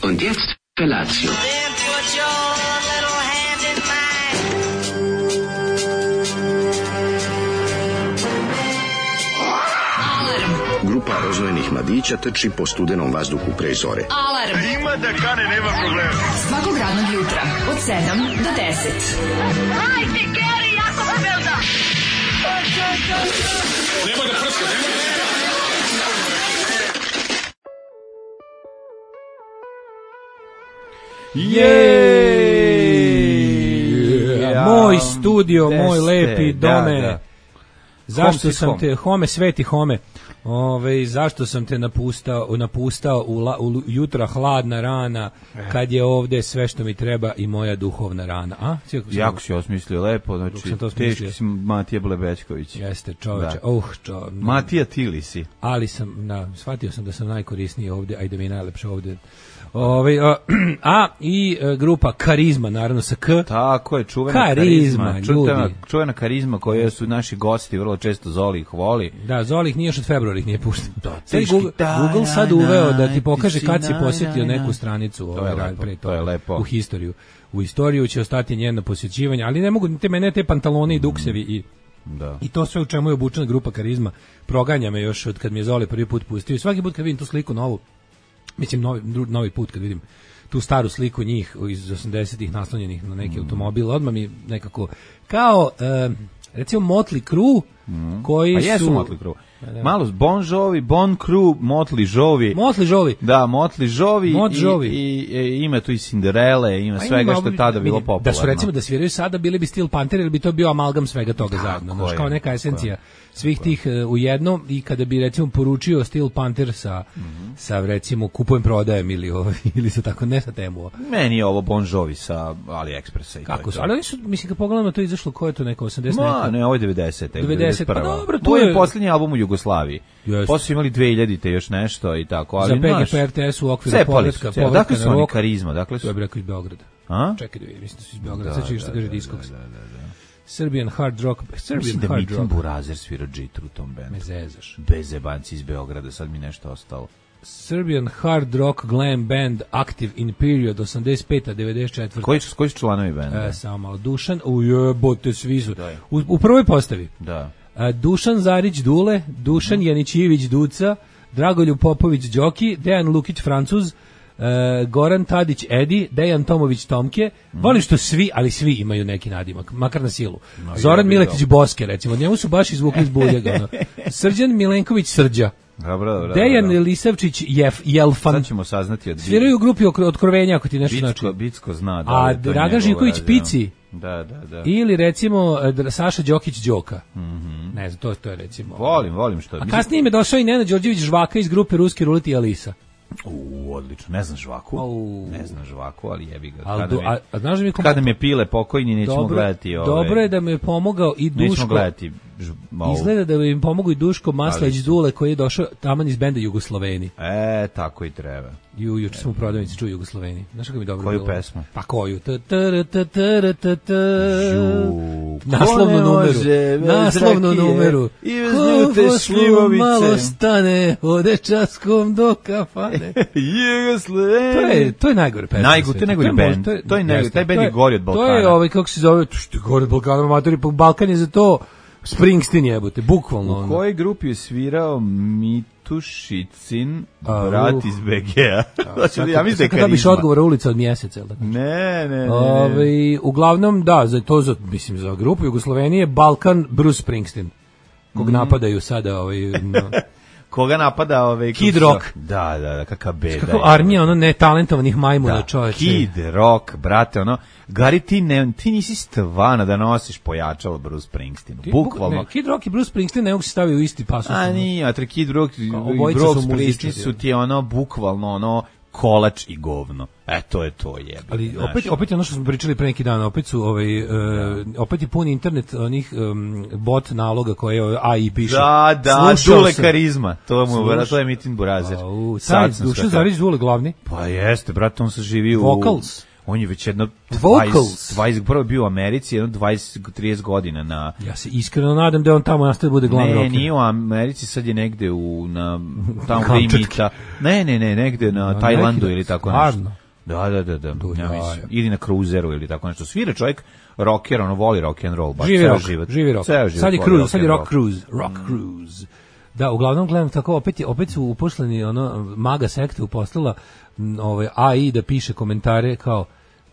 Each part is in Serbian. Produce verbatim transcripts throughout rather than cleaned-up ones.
Und jetzt Felatio. Grupa rozvojenih mladića trči po studenom vazduhu pre zore. Alarm! Ima da kane, nema problema. Svakog radnog jutra, od sedam do deset. Hajde, Geri, jako se velda! Nema da prska, nema da prska! Jej! Moj studio, moj lepi dome. Da, da. Zašto Home sam home. te, home, sveti home, ove, zašto sam te napustao, napustao u, la, u jutra hladna rana, kad je ovde sve što mi treba i moja duhovna rana. A? Cijako sam, Jako si osmislio lepo, znači teški si Matija Blebečković. Jeste, čoveče. Da. Uh, čo, Matija Tili si. ali sam, da, shvatio sam da sam najkorisniji ovde, a i da mi je najlepše ovde. Ove, a, a i e, grupa Karizma, naravno sa K. Tako je, čuvena Karizma, karizma. ljudi. Čuvena, čuvena karizma koju su naši gosti vrlo često Zoli ih voli. Da, Zoli ih nije još od februara ih nije pušten. Sad teški Google, taj, Google sad na, uveo da na, ti pokaže ti kad si na, posjetio na, na. neku stranicu. To ovaj, je lepo, pre to je lepo. U historiju. U istoriju će ostati njeno posjećivanje, ali ne mogu te mene te pantalone i duksevi i Da. I to sve u čemu je obučena grupa Karizma proganja me još od kad mi je Zoli prvi put pustio. I svaki put kad vidim tu sliku novu, mislim novi, novi put kad vidim tu staru sliku njih iz osamdesetih naslonjenih na neki mm. automobil, odmah mi nekako kao e, recimo Motley Crue mm. koji A jesu su Motley Crue. Malo Bon Jovi, Bon Crue, Motley Jovi. Motley Jovi. Da, Motley Jovi Mot i, Jovi. i, i ima tu i Cinderelle, ima A svega ima, što je tada bilo popularno. Da su recimo da sviraju sada bili bi Steel Panther ili bi to bio amalgam svega toga Tako zajedno. Znaš, je, kao neka esencija je. svih tih uh, u jednom i kada bi recimo poručio Steel Panther sa, mm-hmm. sa recimo kupujem prodajem ili, ovaj, ili sa tako, ne sa temu. Meni je ovo Bon Jovi sa AliExpressa. I Kako to su? to. Ali oni su, mislim, kad pogledamo to izašlo, ko je to neko osamdeset? Ma, ne, ovo je devedeset. devedeset, pa dobro, to to je je posljednji album u Jugoslaviji. Jeste. Posle su imali dve hiljadite još nešto i tako, ali Za P G znaš, P R T S u okviru cepali povratka, su se. povratka Dakle na su oni rok. Karizma, dakle To su. je bi rekao iz Beograda. A? Čekaj da vidim, mislim da su iz Beograda, sad ću što kaže Discogs. Serbian hard rock. Serbian Mislim da hard Mitin rock. Burazer svira džitru u tom bendu. Me zezaš. Bez jebanci iz Beograda, sad mi nešto ostalo. Serbian hard rock glam band Active in period osamdeset peta do devedeset četvrte. Koji su, koji su članovi benda? E, samo malo. Dušan, ujebote, svi su. U, u prvoj postavi. Da. E, Dušan Zarić Dule, Dušan mm. Janićijević Duca, Dragoljub Popović Đoki, Dejan Lukić Francuz, e, Goran Tadić Edi, Dejan Tomović Tomke. Mm. Volim što svi, ali svi imaju neki nadimak, makar na silu. No, Zoran Miletić Boske, recimo. Njemu su baš izvukli iz buljega. Ono. Srđan Milenković Srđa. Dobro, dobro, Dejan dobro. Lisavčić Jef, Jelfan. Sad ćemo saznati od... Sviraju u grupi Otkrovenja, ako ti nešto Bicko, znači. Bicko zna. Da, a Dragan Živković Pici. Da, da, da. Ili recimo Saša Đokić Đoka. Mm -hmm. Ne znam, to, to je recimo... Volim, volim što... A kasnije im je došao i Nenad Đorđević Žvaka iz grupe Ruski Ruleti i Alisa. U, odlično. Ne znam Žvaku. U. Ne znam Žvaku, ali jebi ga. Al Kada, do, mi, a, a znaš da mi kom... kada mi je pile pokojni, nećemo dobro, gledati ove... Dobro je da mi je pomogao i Duško. Nećemo gledati... Ž, izgleda da bi im pomogao i Duško Maslać Dule koji je došao taman iz benda Jugosloveni. E, tako i treba. Ju, juče smo u prodavnici čuo Jugosloveni. Znaš kako mi dobro koju bilo? Koju pesmu? Pa koju? Naslovnu numeru. Naslovnu numeru. I vezljute šljivovice. Malo stane, ode časkom do kafane. Jugosloveni. To je, to je najgore pesma. Najgore, to je najgori band. To je, to je najgore, taj band je gori od Balkana. To je ovaj, kako se zove, što je gori od Balkana, matori, Balkan je za to Springsteen jebote, bukvalno. U kojoj grupi je svirao Mitušicin, brat iz B G-a? Ja mislim da je Karizma. Kada biš odgovora ulica od mjeseca, tako? Ne, ne, ne. Ove, uglavnom, da, za to, za, mislim, za grupu Jugoslovenije, Balkan, Bruce Springsteen, kog mm. napadaju sada, ovaj, no. Koga napada ovaj Kid Rock. Da, da, da, kakav beda. Kako armija ono netalentovanih majmuna, da, čoveče. Kid Rock, brate, ono, Gari, ti, ne, ti nisi stvarno da nosiš pojačalo Bruce Springsteenu, bukvalno. Ne, Kid Rock i Bruce Springsteen ne mogu se staviti u isti pasus. A nije, a Kid Rock i Bruce Springsteen su ti ono, bukvalno ono, kolač i govno. E, to je to jebe. Ali opet, opet je ono što smo pričali pre neki dan, opet su ovaj, uh, opet je pun internet onih um, bot naloga koje A I piše. Da, da, Dule Karizma. To mu Sluš... to je Mitin Burazer. Sad Dušan Zarić Dule glavni. Pa jeste, brate, on se živi u... Vocals. On je već jedno Vocals. dvadeset, prvo bio u Americi, jedno dvadeset do trideset godina na... Ja se iskreno nadam da on tamo nastaje bude glavni rocker. Ne, nije u Americi, sad je negde u... Na, tamo gde imita. Ne, ne, ne, negde na, na Tajlandu ili tako nešto. Da, da, da, da. Ja mislim, ili na kruzeru ili tako nešto. Svira čovjek rocker, ono voli rock and roll, baš živi ceo rock, život. Živi rock. Ceo život sad je cruise, rock sad je rock roll. cruise, rock mm. cruise. Da, uglavnom gledam tako, opet je, opet su uposleni ono maga sekte uposlala ovaj A I da piše komentare kao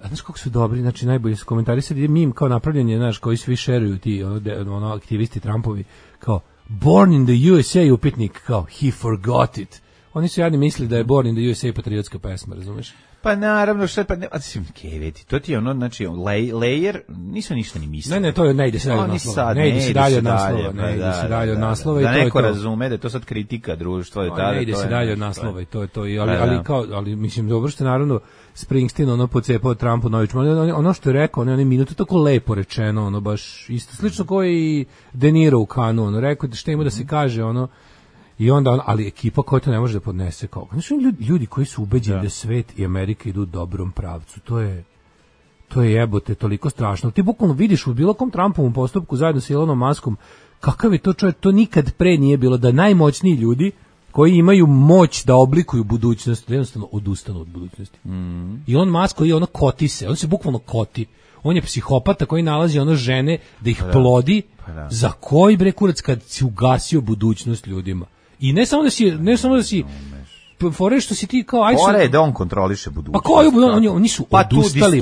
a znaš kako su dobri, znači najbolji su komentari, sad ide meme kao napravljanje, znaš, koji svi šeruju ti ono, de, ono aktivisti Trumpovi, kao born in the U S A upitnik, kao he forgot it. Oni su jadni mislili da je Born in the U S A patriotska pesma, razumeš? Pa naravno, što je, pa ne, a ti keveti, to ti je ono, znači, lay, layer, nisu ništa ni mislili. Ne, ne, to je, ne ide se dalje od naslova. Ne ide se dalje od naslova, ne ide se dalje od naslova. Da neko razume da je to sad kritika društva. Ne ide se dalje od naslova i to je to. Ali kao, ali mislim, dobro što naravno Springsteen ono pocepao Trumpu nović. Ono što je rekao, ono je minuto tako lepo rečeno, ono baš isto, slično kao i De Niro u Kanu, ono rekao šta ima da se kaže, ono. I onda, ali ekipa koja to ne može da podnese kao. Znači ljudi, ljudi koji su ubeđeni da. da svet i Amerika idu u dobrom pravcu. To je to je jebote toliko strašno. Ti bukvalno vidiš u bilo kom Trumpovom postupku zajedno sa Elonom Muskom kakav je to čovjek, to nikad pre nije bilo da najmoćniji ljudi koji imaju moć da oblikuju budućnost, jednostavno odustanu od budućnosti. Mm. I on Musk koji ono koti se, on se bukvalno koti. On je psihopata koji nalazi ono žene da ih pa plodi. Pa da. Za koji bre kurac kad si ugasio budućnost ljudima. I ne samo da si, ne samo da si, fore što si ti kao ajde. Fore je da on kontroliše budućnost. Pa koju oni, oni su pa odustali,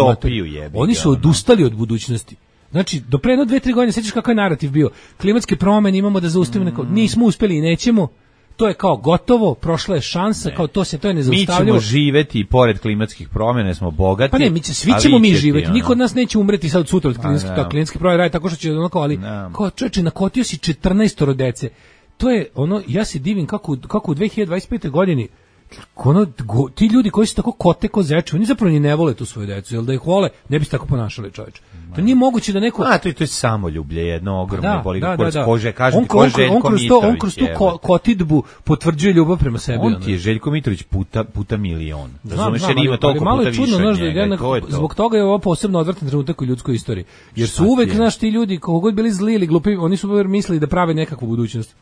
jebi, oni su odustali od budućnosti. Znači, do pre jedno dve, tri godine, sećaš kakav je narativ bio. Klimatske promjene imamo da zaustavimo, neko, nismo uspeli i nećemo. To je kao gotovo, prošla je šansa, ne. Kao to se to je nezaustavljivo. Mi ćemo živeti i pored klimatskih promjena, smo bogati. Pa ne, mi će, svi ćemo mi živeti. Niko od nas neće umreti sad od sutra od klimatskih, no. klimatske promjene radi tako što će onako, ali no. Kao čoveče, nakotio si četrnaestoro dece. To je ono, ja se divim kako kako u dve hiljade dvadeset pete godini Ono, go, ti ljudi koji su tako kote ko zeče, oni zapravo ni ne vole tu svoju decu, jer da ih vole, ne bi se tako ponašali, čoveče. To nije moguće da neko... A, to je, to je samoljublje, jedno ogromno, da, boli da, da, da, da. Kože, kažem on, ti, ko je Željko on, kroz to, Mitrović. On kroz tu ko, kotidbu potvrđuje ljubav prema sebi. On ono. ti je Željko Mitrović puta, puta milion. Razumeš, znam, jer ima ali, toliko ali puta više više čudno, od znaš, njega. da, To je to. Zbog toga je ovo posebno odvratan trenutak u ljudskoj istoriji. Jer Šta su uvek, je? znaš, ti ljudi, koliko god bili zli ili glupi, oni su mislili da prave nekakvu budućnost.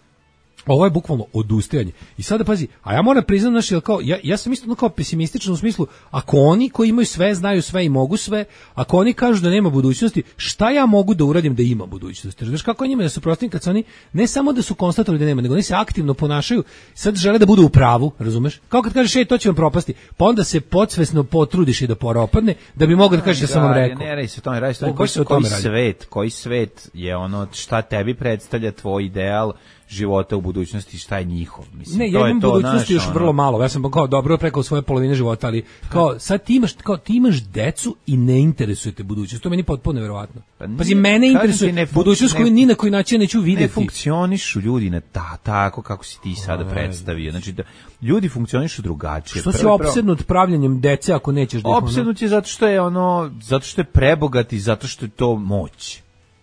Ovo je bukvalno odustajanje. I sada pazi, a ja moram priznati, znaš, jel kao, ja, ja sam isto kao pesimističan u smislu, ako oni koji imaju sve, znaju sve i mogu sve, ako oni kažu da nema budućnosti, šta ja mogu da uradim da ima budućnosti? Znaš kako je njima da su protivni kad su oni, ne samo da su konstatovali da nema, nego oni se aktivno ponašaju, sad žele da budu u pravu, razumeš? Kao kad kažeš, ej, to će vam propasti, pa onda se podsvesno potrudiš i da poropadne, da bi mogao da kažeš da sam vam rekao. Ne, radi se o tome, radi se o tome, O, koji, baš se o koji tome radi. svet, koji svet je ono, šta tebi predstavlja tvoj ideal života u budućnosti, šta je njihov. Mislim, Ne, to ja je imam to, budućnosti znaš, još ono, vrlo malo. Ja sam kao dobro preko svoje polovine života, ali kao sad ti imaš, kao ti imaš decu i ne interesuje te budućnost. To je meni potpuno neverovatno. Pa nije, Pazi, mene kažem interesuje ti, ne fun- budućnost koju ne- ni na koji način neću ne videti. funkcionišu ljudi na ta, tako kako si ti sada predstavio. Znači, da, ljudi funkcionišu drugačije. Što si Prvo- prvo- opsednut pravljenjem dece ako nećeš da ih ono- Opsednut je zato što je ono, zato što je prebogat i zato što je to moć.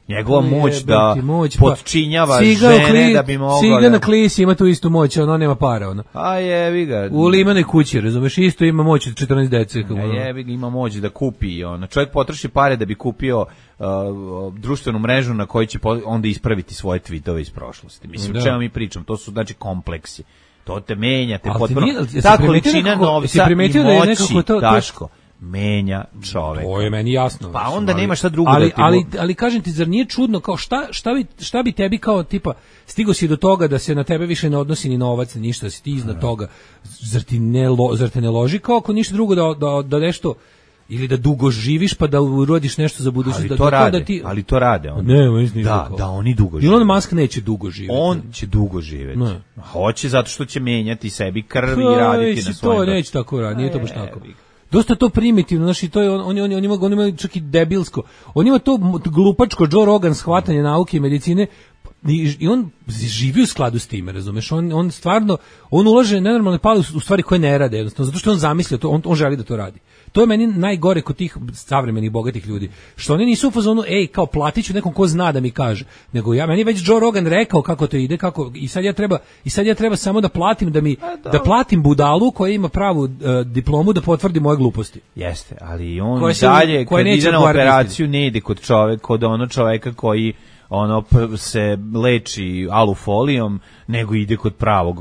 Njegova moć Jebem da ti moć, pa potčinjava Siga u žene kli- da bi mogao Siga da... na klisi ima tu istu moć, ono nema para, ono. A jebi ga. U limanoj kući, razumeš, isto ima moć od četrnaest dece. kao A ono. jebi ga, ima moć da kupi. Ono. Čovjek potroši pare da bi kupio uh, društvenu mrežu na kojoj će po- onda ispraviti svoje tweetove iz prošlosti. Mislim, Da. o čemu mi pričam? To su, znači, kompleksi. To te menja, te Ali ti potpuno... nije- jesi Ta primetio količina nekako- novca jesi i primetio da je moći, nekako to- to- Daško, menja čoveka. To je meni jasno. Pa mislim, onda ali- nema šta drugo ali, da ti ali, mo- ali kažem ti, zar nije čudno, kao šta, šta, bi, šta bi tebi kao tipa, stigo si do toga da se na tebe više ne odnosi ni novac, ni ništa, da si ti iznad toga, zar, ti ne, lo, zar te ne loži kao ako ništa drugo da, da, da nešto, ili da dugo živiš pa da urodiš nešto za budućnost. Ali da, to da, rade, da ti, ali to rade. On. Ne, oni nisu da, tako. da, oni dugo žive. Elon Musk neće dugo živjeti. On će dugo živjeti. Ne. Hoće zato što će menjati sebi krv i Pa, raditi mislim, na svojim... to neće tako raditi, nije to baš E, tako. jebi ga. Dosta to primitivno, znači to je on on on on ima on ima čak i debilsko. On ima to m- glupačko Joe Rogan shvatanje nauke i medicine i, i on živi u skladu s time, razumeš? On on stvarno on ulaže nenormalne pare u u stvari koje ne rade, jednostavno zato što on zamislio to, on on želi da to radi. To je meni najgore kod tih savremenih bogatih ljudi. Što oni nisu u fazonu, ej, kao platiću nekom ko zna da mi kaže, nego ja meni već Joe Rogan rekao kako to ide, kako i sad ja treba i sad ja treba samo da platim da mi da platim budalu koja ima pravu uh, diplomu da potvrdi moje gluposti. Jeste, ali on Koje se- dalje, koje kad neće ide na odgovarati operaciju, ne ide kod čoveka, kod ono čoveka koji ono p- se leči alufolijom, nego ide kod pravog,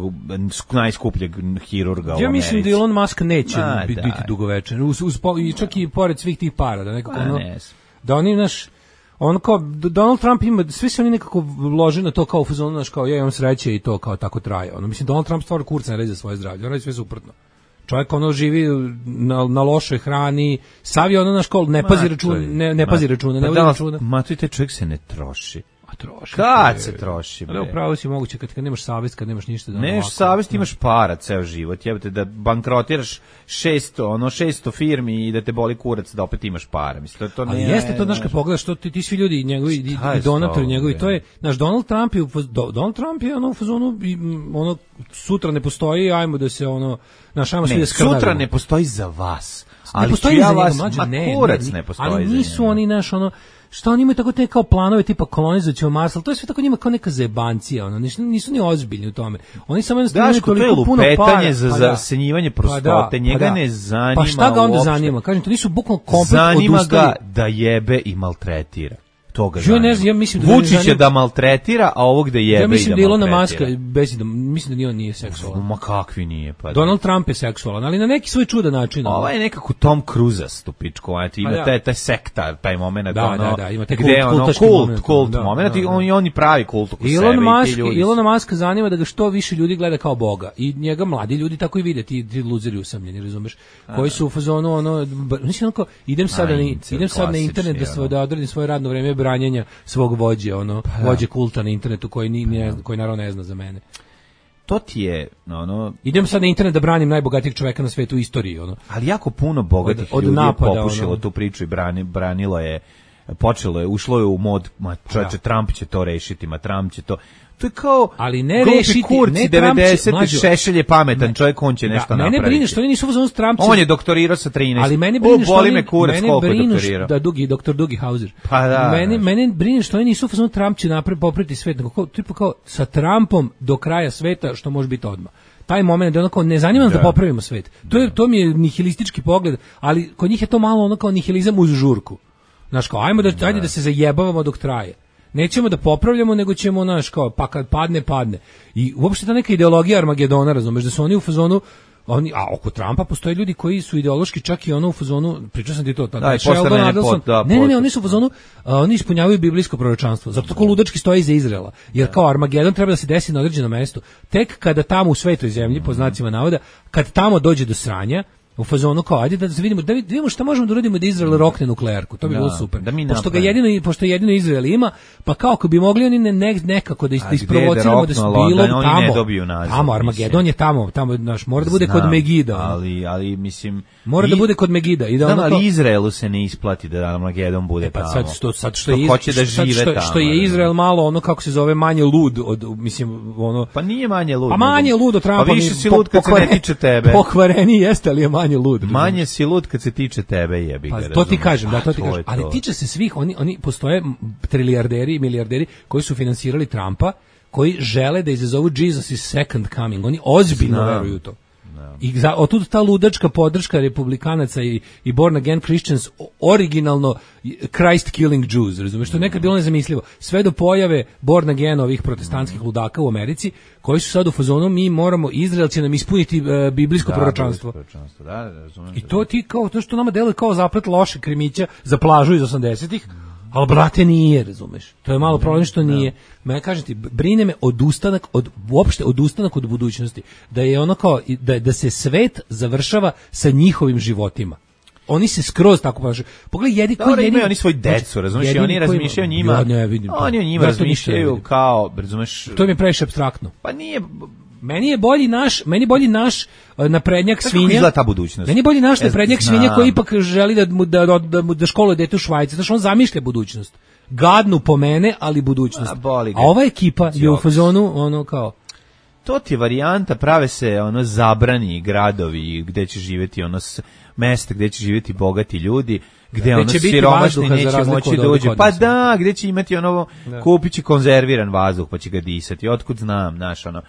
najskupljeg hirurga u Ja mislim da Americi. Elon Musk neće A, biti, daj. biti dugovečan, uz, uz, po- i čak i pored svih tih para, da nekako A, ono, ne znam. da oni naš on kao D- Donald Trump ima, svi se oni nekako lože na to kao u fazonu, znaš, kao ja imam sreće i to kao tako traje. Ono, mislim, Donald Trump stvar kurca ne radi za svoje zdravlje, on radi sve suprotno. Čovjek ono živi na, na lošoj hrani, sav je ono na školu, ne pazi Ma, računa, to je- ne, ne ma, pazi računa, ne pa vodi da, računa. Ma to i taj čovjek se ne troši. A troši. Kad bre. se troši, bre? Ali upravo si moguće kad, kad nemaš savjest, kad nemaš ništa. Da Neš ovako- savjest, imaš para ceo život, jebote da bankrotiraš šesto, ono šesto firmi i da te boli kurac da opet imaš para. Mislim to, to Ali ne. jeste to, znaš, kad pogledaš, to ti, ti svi ljudi, njegovi i, Šta je i donatori s tobom, njegovi, bre? to je, znaš, Donald Trump je, u faz- Do- Donald Trump je ono u fazonu, i, m, ono, sutra ne postoji, ajmo da se ono, znaš, ajmo svi Ne, da skrnavimo. sutra ne postoji za vas. Ne Ali postoji ću ja za njega, vas, mlađe, ma ne, kurac ne, ne postoji ali za nisu njega. oni, naš, ono, šta oni imaju tako te kao planove tipa kolonizaćemo Mars, ali to je sve tako njima kao neka zajebancija, ono, nisu, nisu ni ozbiljni u tome. Oni samo jednostavno imaju Daško, to je toliko puno para. lupetanje za Pa da. zasenjivanje Pa da, prostote, pa njega da. ne zanima Pa šta ga onda uopšte. zanima? Kažem, to nisu bukvalno komplet Zanima odustali. ga da jebe i maltretira. To ga Ja zanima. ne znam, ja mislim da ga ne Vučić je zanima- da maltretira, a ovog da jebe Ja mislim i da da Ilona Muska, maltretira. bez da, mislim da ni on nije seksualan. Ma kakvi nije, pa da. Donald Trump je seksualan, ali na neki svoj čudan način. ono. Ovaj je nekako Tom Cruise stupičko, eto, ima Pa da. taj, taj sektar, taj moment, Da, ono, da, da, ima taj gde kult- ono, kultaški kult, moment, kult da, moment, da, i da. on, i oni pravi kult oko Elon sebe Musk, i ti ljudi. su- Elon Musk zanima da ga što više ljudi gleda kao boga i njega mladi ljudi tako i vide, ti, ti luzeri usamljeni, razumeš, koji su u fazonu ono, b- mislim onako, idem sad, A, na, incel, idem sad na internet da, klasični, svo, da odradim svoje radno vreme branjenja svog vođe, ono, vođe kulta na internetu koji, ni, ne, zna- koji naravno ne zna za mene. To ti je, ono, Idem sad na internet da branim najbogatijeg čoveka na svetu u istoriji, ono. ali jako puno bogatih Od- od ljudi je napada, popušilo ono. tu priču i brani, branilo je počelo je, ušlo je u mod, ma čoveče, Trump će to rešiti, ma Trump će to. To je kao, ali ne rešiti, kurci, ne devedeset Šešelj je pametan, čovjek, on će da, nešto mene napraviti. Mene brine što oni nisu u fazonu s Trumpom. On je doktorirao sa trinaest. Ali mene brine što oni, me kurac, mene brine da Dugi, doktor Dugi Hauser. Pa da. Mene, mene brine što oni nisu u fazonu Trump će napraviti, popraviti svet, nego kao, tipa kao sa Trumpom do kraja sveta, što može biti odmah. Taj moment da onako ne zanima nas da. da popravimo svet. To je to mi je nihilistički pogled, ali kod njih je to malo onako nihilizam uz žurku. Znaš kao, ajmo da, ajde da se zajebavamo dok traje. Nećemo da popravljamo, nego ćemo, znaš, kao, pa kad padne, padne. I uopšte ta neka ideologija Armagedona, razumeš, da su oni u fazonu, oni, a oko Trumpa postoje ljudi koji su ideološki čak i ono u fazonu, pričao sam ti to, tada, Sheldon Adelson, da, ne, ne, ne, oni su u fazonu, a, oni ispunjavaju biblijsko proročanstvo, zato tako ludački stoji iza Izraela, jer kao Armagedon treba da se desi na određenom mestu, tek kada tamo u svetoj zemlji, po znacima navoda, kad tamo dođe do sranja, u fazonu kao, ajde da vidimo, da vidimo šta možemo da uradimo da Izrael rokne nuklearku, to bi da, bilo super. Da pošto ga jedino, pošto jedino Izrael ima, pa kao ako bi mogli oni ne, ne, nekako da, da isprovociramo da su bilo da tamo, ne dobiju naziv, tamo, Armagedon je tamo, tamo, znaš, mora da bude Znam, kod Megida. Ali, ali, mislim... Mora i, da bude kod Megida. I da znam, ono ali Izraelu se ne isplati da Armagedon bude e, pa tamo. Sad što, sad što, je, hoće da žive što, tamo. Što je Izrael malo, ono kako se zove, manje lud, od, mislim, ono... Pa nije manje lud. Pa manje lud od Trumpa. Pa više si lud kad se ne tiče tebe. Pokvareni jeste, ali je manje lud. Manje si lud kad se tiče tebe, jebi ga. Pa to ti kažem, da, to ti kažem. Ali tiče se svih, oni, oni postoje trilijarderi i milijarderi koji su finansirali Trumpa, koji žele da izazovu Jesus is second coming. Oni ozbiljno veruju u to. I za, otud ta ludačka podrška republikanaca i, i born again Christians, originalno Christ killing Jews, razumiješ, što je nekad bilo nezamislivo. Sve do pojave born again ovih protestantskih ludaka u Americi, koji su sad u fazonu, mi moramo, Izrael će nam ispuniti uh, biblijsko da, proročanstvo. Da, da, razumem, I to ti kao, to što nama deluje kao zaplet loše krimića za plažu iz osamdesetih, ali brate nije, razumeš. To je malo problem što nije. Me kažem ti, brine me odustanak od uopšte odustanak od budućnosti. Da je ono kao da da se svet završava sa njihovim životima. Oni se skroz tako ponašaju. Pogledaj, jedi koji imaju oni svoj decu, razumeš, i oni razmišljaju o njima. Ja ne vidim. Oni o njima razmišljaju kao, razumeš. To mi je previše apstraktno. Pa nije. Meni je bolji naš, meni je bolji naš naprednjak svinja. Kako izgleda ta budućnost? Meni je bolji naš naprednjak svinja koji ipak želi da mu da da, da školuje dete u Švajci, znači on zamišlja budućnost. Gadnu po mene, ali budućnost. A, A ova ekipa je u fazonu ono kao to ti je varijanta, prave se ono zabrani gradovi gde će živjeti ono mesta gde će živjeti bogati ljudi, gde ono siromašni neće moći da uđe. Pa da, gde će imati ono kupići konzerviran vazduh pa će ga disati. Otkud znam, znaš ono.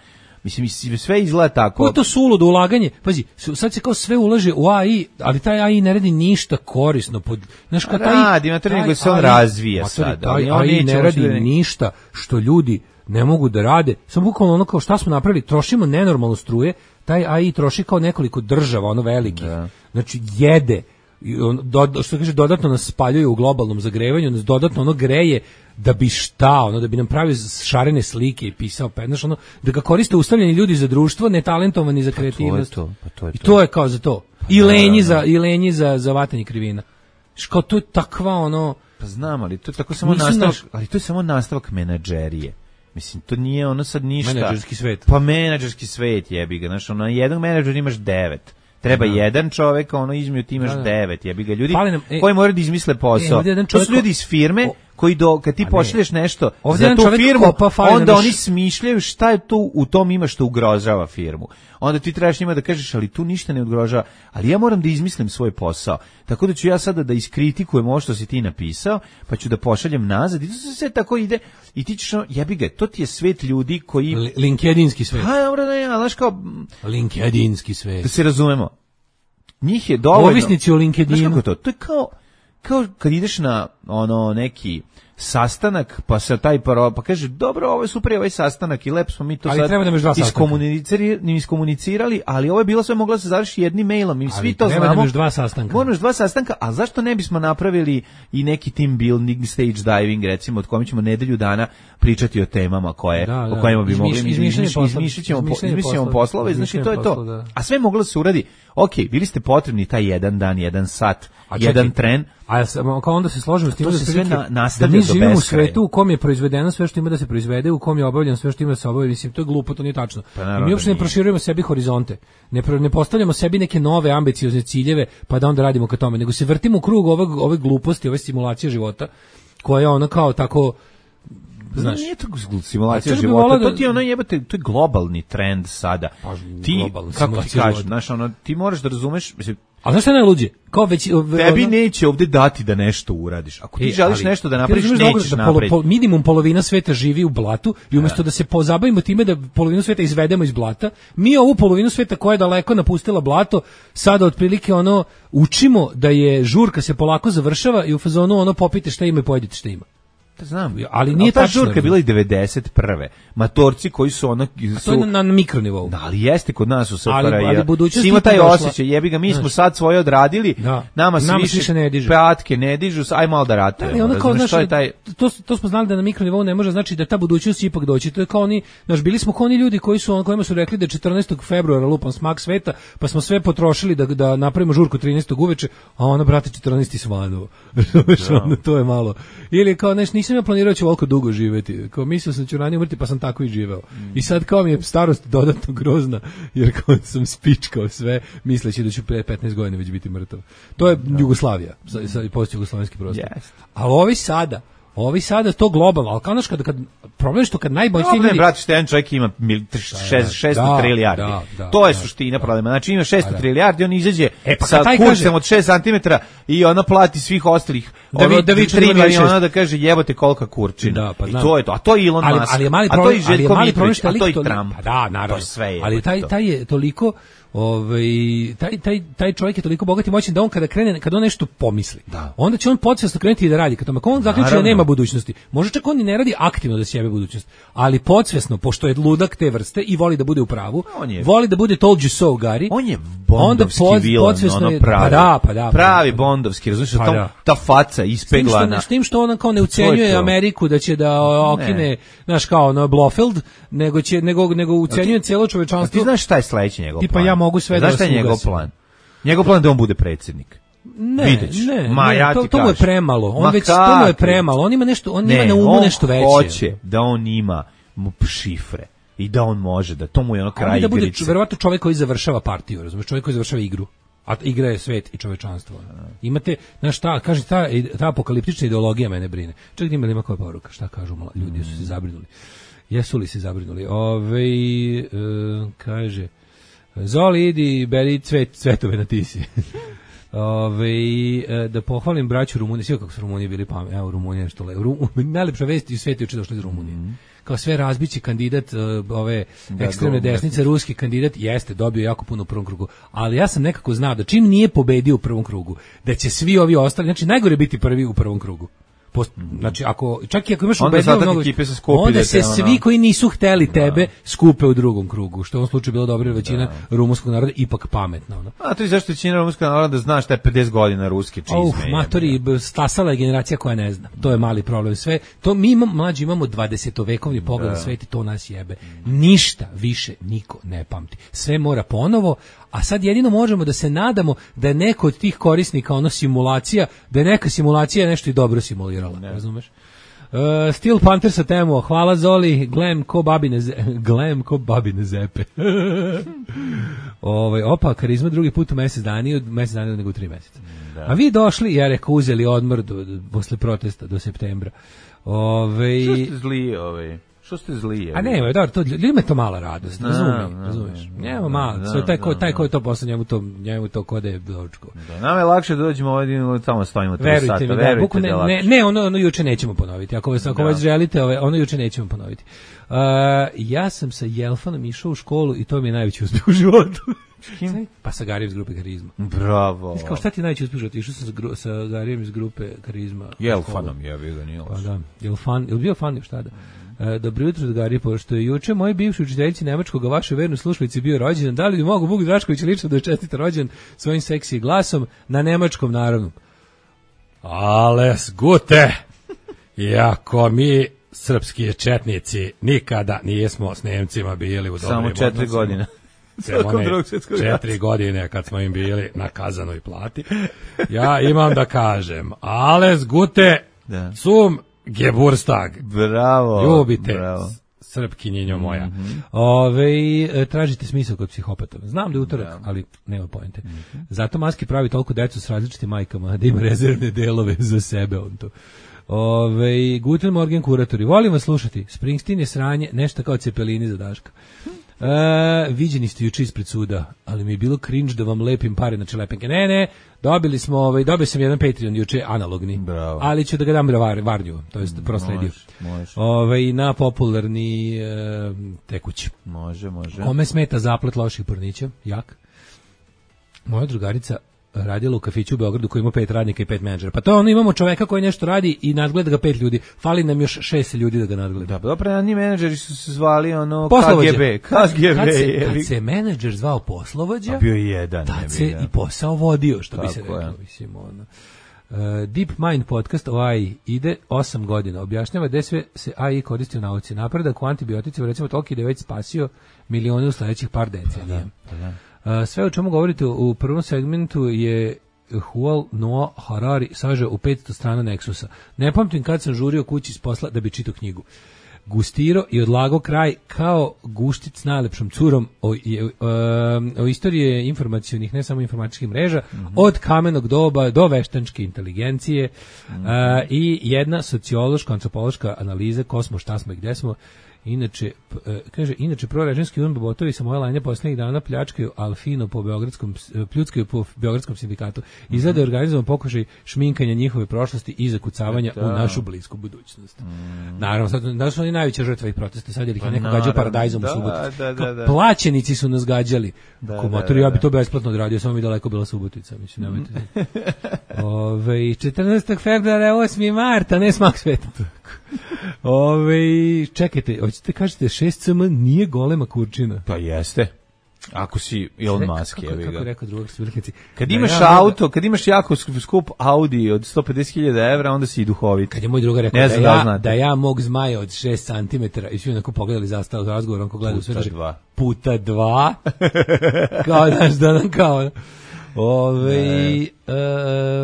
Mislim, sve izgleda tako. Ko je to suludo ulaganje? Pazi, sad se kao sve ulaže u A I, ali taj A I ne radi ništa korisno. Pod, znaš, kao taj, radi, ima taj nego se on razvija sad. Taj A I ne radi ništa što ljudi ne mogu da rade. Samo bukvalno ono kao šta smo napravili, trošimo nenormalno struje, taj A I troši kao nekoliko država, ono velikih. Da. Znači, jede. Do, što kaže, dodatno nas spaljuje u globalnom zagrevanju, nas dodatno ono greje da bi šta, ono, da bi nam pravio šarene slike i pisao, pa znaš, ono, da ga koriste ustavljeni ljudi za društvo, netalentovani za kreativnost. Pa to je to, pa to je to. I to je kao za to. Pa I lenji za, i lenji za, za vatanje krivina. Što to je takva, ono... Pa znam, ali to je tako samo nastavak, naš... ali to je samo nastavak menadžerije. Mislim, to nije ono sad ništa. Menadžerski svet. Pa menadžerski svet, jebi ga, znaš, ono, jedan menadžer imaš devet. Treba da. jedan čovjek, ono između ti imaš da, da. devet, jebi ga ljudi nam, e, koji moraju da izmisle posao. E, to su ljudi iz firme o, koji do, kad ti pošalješ nešto za tu firmu, onda oni smišljaju šta je tu u tom ima što ugrožava firmu. Onda ti trebaš njima da kažeš, ali tu ništa ne ugrožava, ali ja moram da izmislim svoj posao. Tako da ću ja sada da iskritikujem ovo što si ti napisao, pa ću da pošaljem nazad i to se sve tako ide i ti ćeš, jebi ga, to ti je svet ljudi koji... L- LinkedInski svet. Ha, dobro, da ja, znaš kao... LinkedInski svet. Da se razumemo. Njih je dovoljno... Ovisnici o LinkedInu. Znaš kako je to? To je kao, kao kad ideš na ono neki sastanak, pa se taj paro, pa kaže, dobro, ovo je super ovaj sastanak i lep smo mi to ali sad iskomunicirali, iskomunicirali, ali ovo je bilo sve moglo se završiti jednim mailom, mi svi to znamo. Treba dva sastanka. Moraš dva sastanka, a zašto ne bismo napravili i neki team building, stage diving, recimo, od kojim ćemo nedelju dana pričati o temama koje, da, da. o kojima bi mogli izmišljamo poslove, znači to je to. Da. A sve moglo se uradi, ok, bili ste potrebni taj jedan dan, jedan sat, a jedan čekaj, tren, a ja sam, kao onda se složimo s tim da se sve na, nastavlja do živimo u beskraja. svetu u kom je proizvedeno sve što ima da se proizvede, u kom je obavljeno sve što ima da se obavlja, mislim, to je glupo, to nije tačno. Pa I mi uopšte ne proširujemo sebi horizonte, ne, pro, ne postavljamo sebi neke nove ambiciozne ciljeve, pa da onda radimo ka tome, nego se vrtimo u krug ove, ove gluposti, ove simulacije života, koja je ona kao tako, znaš, nije to simulacija života, to ti je ono jebate, to je globalni trend sada. Pa, ti, kako ti kažeš, znaš, ono, ti moraš da razumeš, mislim, a znaš šta je najluđe? Kao već, tebi ono, neće ovde dati da nešto uradiš. Ako ti e, želiš ali, nešto da napraviš, nećeš da napraviti. Polo, pol, minimum polovina sveta živi u blatu i umjesto da. da se pozabavimo time da polovinu sveta izvedemo iz blata, mi ovu polovinu sveta koja je daleko napustila blato, sada otprilike ono učimo da je žurka se polako završava i u fazonu ono popite šta ima i pojedite šta ima. Znam, ali nije ta žurka je bila i devedeset prve. Matorci koji su ono su to je na, na mikronivou. Da, ali jeste kod nas u S F R J. Ali, ali budućnost ima taj osjećaj, jebi ga, mi smo znaš, sad svoje odradili. Da. Nama se više, više ne dižu. Patke ne dižu, aj malo da ratujemo. Da, kao, znaš, taj... to, to smo znali da na mikronivou ne može, znači da ta budućnost ipak doći. To je kao oni, znaš, bili smo kao oni ljudi koji su on kojima su rekli da četrnaestog februara lupan smak sveta, pa smo sve potrošili da da napravimo žurku trinaestog uveče, a ona brate četrnaesti svanuo. To je malo. Ili kao nešto nisam ja planirao ću ovoliko dugo živeti. Kao mislio sam da ću ranije umrti, pa sam tako i živeo. Mm. I sad kao mi je starost dodatno grozna, jer kao sam spičkao sve, misleći da ću pre petnaest godina već biti mrtav. To je no. Jugoslavija, sad i post jugoslovenski prostor. Yes. Ali ovi sada, ovi sada to globalno, ali kao naš kad, kad problem što kad najboljši ljudi... Ne, brate, što jedan čovjek ima šesto trilijardi. Da, da, to je da, suština da, problema. Znači ima šesto trilijardi, on izađe e, pa sa kursem od šest centimetara i ona plati svih ostalih da vi, da vi tri miliona da kaže jebote kolika kurčina. Da, pa, I to je to. A to je Elon ali, Musk. Ali je mali problem, a to je Željko Mitrović, a to je Trump. Pa da, naravno. To sve je. Ali taj, taj je toliko... Ovaj taj taj taj čovjek je toliko bogat i moćan da on kada krene kad on nešto pomisli, da. Onda će on podsvesno krenuti da radi. Kad tome on zaključi da nema budućnosti. Može čak on i ne radi aktivno da sebe budućnost, ali podsvesno pošto je ludak te vrste i voli da bude u pravu, je, voli da bude told you so Gari. On je bondovski pod, vilan, ono pravi. Pa da, pa da. Pravi bondovski, razumiješ, pa da. Ta faca ispeglana. S tim što on kao ne ucenjuje Ameriku da će da okine, znaš kao ono Blofeld, nego će nego nego ucenjuje celo čovečanstvo. Ti znaš šta je sledeći njegov plan? Mogu sve znaš da je njegov plan? Njegov plan da on bude predsjednik. Ne, Videć. ne, Ma, ne ja to, ti to mu je premalo. On Ma već to mu je premalo. On ima nešto, on ne, ima na umu on nešto veće. Hoće da on ima šifre i da on može da to mu je ono kraj igrice. Da bude verovatno čovjek koji završava partiju, razumiješ, čovjek koji završava igru. A igra je svet i čovečanstvo. Imate, znaš šta, kaže ta, ta apokaliptična ideologija mene brine. Čak da ima li ima koja poruka, šta kažu ljudi, mm. su se zabrinuli. Jesu li se zabrinuli? Ove, e, kaže Zoli, idi, beri cvet, cvetove na tisi. Ove, da pohvalim braću Rumunije, sve kako su Rumunije bili pametni, evo Rumunije nešto le. Ru, najlepša vest u svetu je što došli iz Rumunije. Mm. Kao sve razbići kandidat uh, ove da, ekstremne go, desnice, ruski kandidat, jeste, dobio jako puno u prvom krugu. Ali ja sam nekako znao da čim nije pobedio u prvom krugu, da će svi ovi ostali, znači najgore biti prvi u prvom krugu. Post, znači ako čak i ako imaš ubedljivo mnogo, se skupi, onda se ono... svi koji nisu hteli tebe da. Skupe u drugom krugu, što u ovom slučaju bilo dobro, većina da. Rumunskog naroda ipak pametna, ono. A to je zašto većina rumunskog naroda znaš da je pedeset godina ruski čizme. Uf, matori, stasala je generacija koja ne zna. To je mali problem. Sve to mi imamo, mlađi imamo dvadesetovekovni pogled na svet i to nas jebe. Ništa više niko ne pamti. Sve mora ponovo. A sad jedino možemo da se nadamo da je neko od tih korisnika ono simulacija, da je neka simulacija nešto i dobro simulirala, ne. Razumeš? Uh, Steel Panther sa temo, hvala Zoli, glem ko babine, glem ko babine zepe. Ovaj opa, karizma drugi put u mesec dana, od mesec dana nego u tri meseca. Da. A vi došli, ja rekao, uzeli odmor do, do, posle protesta do septembra. Ove, što ste zli, ovaj? Što ste zli? Je, a ne, dobro, to ljudima je to mala radost, razumiješ, razumiješ. Njemu malo, da, taj ko taj ko je to posle njemu to njemu to kode dočko. Da, nam je lakše da dođemo ovdje tamo stojimo tri sata, mi, verujte mi, da, ne, ne, ono, ono juče nećemo ponoviti. Ako vas ako već želite, ove, ono juče nećemo ponoviti. Uh, ja sam sa Jelfanom išao u školu i to mi je najveći uspjeh u životu. Kim? Pa sa Garijem iz grupe Karizma. Bravo. Kao šta ti najveći uspjeh? Išao sam sa, gru, sa Garijem iz grupe Karizma. Jelfanom je bio ga nije. Pa da, Jelfan, je li bio fan šta da? E, dobro jutro, Gari, pošto je juče moj bivši učiteljici nemačkog, a vašoj vernoj slušalici bio rođendan. Da li bi mogu Vuk Drašković lično da je čestita rođen svojim seksi glasom na nemačkom naravno? Alles gute! Iako mi srpski četnici nikada nijesmo s Nemcima bili u dobrim samo četiri odnosima. Godine. Četiri godine kad smo im bili na kazanoj plati. Ja imam da kažem, alles gute da. Zum Geburtstag. Bravo. Ljubite. Bravo. Srpkinjenjo moja. Mm-hmm. Ove, tražite smisao kod psihopata. Znam da je utorak, da. Ali nema poente. Mm-hmm. Zato Maski pravi toliko decu s različitim majkama, da ima rezervne delove za sebe on to. Ove, Guten Morgen kuratori. Volim vas slušati. Springsteen je sranje, nešto kao Cepelini za Daška. E, viđeni ste juče ispred suda, ali mi je bilo cringe da vam lepim pare na čelepenke. Ne, ne, dobili smo, ovaj, dobio sam jedan Patreon juče, analogni. Bravo. Ali ću da ga dam var, varnju, to jest prosledio. Ovaj, na popularni e, tekući. Može, može. Kome smeta zaplet loših pornića? Jak. Moja drugarica radila u kafiću u Beogradu koji ima pet radnika i pet menadžera. Pa to ono, imamo čoveka koji nešto radi i nadgleda ga pet ljudi. Fali nam još šest ljudi da ga nadgleda. Da, dobro, radni menadžeri su se zvali ono K G B. K G B. Kad se, kad se menadžer zvao poslovođa, a bio je jedan. Tad se i posao vodio, što tako bi se reklo. Mislim, ono. Uh, Deep Mind podcast o A I ide osam godina. Objašnjava gde sve se A I koristi u nauci. Napredak u antibioticima, recimo toliki da je već spasio milione u sledećih par decenija. Da, da. Uh, sve o čemu govorite u prvom segmentu je Yuval Noah Harari sažeo u petsto strana Nexusa. Ne pamtim kad sam žurio kući s posla da bi čitao knjigu. Gustiro i odlago kraj kao guštic s najlepšom curom o, o, o istoriji informacionih, ne samo informatičkih mreža, mm-hmm. od kamenog doba do veštačke inteligencije mm-hmm. a, i jedna sociološka, antropološka analiza ko smo, šta smo i gde smo. Inače, kaže, inače prorežimski unbobotovi sa moje lanje posljednjih dana pljačkaju Alfino po beogradskom, pljuckaju po beogradskom sindikatu. Izgleda je organizovan pokušaj šminkanja njihove prošlosti i zakucavanja da. U našu blisku budućnost. Mm. Naravno, sad, da su oni najveća žrtva ih protesta, sad je ih pa neko gađao paradajzom u Subotici. Da, da, da. Plaćenici su nas gađali. Da, Komotori, da, da, ja bi to besplatno odradio, samo mi daleko bila Subotica. Mislim, nemojte. Ove, četrnaestog februara, osmi marta, ne smak sveta. Ove, čekajte, hoćete kažete šest C M nije golema kurčina? Pa jeste. Ako si Elon Musk, kako, kako, kako rekao drugog svrhnici. Kad da imaš ja, auto, kad imaš jako skup Audi od sto pedeset hiljada evra, onda si i duhovit. Kad je moj druga rekao da, ja, da, da ja mog zmaja od šest centimetara i svi onako pogledali zastav razgovor, onako gledaju sve dva. Puta dva. Kao daš da nam kao... Ove,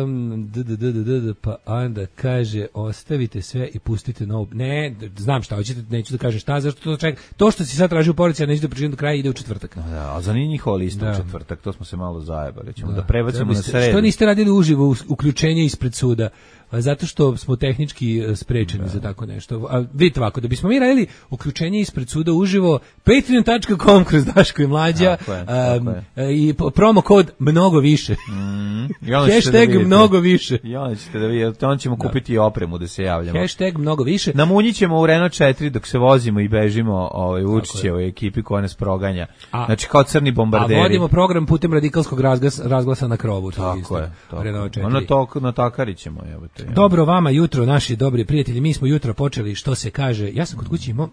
um, d, d, d, d, d, pa onda kaže ostavite sve i pustite novu. Ne, znam šta hoćete, neću da kažem šta, zašto to čeka. To što si sad tražio u poruci, ja neću da pričam do kraja, ide u četvrtak. Da, a za nije njihova lista da. U četvrtak, to smo se malo zajebali, ćemo da, da prebacimo na sredu. Što niste radili uživo uključenje ispred suda? Zato što smo tehnički sprečeni da. Za tako nešto. A vidite ovako, da bismo mi radili uključenje ispred suda uživo, patreon tačka com kroz Daško i Mlađa tako je, tako um, i promo kod mnogo više. Mm, hashtag da mnogo više. I onda ćete da vidite, onda ćemo da. Kupiti i opremu da se javljamo. Hashtag mnogo više. Namunjit ćemo u Renault četiri dok se vozimo i bežimo ovaj, Vučićevoj ekipi koja nas proganja. A, znači kao crni bombarderi. A vodimo program putem radikalskog razglasa, razglasa na krovu. Tako isto, je. Ono to na takarićemo, evo. Dobro vama jutro, naši dobri prijatelji, mi smo jutro počeli, što se kaže, ja sam kod kući imao,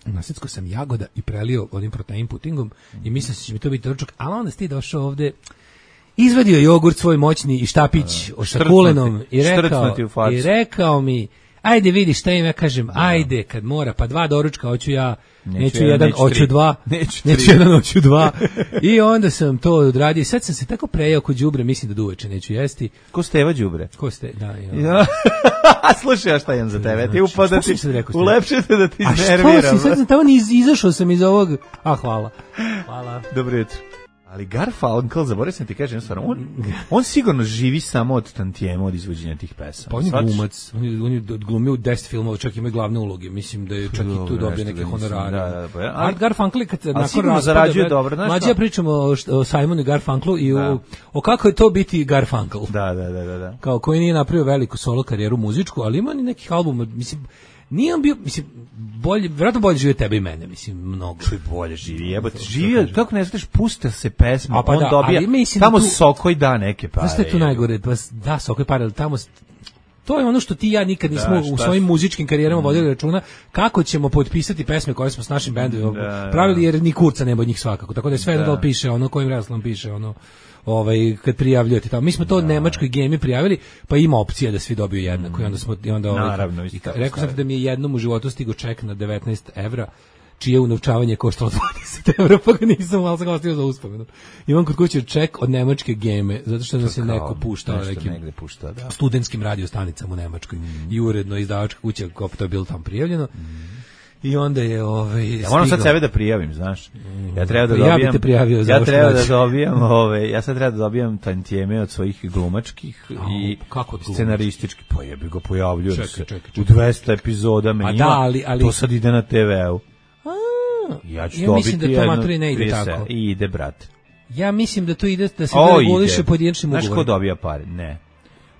nasjecko sam jagoda i prelio onim protein putingom i mislim da će mi to biti ručak, ali onda si ti došao ovde, izvadio jogurt svoj moćni i štapić uh, sa kulenom i rekao, i rekao mi, ajde vidi šta im ja kažem, ajde kad mora, pa dva doručka, hoću ja, neću, neću jedan, neću hoću dva, neću, neću jedan, hoću dva. I onda sam to odradio. Sad sam se tako prejao kod đubre, mislim da duveče neću jesti. Ko Steva đubre? Ko ste, da. Ja. Slušaj, ja šta imam za tebe? Ti upada ti, ulepšete da ti iznerviram. A što si, sad sam tamo iz, izašao sam iz ovog, a hvala. Hvala. Dobro jutro. Ali Garfunkel, zaboravio sam ti kažem, on, on sigurno živi samo od tantijema, od izvođenja tih pesama. Pa on je glumac, on je, on je glumio u deset filmova, čak ima glavne uloge, mislim da je čak i tu dobio neke honorare. Da, da, da, ali Garfunkel, kad nakon raspada, mlađe ja pričamo o, o Simonu i Garfunkelu i o, o kako je to biti Garfunkel. Da, da, da, da, da. Kao koji nije napravio veliku solo karijeru muzičku, ali ima ni nekih albuma, mislim, nije on bio, mislim, bolje, vjerojatno bolje živi tebe i mene, mislim, mnogo. Što je bolje živi, jebote, živio, kako ne znaš, puste se pesma, pa on da, dobija, tamo tu, Sokoj da neke pare. Znaš što je tu najgore, pa da, Sokoj pare, ali tamo, to je ono što ti i ja nikad nismo da, u svojim muzičkim karijerama mm. vodili računa, kako ćemo potpisati pesme koje smo s našim bendom da, pravili, jer ni kurca nema od njih svakako, tako da je sve da, da piše, ono kojim redosledom piše, ono, ovaj kad prijavljujete tamo. Mi smo to da. Nemačkoj gemi prijavili, pa ima opcija da svi dobiju jednako. I onda smo i onda ovaj, naravno, i, rekao sam da mi je jednom u životu stigao ček na devetnaest evra. čije unovčavanje koštalo dvadeset evra, pa ga nisam, ali sam ga ostavio za uspomenu. Imam kod kuće ček od nemačke Geme, zato što nam se neko puštao nekim pušta, da. studentskim radiostanicama u Nemačkoj mm. i uredno izdavačka kuća, kao to je bilo tamo prijavljeno. Mm. I onda je ovaj ja moram sad sebe da prijavim, znaš. Ja treba da dobijam. Ja bih te prijavio za Ja treba da dobijam, ove, ja sad treba da dobijam tantijeme od svojih glumačkih oh, i kako scenaristički. Pa jebi ga pojavljujem čekaj, se. Čekaj, čekaj. U dvesta epizoda me ima. Da, ali, ali... To sad ide na te veu. A, ja ću ja dobiti mislim da to maturi ne ide tako. I ide, brate. Ja mislim da to ide da se to reguliše pojedinačnim ugovorom. Znaš ko dobija pare? Ne.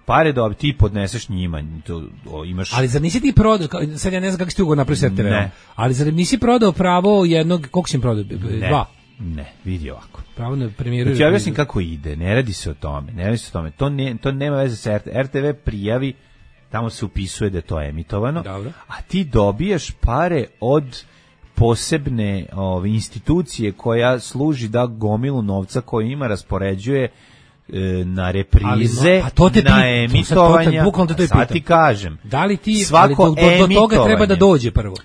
Pare dobi, ti podneseš njima, to, o, imaš... Ali zar nisi ti prodao, sad ja ne znam kako si ti ugovor napravio s er te ve-om, ali zar nisi prodao pravo jednog, koliko si im prodao? Ne, Dva? Ne, vidi ovako. Pravo na premijeru... Znači, ja objasnim kako ide, ne radi se o tome, ne radi se o tome, to, ne, to nema veze sa er te ve, er te ve prijavi, tamo se upisuje da je to emitovano, dobro, a ti dobijaš pare od posebne ove, institucije koja služi da gomilu novca koju ima raspoređuje na reprize, ali, no, to na emitovanja, to to sad ti kažem. Da li ti, svako ali do, do, do toga treba da dođe prvo?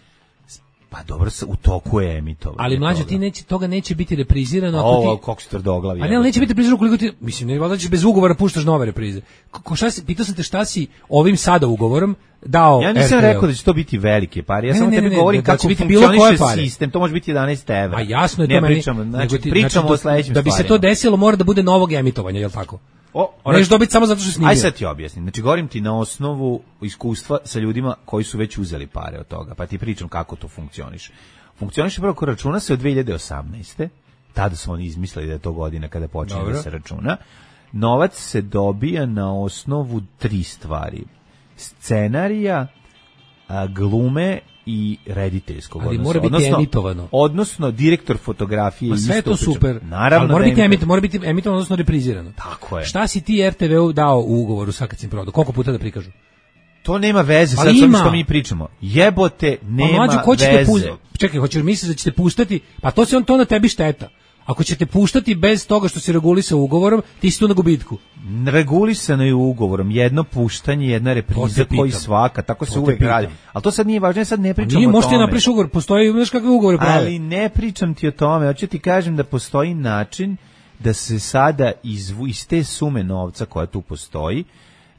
Pa dobro, u toku je emitovanje. Ali mlađe, ti neće, toga neće biti reprizirano. Ako Ovo, ti, kako si tvrdoglavi. A ne, neće biti reprizirano koliko ti, mislim, ne valjda ćeš bez ugovora puštaš nove reprize. Ko, šta si, pitao sam te šta si ovim sada ugovorom dao Ja nisam er te ve. Rekao da će to biti velike pare, ja ne, samo ne, tebi ne, govorim ne, kako biti funkcioniše sistem, to može biti jedanaest evra. A jasno je ne to meni. Pričamo, znači, ti, pričamo znači, o sledećim da bi stvarima. se to desilo mora da bude novog emitovanja, je li tako? O, neš dobiti samo zato što snimio. Aj sad ti objasnim. Znači, govorim ti na osnovu iskustva sa ljudima koji su već uzeli pare od toga, pa ti pričam kako to funkcioniše. Funkcioniše prvo ko računa se od dve hiljade osamnaeste. Tada su oni izmislili da je to godina kada počinje Dobro. Da se računa. Novac se dobija na osnovu tri stvari. Scenarija, a, glume i rediteljskog. Ali odnosno, mora biti odnosno, emitovano. Odnosno, direktor fotografije. Sve je to super. Naravno, ali mora, da biti emit, mora biti emitovano, odnosno reprizirano. Tako je. Šta si ti er te ve-u dao u ugovoru sa kad si prodao? Koliko puta da prikažu? To nema veze sa onim što mi pričamo. Jebote, nema pa, mlađu, ko veze. Puz... Čekaj, hoćeš misliti da ćete puštati? Pa to se on to na tebi šteta. Ako ćete puštati bez toga što se regulisa ugovorom, ti si tu na gubitku. Regulisano je ugovorom, jedno puštanje, jedna repriza koji svaka, tako to se uvek radi. Ali to sad nije važno, ja sad ne pričam nije, o tome. Možete napriš ugovor, postoji, znaš kakve ugovore prave. Ali ne pričam ti o tome, hoću ti kažem da postoji način da se sada izvu, iz te sume novca koja tu postoji,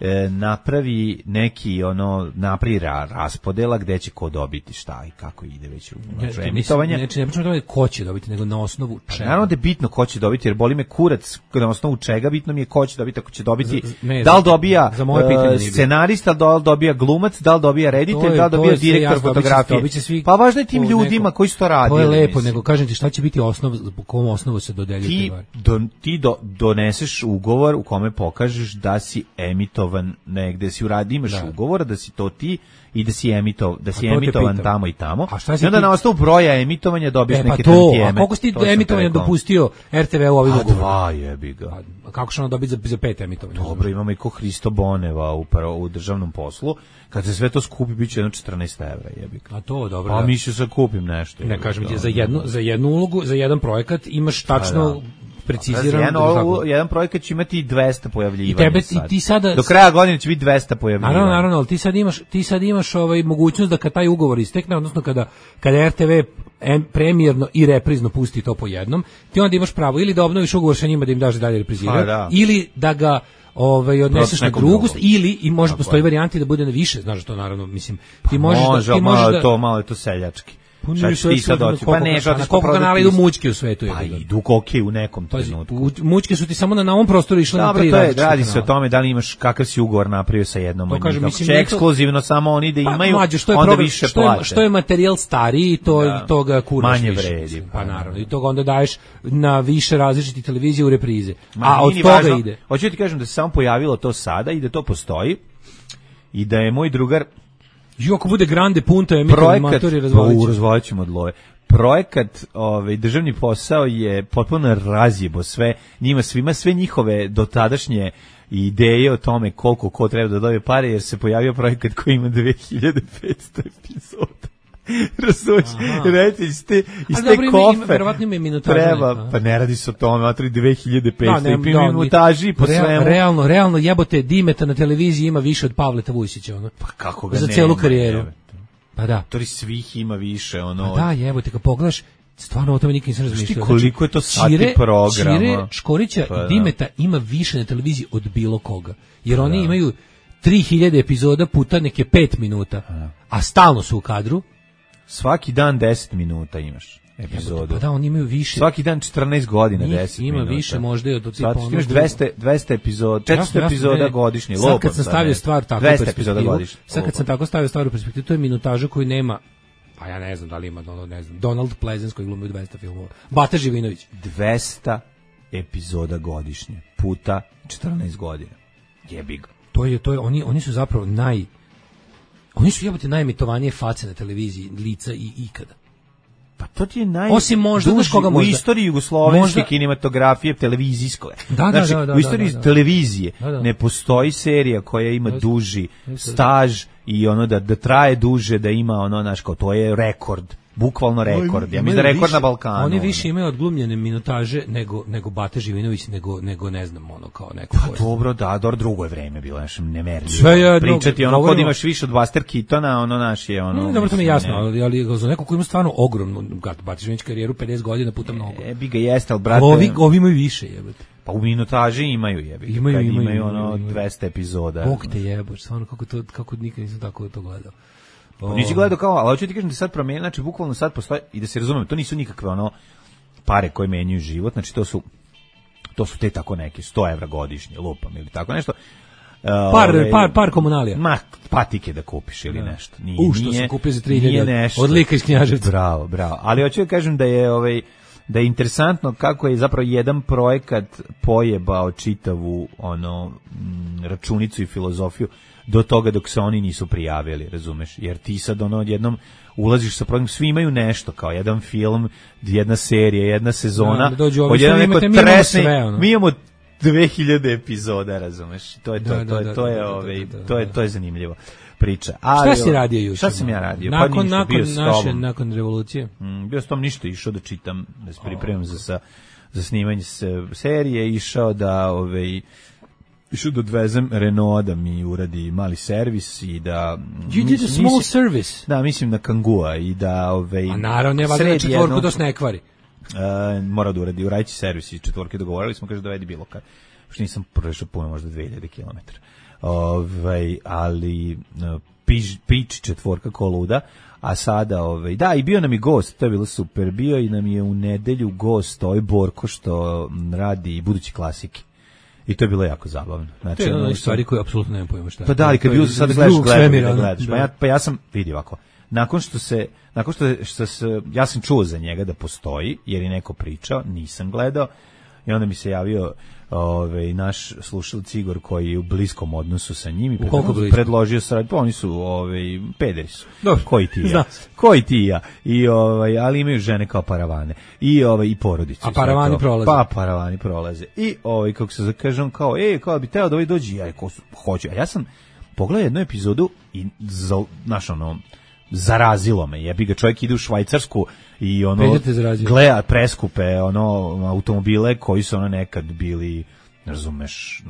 e, napravi neki ono napravi ra, raspodela gde će ko dobiti šta i kako ide već u znači, emitovanje. Znači ne pričamo o tome ko će dobiti, nego na osnovu čega. Naravno da je bitno ko će dobiti, jer boli me kurac na osnovu čega, bitno mi je ko će dobiti, ako će dobiti, ne, da li dobija za, za moje pitanje, uh, scenarista, da li dobija glumac, da li dobija reditelj, da li dobija direktor fotografije. Svi, pa važno je tim ljudima neko, koji su to radili. To je lepo, mislim. Nego kažem ti šta će biti osnov, po kom osnovu se dodeljuje ti, do, ti do, doneseš ugovor u kome pokažeš da si emitovan negde, si uradi, imaš da. ugovor da si to ti i da si emitov, da si emitovan tamo i tamo. I onda ti... na osnovu broja emitovanja dobiješ e, pa neke to, tantijeme. A koliko si ti emitovanja dopustio er te ve u ovim ugovorom? Dva jebi ga. A kako će ono dobiti za, za pet emitovanja? Dobro, imamo i ko Hristo Boneva u, u državnom poslu. Kad se sve to skupi, bit će jedno četrnaest evra, jebi ga. A to, dobro. Pa da. mi ću se kupim nešto. Ne, kažem ti, za jednu, za jednu ulogu, za jedan projekat imaš tačno... Da, da. Precizirano jedan, jedan projekat će imati dvesta pojavljivanja. I tebe i ti sada do kraja godine će biti dvesta pojavljivanja. Naravno, naravno, ali ti sad imaš ti sad imaš ovaj mogućnost da kad taj ugovor istekne, odnosno kada kada er te ve premijerno i reprizno pusti to po jednom, ti onda imaš pravo ili da obnoviš ugovor sa njima da im daš dalje repriziraju, da. ili da ga ovaj odneseš na drugu ili i može postoji varijanti da bude na više, znaš to naravno, mislim, ti možeš može, da ti možeš malo da to malo je to seljački. Šta ti sad doći? Pa ne, na koliko kanala idu mućke u svetu? Pa idu koke u nekom trenutku. Mućke su ti samo na ovom prostoru išle na tri različite kanala. Radi se o tome da li imaš, kakav si ugovor napravio sa jednom od njih. Če ekskluzivno samo oni da imaju, onda više plate. Što je materijal stariji, to toga kuraš više. Manje vredi. Pa naravno, i toga onda daješ na više različitih televizija u reprize. A od toga ide. Hoću ti kažem da se samo pojavilo to sada i da to postoji i da je moj drugar Jo, ako bude grande punta, je matori razvalići. Razvalićemo od love. Projekat, ovaj, državni posao je potpuno razjebo sve, njima svima, sve njihove dotadašnje ideje o tome koliko ko treba da dobije pare, jer se pojavio projekat koji ima dve hiljade petsto epizoda. Razumiješ, reći, iz te, iz te kofe treba, pa ne radi se o tome, matri dve hiljade petsto i pim minutaži po svemu. Realno, realno jebote, Dimeta na televiziji ima više od Pavleta Vujsića, ono. Pa kako ga za nema, celu karijeru. Pa da. To svih ima više, ono. Pa da, jebote, kad pogledaš, stvarno o tome nikad nisam razmišljao. Koliko je to sati Čire, programa? Čire, Škorića pa, i Dimeta ima više na televiziji od bilo koga. Jer oni da. imaju tri hiljade epizoda puta neke pet minuta, a, a stalno su u kadru. Svaki dan deset minuta imaš epizodu. Pa da, oni imaju više. Svaki dan četrnaest godina deset ima minuta. više možda i od tipa. Imaš dvesta, dvesta epizoda, četiristo ja, epizoda godišnje. Sad kad sam stavio stvar tako u perspektivu, sad kad sam tako stavio stvar u perspektivu, to je minutaža koju nema, pa ja ne znam da li ima, ne znam, Donald Pleasence koji glumi u dvesta filmova, Bata Živinović. dvesta epizoda godišnje, puta četrnaest godina. Jebi ga. To je, to je, oni, oni su zapravo naj, oni su jebote najemitovanije face na televiziji, lica i ikada. Pa to ti je naj... Osim možda, znaš koga možda? U istoriji jugoslovenske možda... kinematografije, televizijske. Da, da, znači, da, da, u istoriji da, da, da. televizije da, da. ne postoji serija koja ima duži staž i ono da, da traje duže, da ima ono, znaš, kao to je rekord. Bukvalno rekord. Ja mislim da rekord više, na Balkanu. Oni više imaju odglumljene minutaže nego nego Bata Živinović, nego nego ne znam ono kao neko. Pa dobro, da, dobro, drugo je vreme bilo, znači nemerljivo. Pričati ono kod imaš više od Buster Keatona, ono naš je ono. No, dobro, to mi je jasno, ali ali za neko ko ima stvarno ogromnu Bata Živinović karijeru pedeset godina puta mnogo. E, bi ga jeste, al brate. Ovi ovi imaju više, jebote. Pa u minutaži imaju jebi. Imaju, imaju, imaju, imaju ono imaju. dvesta epizoda. Bog te jebote, stvarno kako to kako nikad nisam tako to gledao. Pa nisi gledao kao, ali hoću ti kažem da sad promijeni, znači bukvalno sad postoji, i da se razumem, to nisu nikakve ono pare koje menjaju život, znači to su to su te tako neke sto evra godišnje, lupam ili tako nešto. Uh, par, ove, par, par komunalija. Ma, patike da kupiš ili nešto. Nije, U, što nije, sam kupio za tri hiljade od lika iz Knjaževca. Bravo, bravo. Ali hoću da kažem da je ovaj da je interesantno kako je zapravo jedan projekat pojebao čitavu ono m, računicu i filozofiju do toga dok se oni nisu prijavili, razumeš? Jer ti sad ono jednom ulaziš sa programom, svi imaju nešto, kao jedan film, jedna serija, jedna sezona, da, da od jedan neko tresni, mi imamo dve hiljade epizoda, razumeš? To je to, da, to je, da, to je, da, ovaj, da, da, da, to je, to je zanimljivo priča. Ali, šta si radio juče? Šta sam ja radio? Nakon, pa ništa, nakon bio naše, nakon revolucije? Mm, bio s tom ništa, išao da čitam, da se pripremam za, za, za snimanje se, serije, išao da, ovaj, išao da odvezem Renault da mi uradi mali servis i da... You did a small mislim, service? Da, mislim na Kangua i da... Ovaj, a naravno, ne valjda na četvorku do ne kvari. Uh, mora da uradi, uraditi servis i četvorke dogovorili smo, kaže dovedi bilo kad. Što nisam prešao puno, možda dve hiljade kilometara. Ovaj, ali pič, pič četvorka ko luda, a sada, ovaj, da, i bio nam i gost, to je bilo super, bio i nam je u nedelju gost, ovaj Borko što radi budući klasike. I to je bilo jako zabavno. Znači, to je ono stvari koje apsolutno nemam pojma šta. Pa da, ali kad bio sad gledaš, gledaš, da gledaš. Pa ja, pa ja sam, vidi ovako, nakon što se, nakon što, što se, ja sam čuo za njega da postoji, jer je neko pričao, nisam gledao, i onda mi se javio ovaj naš slušalac Igor koji je u bliskom odnosu sa njim i predložio, predložio se, pa oni su ovaj pederi su. Dobro, koji ti ja? Koji ti ja? I ovaj ali imaju žene kao paravane. I ovaj i porodicu. A paravani prolaze. Pa paravani prolaze. I ovaj kako se kažem kao ej, kao bi teo da ovaj dođe, ja ko hoće. A ja sam pogledao jednu epizodu i za naš ono zarazilo me. Jebi ga, čovjek ide u Švajcarsku i ono gleda preskupe ono automobile koji su ono nekad bili, razumeš,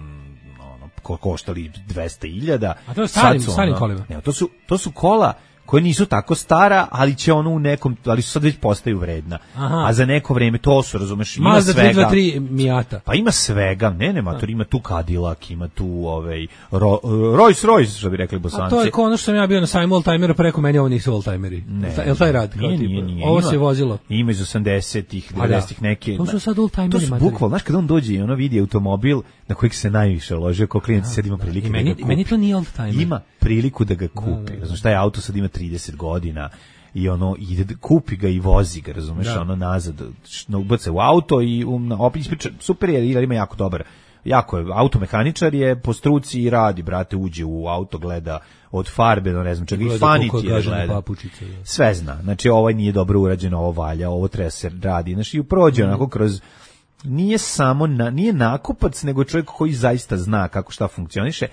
ono ko koštali dvesta hiljada. A to je starim, starim kolima. Ne, to su to su kola koje nisu tako stara, ali će ono u nekom, ali su sad već postaju vredna. Aha. A za neko vreme to su, razumeš, ima Mazda svega. Mazda tri dvanaest tri Miata. Pa ima svega, ne, ne, mator, ima tu Cadillac, ima tu ovaj Ro, Rolls Royce, što bi rekli Bosanci. A to je kao ono što sam ja bio na sajmu oldtimera, preko meni ovo nisu oldtimeri. Jel taj rad? Nije, nije, nije. Ovo ima, se vozilo. Ima iz osamdesetih, devedesetih neke. To su sad oldtimeri. To su bukvalno, znaš, kada on dođe i ono vidi automobil na kojeg se najviše ložio, kao klijent sad ima prilike da, da ga kupi. Meni to nije oldtimer. Ima priliku da ga kupi. Znaš, taj auto sad ima trideset godina i ono ide kupi ga i vozi ga, razumeš, da. Ono nazad, ubace u auto i um, opet ispriča, super je, jer ima jako dobar, jako je, automehaničar je po struci i radi, brate, uđe u auto, gleda od farbe, no ne znam čega, i faniti je gleda, papučice, ja. Sve zna, znači ovaj nije dobro urađeno, ovo valja, ovo treba se radi, znači i prođe mm. onako kroz, nije samo, na, nije nakupac, nego čovjek koji zaista zna kako šta funkcioniše,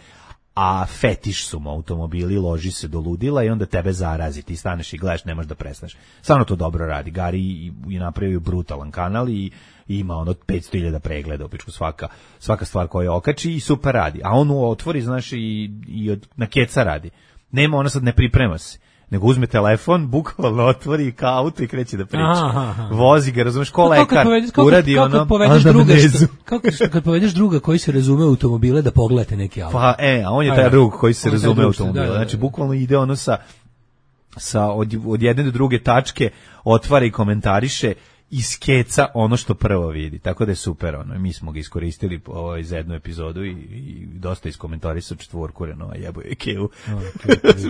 a fetiš su mu automobili, loži se do ludila i onda tebe zarazi, ti staneš i gledaš, nemaš da prestaneš. Stvarno to dobro radi. Gari je napravio brutalan kanal i ima ono petsto hiljada pregleda, opičku svaka, svaka stvar koja okači i super radi. A on otvori, znaš, i, i od, na keca radi. Nema, ona sad ne priprema se. nego uzme telefon, bukvalno otvori kao auto i kreće da priča. Aha, aha. Vozi ga, razumeš, ko lekar, kao povedeš, kao uradi kao ono povedeš druga, što, kao kad povedeš druga koji se razume u automobile da pogledate neki auto. Pa, e, a on je taj Ajde. drug koji se On je taj razume u drug što- automobile. da, da, da. Znači, bukvalno ide ono sa, sa od, od jedne do druge tačke, otvara i komentariše i skeca ono što prvo vidi. Tako da je super, ono, mi smo ga iskoristili ovaj, za jednu epizodu i, i dosta iskomentarisao četvorku Renault, jebo je Keu.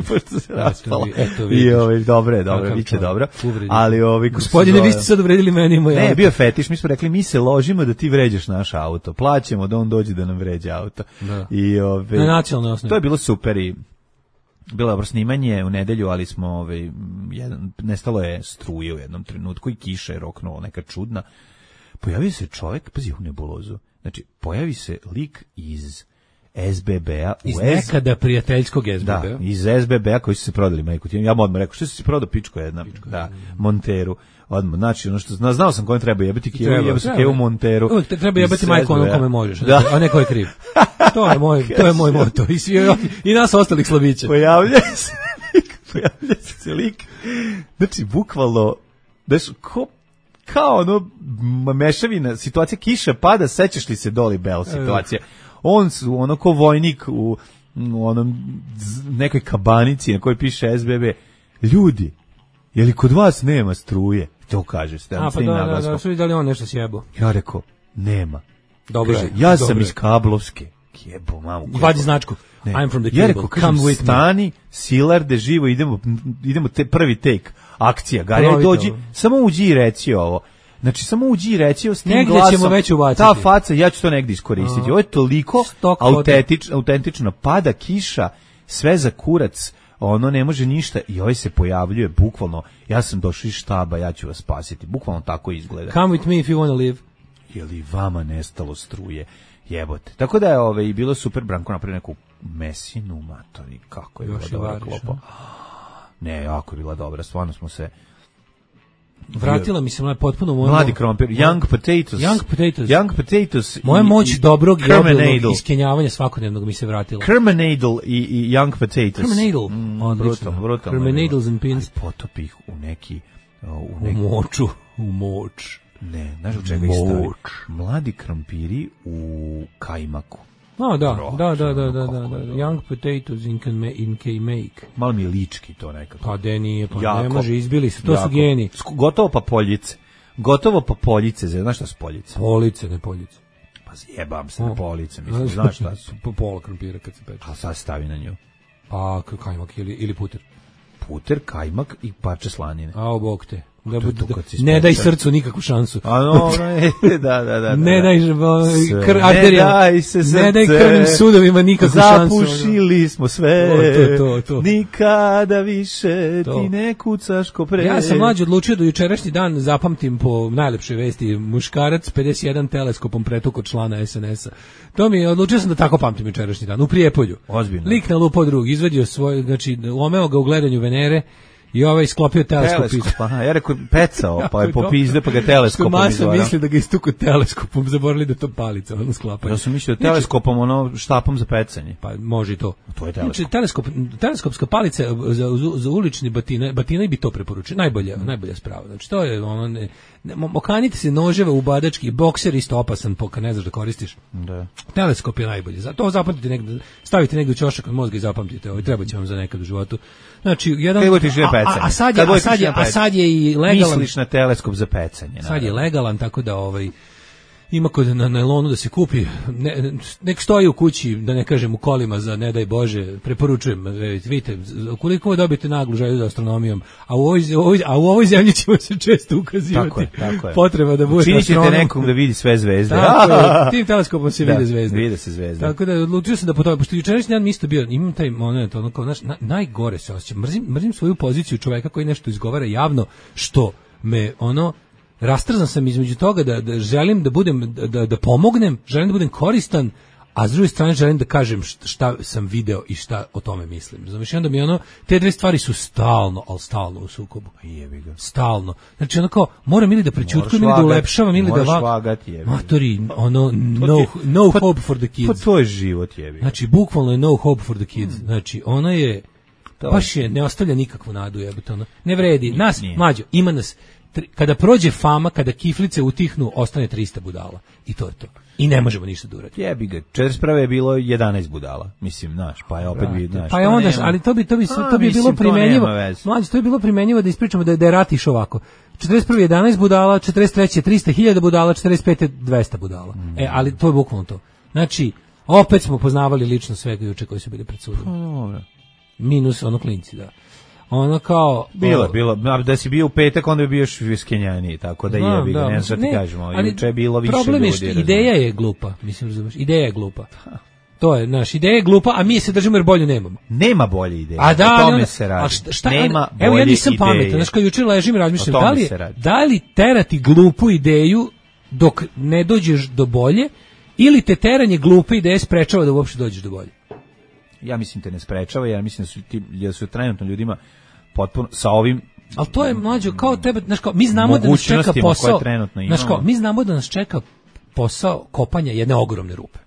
Pošto se raspala. eto I vidiš. ovaj, dobro je, dobro, Kakav biće čovjek. dobro. Uvredljiv. Ali ovaj, kako se Gospodine, zove- vi ste sad uvredili meni i moj Ne, auto. bio je fetiš, mi smo rekli, mi se ložimo da ti vređaš naš auto. Plaćemo da on dođe da nam vređa auto. Da. I, ove, Na nacionalnoj osnovi. To je bilo super i bilo je dobro snimanje u nedelju, ali smo ovaj, jedan, nestalo je struje u jednom trenutku i kiša je roknula neka čudna. Pojavio se čovjek, pazi u nebulozu, znači pojavi se lik iz S B B-a u Iz S... nekada prijateljskog S B B-a. Da, iz S B B-a koji su se prodali, majku ti. Ja mu odmah rekao, što si se prodao, pičko jedna, da, Monteru. Odmah, znači, ono što zna, znao sam kome treba jebati Kevu, Treba, jeba se treba. Kevu Monteru. Uvijek te treba iz jebati majku onom S B B-a. kome možeš, Da. a ne ko je kriv. To je moj, to je moj moto. I, svi, i nas ostalih slabića. Pojavlja se lik, pojavlja se lik, znači, bukvalno, znaš, ko, kao ono, m- mešavina, situacija kiša pada, sećaš li se Dolly Bell situacija? On su, ono, ko vojnik u, u onom z- nekoj kabanici na kojoj piše S B B, ljudi, je li kod vas nema struje? To kaže, ste, A, pa da, da, da, su vidjeli on nešto sjebo. Ja rekao, nema. Dobro Kaže, je, ja sam dobro iz je. Kablovske. Jebo, mamu. Vadi značku. Ne. I'm from the Ja cable. rekao, kažem, Come with me. stani, Silarde, živo, idemo, idemo te prvi take, akcija, Garija, Ponovite dođi, ovo. samo uđi i reci ovo. Znači, samo uđi i reci ovo s tim Negdje glasom. ćemo već ubaciti. Ta faca, ja ću to negdje iskoristiti. Ovo je toliko Stock autentič, autentično. Pada kiša, sve za kurac, ono ne može ništa i ovaj se pojavljuje, bukvalno, ja sam došao iz štaba, ja ću vas spasiti. Bukvalno tako izgleda. Come with me if you want to live. Je li vama nestalo struje? Jebote. Tako da je ove, i bilo super, Branko napravio neku mesinu, matori, kako je bila Još i dobra variš, klopa. Ne, jako je bila dobra, stvarno smo se... Vratila mi se moja potpuno moja Mladi krompir, young potatoes. Young potatoes. Young potatoes. Moja i- moć i dobrog Kermanadle. joblog iskenjavanja svakodnevnog mi se vratila. Kermanadle i, i young potatoes. Kermanadle, Mm, odlično. brutalno, brutalno. Kermanadles and pins. Ali potopi ih u neki... U U neki moču, u moč. ne, znaš u čega ih stavi? Moč. Mladi krompiri u kajmaku. A, da, Bro, da, da, da, ono da, da, kako da. je dobro. Young potatoes in, can ma- in K-make. Malo mi je lički to nekako. Pa de nije, pa Jako. ne može, izbili su, to Jako. su geni. Sk- Gotovo pa poljice. Gotovo pa poljice, znaš šta su poljice? Police, ne poljice. Pa zjebam se na O. police, mislim, znaš šta su? Po pola krompira kad se peče. A sad stavi na nju. A, k- kajmak ili, ili puter. Puter, kajmak i parče slanine. A, o, bog te. Da, to je bude- to da- kad si ne daj ispekao. srcu nikakvu šansu. A no, ne, da, da, da. Ne da. daj žba- Sve. kr, Ne arterijama. daj se srce. Ne daj krvnim sudovima nikakvu šansu. Zapušili smo sve. To, to, to, to. Nikada više To. ti ne kucaš ko pre. Ja sam mlađi odlučio da jučerašnji dan zapamtim po najlepšoj vesti muškarac pedeset jedan teleskopom pretukao člana S N S-a. To mi je, odlučio sam da tako pamtim jučerašnji dan, u Prijepolju. Ozbiljno. Lik na lupao drug, izvadio svoj, znači, omeo ga u gledanju Venere i ovaj sklopio teleskop. iz- Teleskop, aha, ja rekao pecao, pa je Jako popizde, pa ga Što teleskopom masa izvara. misli da ga istuku teleskopom, zaboravili da je to palica, ono sklapanje. Ja sam mislio teleskopom, ono, štapom za pecanje. Pa može i to. To je teleskop. Znači, teleskop, teleskopska palica za, za, za ulični batine, batine bi to preporučio. Najbolja, Mm. najbolja sprava. Znači, to je ono, ne, ne, mo- okanite se noževe u badački, bokser isto opasan, po, kad ne znaš da koristiš. Da. Teleskop je najbolji. Za to zapamtite negde, stavite negde u ćošak od mozga i zapamtite. Ovo treba će vam za nekad u životu. Znači, jedan Kad budete išli na a, a, pecanje. a sad je, Kad a budete sad išli je, na a sad je i legalan. Misliš na teleskop za pecanje. Sad je naravno. legalan, tako da ovaj ima kod na nailonu da se kupi, ne, nek stoji u kući, da ne kažem u kolima za ne daj Bože, preporučujem, vidite, koliko dobijete naglu želju za astronomijom, a u ovoj, ovoj, a u ovoj zemlji ćemo se često ukazivati Tako je, tako je. potreba da bude Učinit ćete astronom. nekom da vidi sve zvezde. Tako je, tim teleskopom se Da, vide zvezde. vide se zvezde. Tako da odlučio sam da po tome, pošto jučerašnji dan mi isto bio, imam taj moment, ono kao, znaš, na, najgore se osjećam, mrzim, mrzim svoju poziciju čoveka koji nešto izgovara javno, što me, ono, rastrzan sam između toga da, da želim da budem, da, da pomognem, želim da budem koristan, a s druge strane želim da kažem šta, šta sam video i šta o tome mislim. Razumiješ, onda mi ono, te dve stvari su stalno, ali stalno u sukobu. Jebi ga. Stalno. Znači ono kao, moram ili da prećutkujem Moraš ili da vagat, ulepšavam ili da moraš va... vagati, jebi ga. Matori, ono, To no, ti je- no pa- hope for the kids. Pa to je život, jebi ga. Znači, bukvalno je no hope for the kids. Znači, ona je... To. Baš je, ne ostavlja nikakvu nadu, jebote, ono. Ne vredi. Nas, nije. mlađo, ima nas. Tri, kada prođe fama, kada kiflice utihnu, ostane trista budala. I to je to. I ne možemo ništa da uradimo. Jebi ga. četrdeset prve je bilo jedanaest budala. Mislim, znaš, pa je opet bi, znaš. Pa je onda, ali to bi to bi to bi bilo primenjivo. Mlađe, to bi bilo primenjivo da ispričamo da je da je rat išao ovako. četrdeset prve jedanaest budala, četrdeset treće trista hiljada budala, četrdeset pete dvesta budala. Mm. E, ali to je bukvalno to. Znači, opet smo poznavali lično svega juče koji su bili pred sudom. Dobro. Minus ono klinci, da. Ono kao bilo, o, bilo, da si bio u petak, onda bi bio još viskenjaniji, tako da je, bi ga, ne znam šta ti kažemo, ali juče je bilo više problem ljudi. Problem je ideja je glupa, mislim, razumeš, ideja je glupa. To je, naš ideja je glupa, a mi se držimo jer bolju nemamo. Nema bolje ideje, a da, o tome onda, se radi. A šta, šta, Nema bolje evo, ja nisam ideje. Pametan, znaš, kao juče ležim i razmišljam, da li, da li terati glupu ideju dok ne dođeš do bolje, ili te teranje glupe ideje sprečava da uopšte dođeš do bolje? Ja mislim te ne sprečava, ja mislim da su, ti, da su trenutno ljudima potpuno sa ovim. Ali to je mlađo kao tebe, znaš kao, mi znamo da nas čeka posao, znaš kao, mi znamo da nas čeka posao kopanja jedne ogromne rupe.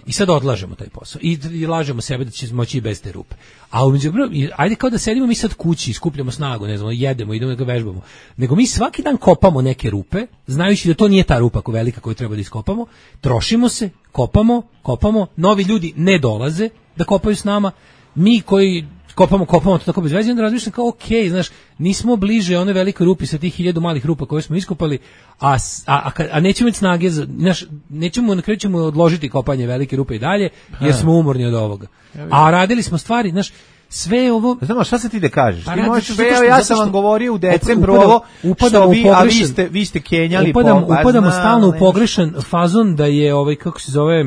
I sad odlažemo taj posao i, i lažemo sebe da će moći i bez te rupe. A umeđu, ajde kao da sedimo mi sad kući, skupljamo snagu, ne znam, jedemo, idemo da ga vežbamo. Nego mi svaki dan kopamo neke rupe, znajući da to nije ta rupa ko velika koju treba da iskopamo, trošimo se, kopamo, kopamo, novi ljudi ne dolaze da kopaju s nama, mi koji kopamo, kopamo to tako bez veze, onda razmišljam kao ok, znaš, nismo bliže one velike rupi sa tih hiljadu malih rupa koje smo iskopali, a, a, a, a nećemo imati snage, za, znaš, nećemo, na kraju ćemo odložiti kopanje velike rupe i dalje, jer smo umorni od ovoga. A radili smo stvari, znaš, sve ovo... Znamo, šta se ti da kažeš? Pa ti možeš sve, što, ja sam vam govorio u decembru ovo, upadam vi, a vi ste, vi ste kenjali upadam, po... Upadamo stalno u pogrešan fazon da je, ovaj, kako se zove,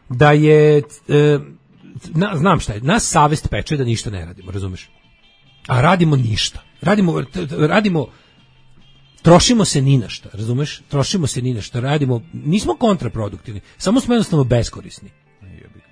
da je... E, Na, znam šta je, nas savest peče da ništa ne radimo, razumeš? A radimo ništa. Radimo, radimo, trošimo se ni na šta, razumeš? Trošimo se ni na šta, radimo, nismo kontraproduktivni, samo smo jednostavno beskorisni.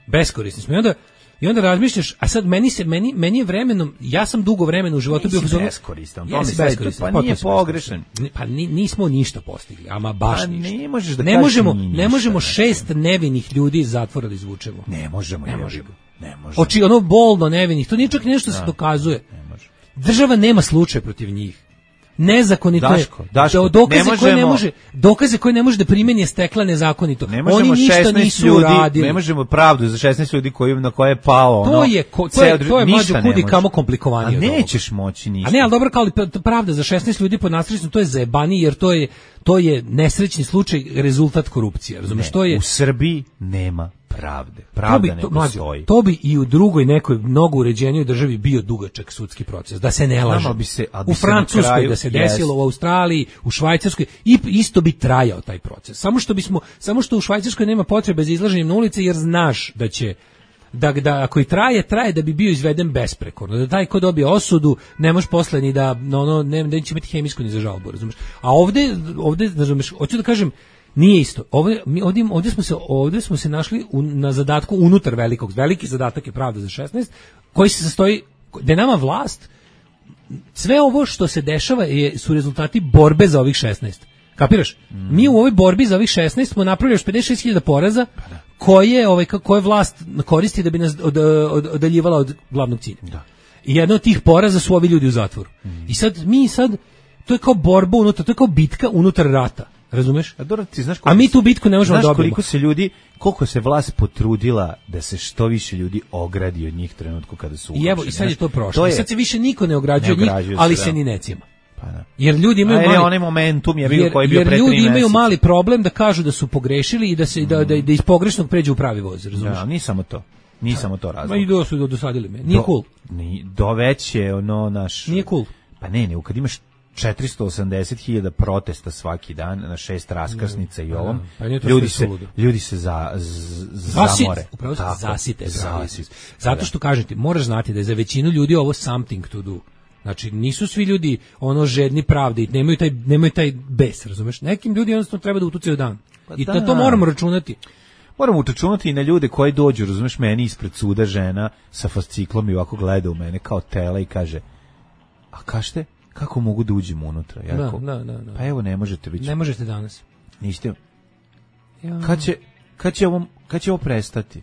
Beskorisni smo. I onda, i onda razmišljaš, a sad meni se, meni, meni je vremenom, ja sam dugo vremena u životu bio... Nisi beskoristan, to mi se pa nije pogrešan. Pa nismo ništa postigli, ama baš pa ništa. Ne možeš da ne možemo, ne možemo šest nevinih ljudi iz zatvora da izvučemo. Ne možemo, ne možemo. Ne možemo. Oči, ono bolno nevinih, to nije čak nešto se dokazuje. Država nema slučaj protiv njih. Nezakonito Daško, je. Daško, dokaze ne možemo, koje ne može, dokaze koje ne može da primeni je stekla nezakonito. Oni ništa nisu ljudi, uradili. Ne možemo pravdu za šesnaest ljudi koji na koje je pao ono. To je ko, to je to je mlađe kudi kamo komplikovanije. A nećeš moći ništa. A ne, al dobro kao pravda za šesnaest ljudi pod nasrećno, to je zajebani jer to je to je nesrećni slučaj, rezultat korupcije, razumeš, to je u Srbiji nema pravde. Pravda to bi, ne to, postoji. To bi i u drugoj nekoj mnogo uređenijoj državi bio dugačak sudski proces, da se ne laže. Bi se, bi u Francuskoj kraju, da se desilo, yes. U Australiji, u Švajcarskoj i isto bi trajao taj proces. Samo što bismo, samo što u Švajcarskoj nema potrebe za izlaženjem na ulice jer znaš da će da, da ako i traje, traje da bi bio izveden besprekorno, da taj ko dobije osudu ne može posle ni da ono ne da će imati hemijsku ni za žalbu, razumeš? A ovde ovde razumeš, hoću da kažem nije isto. Ovdje, mi ovdje, ovdje smo se ovdje smo se našli u, na zadatku unutar velikog. Veliki zadatak je pravda za šesnaest, koji se sastoji da je nama vlast. Sve ovo što se dešava je, su rezultati borbe za ovih šesnaest. Kapiraš? Mm. Mi u ovoj borbi za ovih šesnaest smo napravili još pedeset šest hiljada poraza koje ovaj koje vlast koristi da bi nas od, od, odaljivala od glavnog cilja. Da. I jedno od tih poraza su ovi ljudi u zatvoru. Mm. I sad mi sad to je kao borba unutar, to je kao bitka unutar rata. Razumeš? A, dobro, ti znaš a mi tu bitku ne možemo dobiti. Znaš koliko se ljudi, koliko se vlast potrudila da se što više ljudi ogradi od njih trenutku kada su ugroženi. I evo, i sad je to prošlo. I sad se više niko ne ograđuje od njih, ali se, se ni ne cima. Pa da. Jer ljudi imaju a mali, onaj momentum je bio jer, koji je bio jer pre ljudi imaju meseca. Mali problem da kažu da su pogrešili i da se mm. da, da, da iz pogrešnog pređu u pravi voz, razumeš? Ja, nije samo to. Nije samo to razlog. Ma i do su dosadili me. Nije do, cool. Ni do veće ono naš. Nije cool. Pa ne, ne, kad imaš četiristo osamdeset hiljada protesta svaki dan na šest raskrsnica i ovom, pa ljudi se ljudi se za, z, zamore. Upravo se zasite. zasite. Zato što kažete, moraš znati da je za većinu ljudi ovo something to do. Znači, nisu svi ljudi ono žedni pravde i nemaju taj, nemaju taj bes, razumeš? Nekim ljudi jednostavno treba da utucaju dan. Pa I da. Na to moramo računati. Moramo utračunati i na ljude koji dođu, razumeš, meni ispred suda žena sa fasciklom i ovako gleda u mene kao tela i kaže, a kažete, kako mogu da uđem unutra? Ja da, rekao, da, da, da. Pa evo, ne možete biti. Ne možete danas. Niste. Ja. Kad će, kad će ovo, kad će ovo prestati?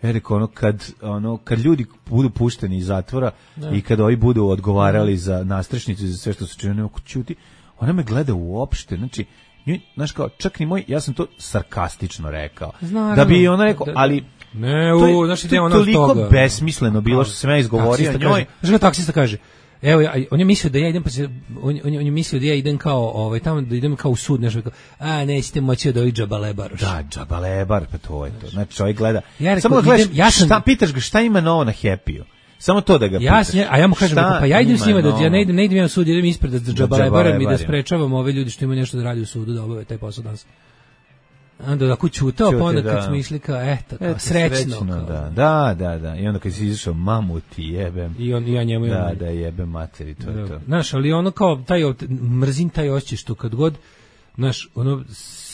Ja rekao, ono, kad, ono, kad ljudi budu pušteni iz zatvora ne. I kad ovi budu odgovarali za nastrešnicu i za sve što su činili, oko ćuti, ona me gleda uopšte, znači, nju, znaš kao, čak ni moj, ja sam to sarkastično rekao, Znaravno, da bi ona rekao, da, da, ali ne, u, to je, znaš, to je toliko besmisleno bilo što sam ja izgovorio njoj. Znaš kako taksista kaže, evo, ja, on je mislio da ja idem, pa se, on, on, on je mislio da ja idem kao, ovaj, tamo da idem kao u sud, nešto kao, a, nećete moći da ovi džabalebar. Da, džabalebar, pa to je to. Znači, čovjek gleda, ja rekao, samo da gledaš, idem, ja sam, šta, pitaš ga šta ima novo na Happy-u. Samo to da ga ja, pitaš. A ja mu kažem, pa ja idem s njima, da ja ne idem, ne idem ja u sud, idem ispred da džabalebaram i da ja. sprečavam ove ljudi što imaju nešto da radi u sudu, da obave taj posao danas. Onda da kuću utao, pa onda kad da. Smo išli kao, eto, kao, eto, srećno. srećno kao. Da, da, da, da. I onda kad si izašao, mamu ti jebem. I, on, i ja njemu da, da, jebem materi, to je to. Znaš, ali ono kao, taj, mrzim taj osjećaj što kad god, znaš, ono,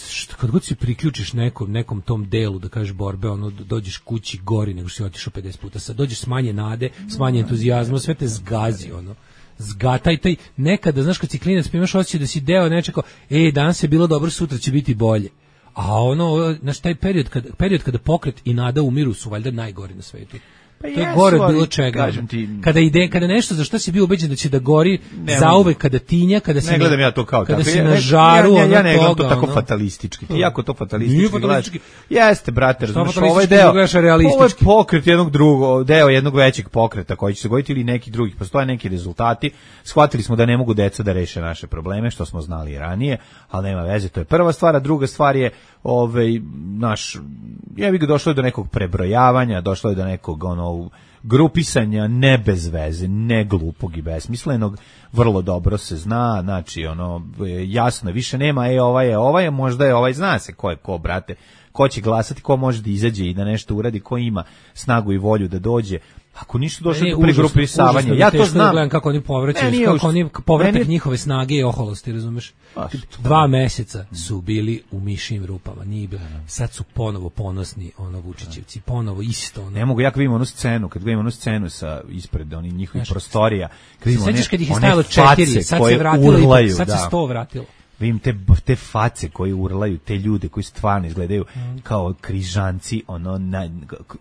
što, kad god se priključiš nekom, nekom tom delu, da kažeš borbe, ono, dođeš kući gori nego što si otišao pedeset puta, sad dođeš s manje nade, s manje entuzijazma, sve te zgazi, ono. Zgataj taj, nekada, znaš, kad si klinac, pa imaš osjećaj da si deo nečega, ej, danas je bilo dobro, sutra će biti bolje. A ono, znaš, taj period, kad, period kada pokret i nada umiru su valjda najgori na svetu. Pa to je jesu, gore od bilo čega. Ti, kada ide, kada nešto za što si bio ubeđen da će da gori zauvek, kada tinja, kada si ne gledam ja to kao kada tako. si na žaru, ja, ja, ja ne gledam toga, to tako ono, fatalistički. Ti jako to fatalistički, nije fatalistički. Gledaš. Jeste, brate, razumiješ, ovaj deo, ovo je pokret jednog drugog, deo jednog većeg pokreta koji će se goditi ili neki drugih. Postoje neki rezultati. Shvatili smo da ne mogu deca da reše naše probleme, što smo znali i ranije, ali nema veze, to je prva stvar, a druga stvar je ovaj naš, ja bih došlo do nekog prebrojavanja, došlo je do nekog ono grupisanja ne bez veze, ne glupog i besmislenog, vrlo dobro se zna, znači ono jasno, više nema e ovaj je ovaj, možda je ovaj, zna se ko je ko, brate, ko će glasati, ko može da izađe i da nešto uradi, ko ima snagu i volju da dođe. Ako ništa došlo do pregrupisavanja, ja to znam. Da gledam kako oni povraćaju, kako oni povratak meni... njihove snage i oholosti, razumeš? Dva meseca su bili u mišim rupama, nije bilo. Sad su ponovo ponosni, ono Vučićevci, ponovo isto. Ono. Ne mogu, ja kad vidim onu scenu, kad vidim onu scenu sa ispred onih njihovih prostorija, kad vidim one, kad ih je stajalo četiri, sad se vratilo, urlaju, sad se sto vratilo. Vidim te, te face koje urlaju, te ljude koji stvarno izgledaju mm. kao križanci, ono, na,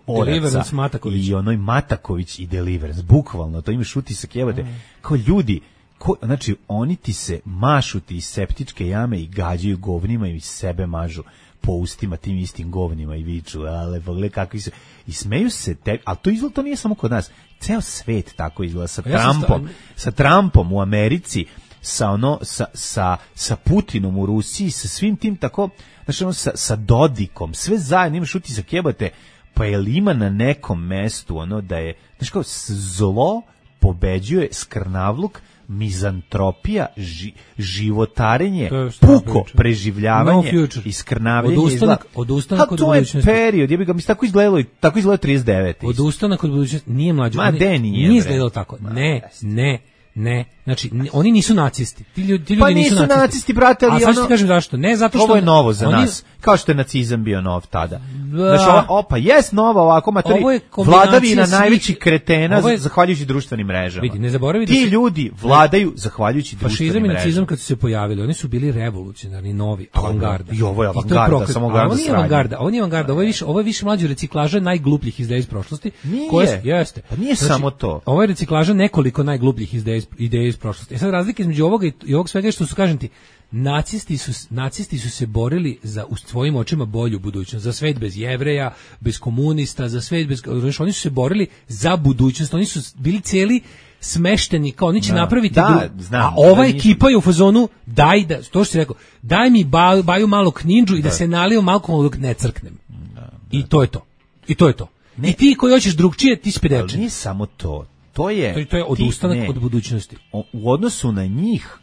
oraca i onoj Mataković i Deliverance, bukvalno, to imaš utisak, jebate, mm. kao ljudi, ko, znači, oni ti se mašu ti iz septičke jame i gađaju govnima i sebe mažu po ustima tim istim govnima i viču, ale, pogledaj kakvi su, i smeju se, te, ali to izgleda, to nije samo kod nas, ceo svet tako izgleda, sa ja Trumpom, sa Trumpom u Americi, sa ono sa sa sa Putinom u Rusiji, sa svim tim tako, znači ono sa sa Dodikom, sve zajedno imaš utisak, jebate, pa jel ima na nekom mestu ono da je, znači kao zlo pobeđuje, skrnavluk, mizantropija, ži, životarenje, puko preživljavanje no i skrnavljenje. Odustanak, odustanak od budućnosti. To je period, ja bih ga mi tako izgledalo, tako izgledalo trideset devete. Odustanak od budućnosti nije mlađe. Ma de nije. Nije izgledalo tako. Ne, ne. Ne, znači oni nisu nacisti. Ti ljudi, ti ljudi pa nisu, nisu nacisti. nacisti, brate, ali a sad ću ti kažem zašto. Ne zato što ovo je novo za oni, nas. Kao što je nacizam bio nov tada. Znači, ova, opa, jes novo ovako, matori, vladavina najvećih kretena je, zahvaljujući društvenim mrežama. Vidi, ne zaboravi da ti ljudi vladaju zahvaljujući društvenim mrežama. Fašizam i nacizam kad su se pojavili, oni su bili revolucionarni, novi, avangarda. I ovo je avangarda, samo avangarda. Ovo nije avangarda, ovo nije avangarda, ovo je više, ovo je više mlađe reciklaža najglupljih ideja iz prošlosti. Nije, jeste. Pa nije samo to. Ovo je reciklaža nekoliko najglupljih ideja iz prošlosti. E sad razlika između ovoga i ovog svega što su, kažem ti, nacisti su, nacisti su se borili za u svojim očima bolju budućnost, za svet bez Jevreja, bez komunista, za svet bez, oni su se borili za budućnost, oni su bili cijeli smešteni, kao oni će da, napraviti da, znam, a ova da ekipa je u fazonu daj da, to što si rekao, daj mi baju, baju malo knindžu i da, da se nalijem alkohol dok ne crknem. Da, da. I to je to. I to je to. Ne. I ti koji hoćeš drugčije, ti si pedečan. Ali nije samo to. To je, to, to je odustanak ti, od budućnosti. O, u odnosu na njih,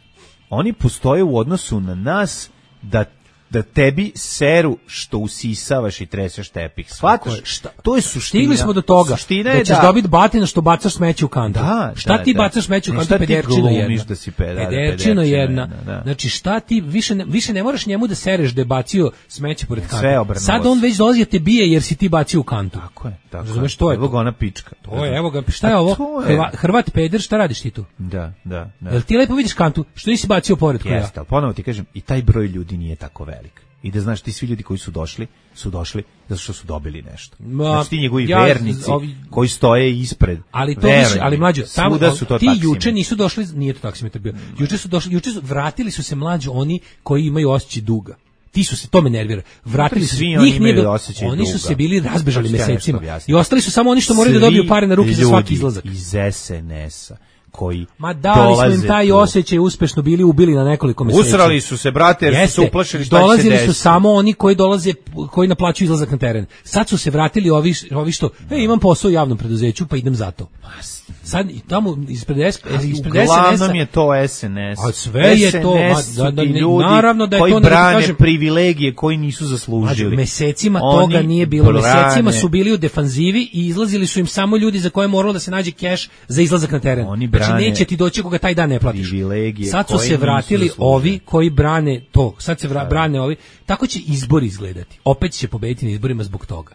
oni postoje u odnosu na nas da da tebi seru što usisavaš i treseš tepih. Shvataš? Šta? To je suština. Stigli smo do toga suština da ćeš da dobiti batina što bacaš smeće u kantu. Da, šta da, ti da. bacaš smeće u kantu? Pederčina jedna. Da si peda, pederčina jedna. Da, da. Znači šta ti, više ne, više ne moraš njemu da sereš da je bacio smeće pored kante. Sad on već dolazi da te bije jer si ti bacio u kantu. Tako je. Tako Razumeš, to je. Evo ga ona pička. To je, evo ga, šta je ovo? Hrvat, Hrvat peder, šta radiš ti tu? Da, da, da. Jel ti lepo vidiš kantu? Što nisi bacio pored koja? Jeste, ali ponovo ti kažem, i taj broj ljudi nije tako velik. I da znaš, ti svi ljudi koji su došli, su došli zato što su dobili nešto. Ma, znači ti njegovi ja, vernici ovi, koji stoje ispred. Ali to više, ali mlađo, tamo su to ti taksimetri. Juče nisu došli, nije to taksimetar bio. Juče su došli, juče su vratili su se mlađi oni koji imaju osjećaj duga. Ti su se, to me nervira. Vratili su, njih nije bilo, oni su se bili razbežali mesecima. I ostali su samo oni što moraju da dobiju pare na ruke za svaki izlazak. Iz es en es-a koji Ma dali smo im taj osjećaj, uspešno bili ubili na nekoliko meseci. Usrali su se, brate, jer su se uplašili šta će se desiti. Dolazili su samo oni koji dolaze, koji naplaćuju izlazak na teren. Sad su se vratili ovi, ovi što, e, imam posao u javnom preduzeću, pa idem za to. Sad tamo ispred es en es-a uglavnom je to es en es. A sve je to, da, da, ljudi naravno da je koji to, brane kažem, privilegije koji nisu zaslužili. Mesecima oni toga nije bilo. Brane. Mesecima su bili u defanzivi i izlazili su im samo ljudi za koje je moralo da se nađe keš za izlazak na teren. Oni brane, znači neće ti doći koga taj dan ne platiš. Sad su se vratili ovi koji brane to. Sad se vra, brane ovi. Tako će izbori izgledati. Opet će pobediti na izborima zbog toga.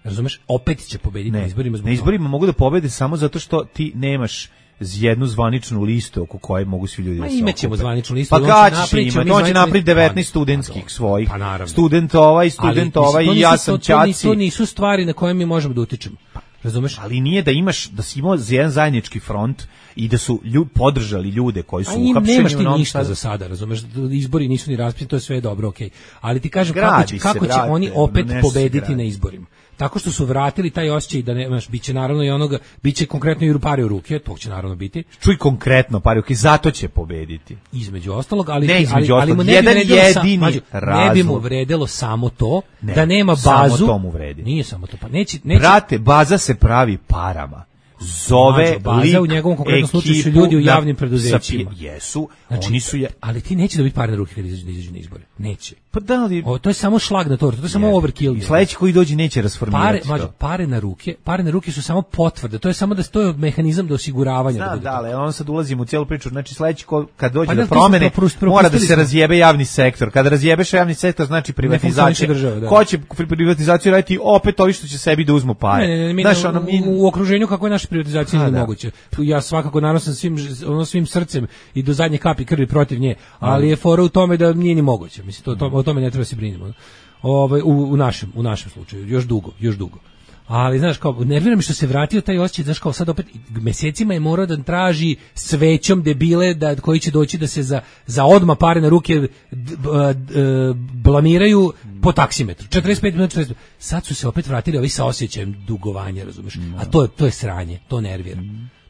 Razumeš? Opet će pobediti ne, na izborima zbog na izborima toga. Mogu da pobede samo zato što ti nemaš jednu zvaničnu listu oko koje mogu svi ljudi da se okupe. Imaćemo zvaničnu listu. Pa kada će imati? On će napraviti devetnaest studentskih pa, svojih. Pa student ovaj, student ali, ovaj i ja sam ćaci. To nisu stvari na koje mi možemo da utičemo. Razumeš? Ali nije da imaš, da si imao jedan zajednički front i da su ljud, podržali ljude koji su uhapšeni. Nemaš ti ništa za sada, razumeš? Izbori nisu ni raspisani, to je sve dobro, okej. Okay. Ali ti kažem Gradi kako će, kako će vrate, oni opet pobediti na izborima. Tako što su vratili taj osjećaj da nemaš, biće naravno i onoga, biće konkretno i pare u ruke, to će naravno biti. Čuj konkretno pare u ruke, zato će pobediti. Između ostalog, ali ne, između ali, ostalog, ali jedan jedini mađu, ne bi mu vredelo samo to, ne, da nema bazu. Samo to mu vredi. Nije samo to, pa neće, neće. Brate, baza se pravi parama. Zove Mađo, baza lik, u njegovom konkretnom slučaju su ljudi u javnim preduzećima. Jesu, znači, oni su je... ali ti neće dobiti pare na ruke kad izađu, izađu na izbore. Neće. Pa da li... O, to je samo šlag na tortu, to je samo yeah. overkill. I sledeći koji dođe neće rasformirati pare, mađo, pare na ruke, pare na ruke su samo potvrde. To je samo da to je mehanizam do osiguravanja. Znam, da, ali on sad ulazimo u cijelu priču. Znači sledeći ko, kad dođe pa, do promene, mora da se razjebe javni sektor. Kada razjebeš javni sektor, znači privatizacija. Država, da. Ko će privatizaciju raditi? Opet ovi što će sebi da uzmu pare. Ne, ne, ne, mi, znaš, ono, mi... u, u okruženju kako je naša privatizacija nije moguće. Ja svakako naravno sam svim ono svim srcem i do zadnje kapi krvi protiv nje, ali je fora u tome da nije ni moguće. Mislim to, to o tome ne treba se brinemo. Ovaj u, u našem u našem slučaju još dugo, još dugo. Ali znaš kao nervira me što se vratio taj osjećaj, znaš kao sad opet mesecima je morao da traži svećom debile da koji će doći da se za za odma pare na ruke d, d, d, blamiraju po taksimetru. četrdeset pet minuta četrdeset Sad su se opet vratili ovi sa osjećajem dugovanja, razumeš? A to je to je sranje, to nervira.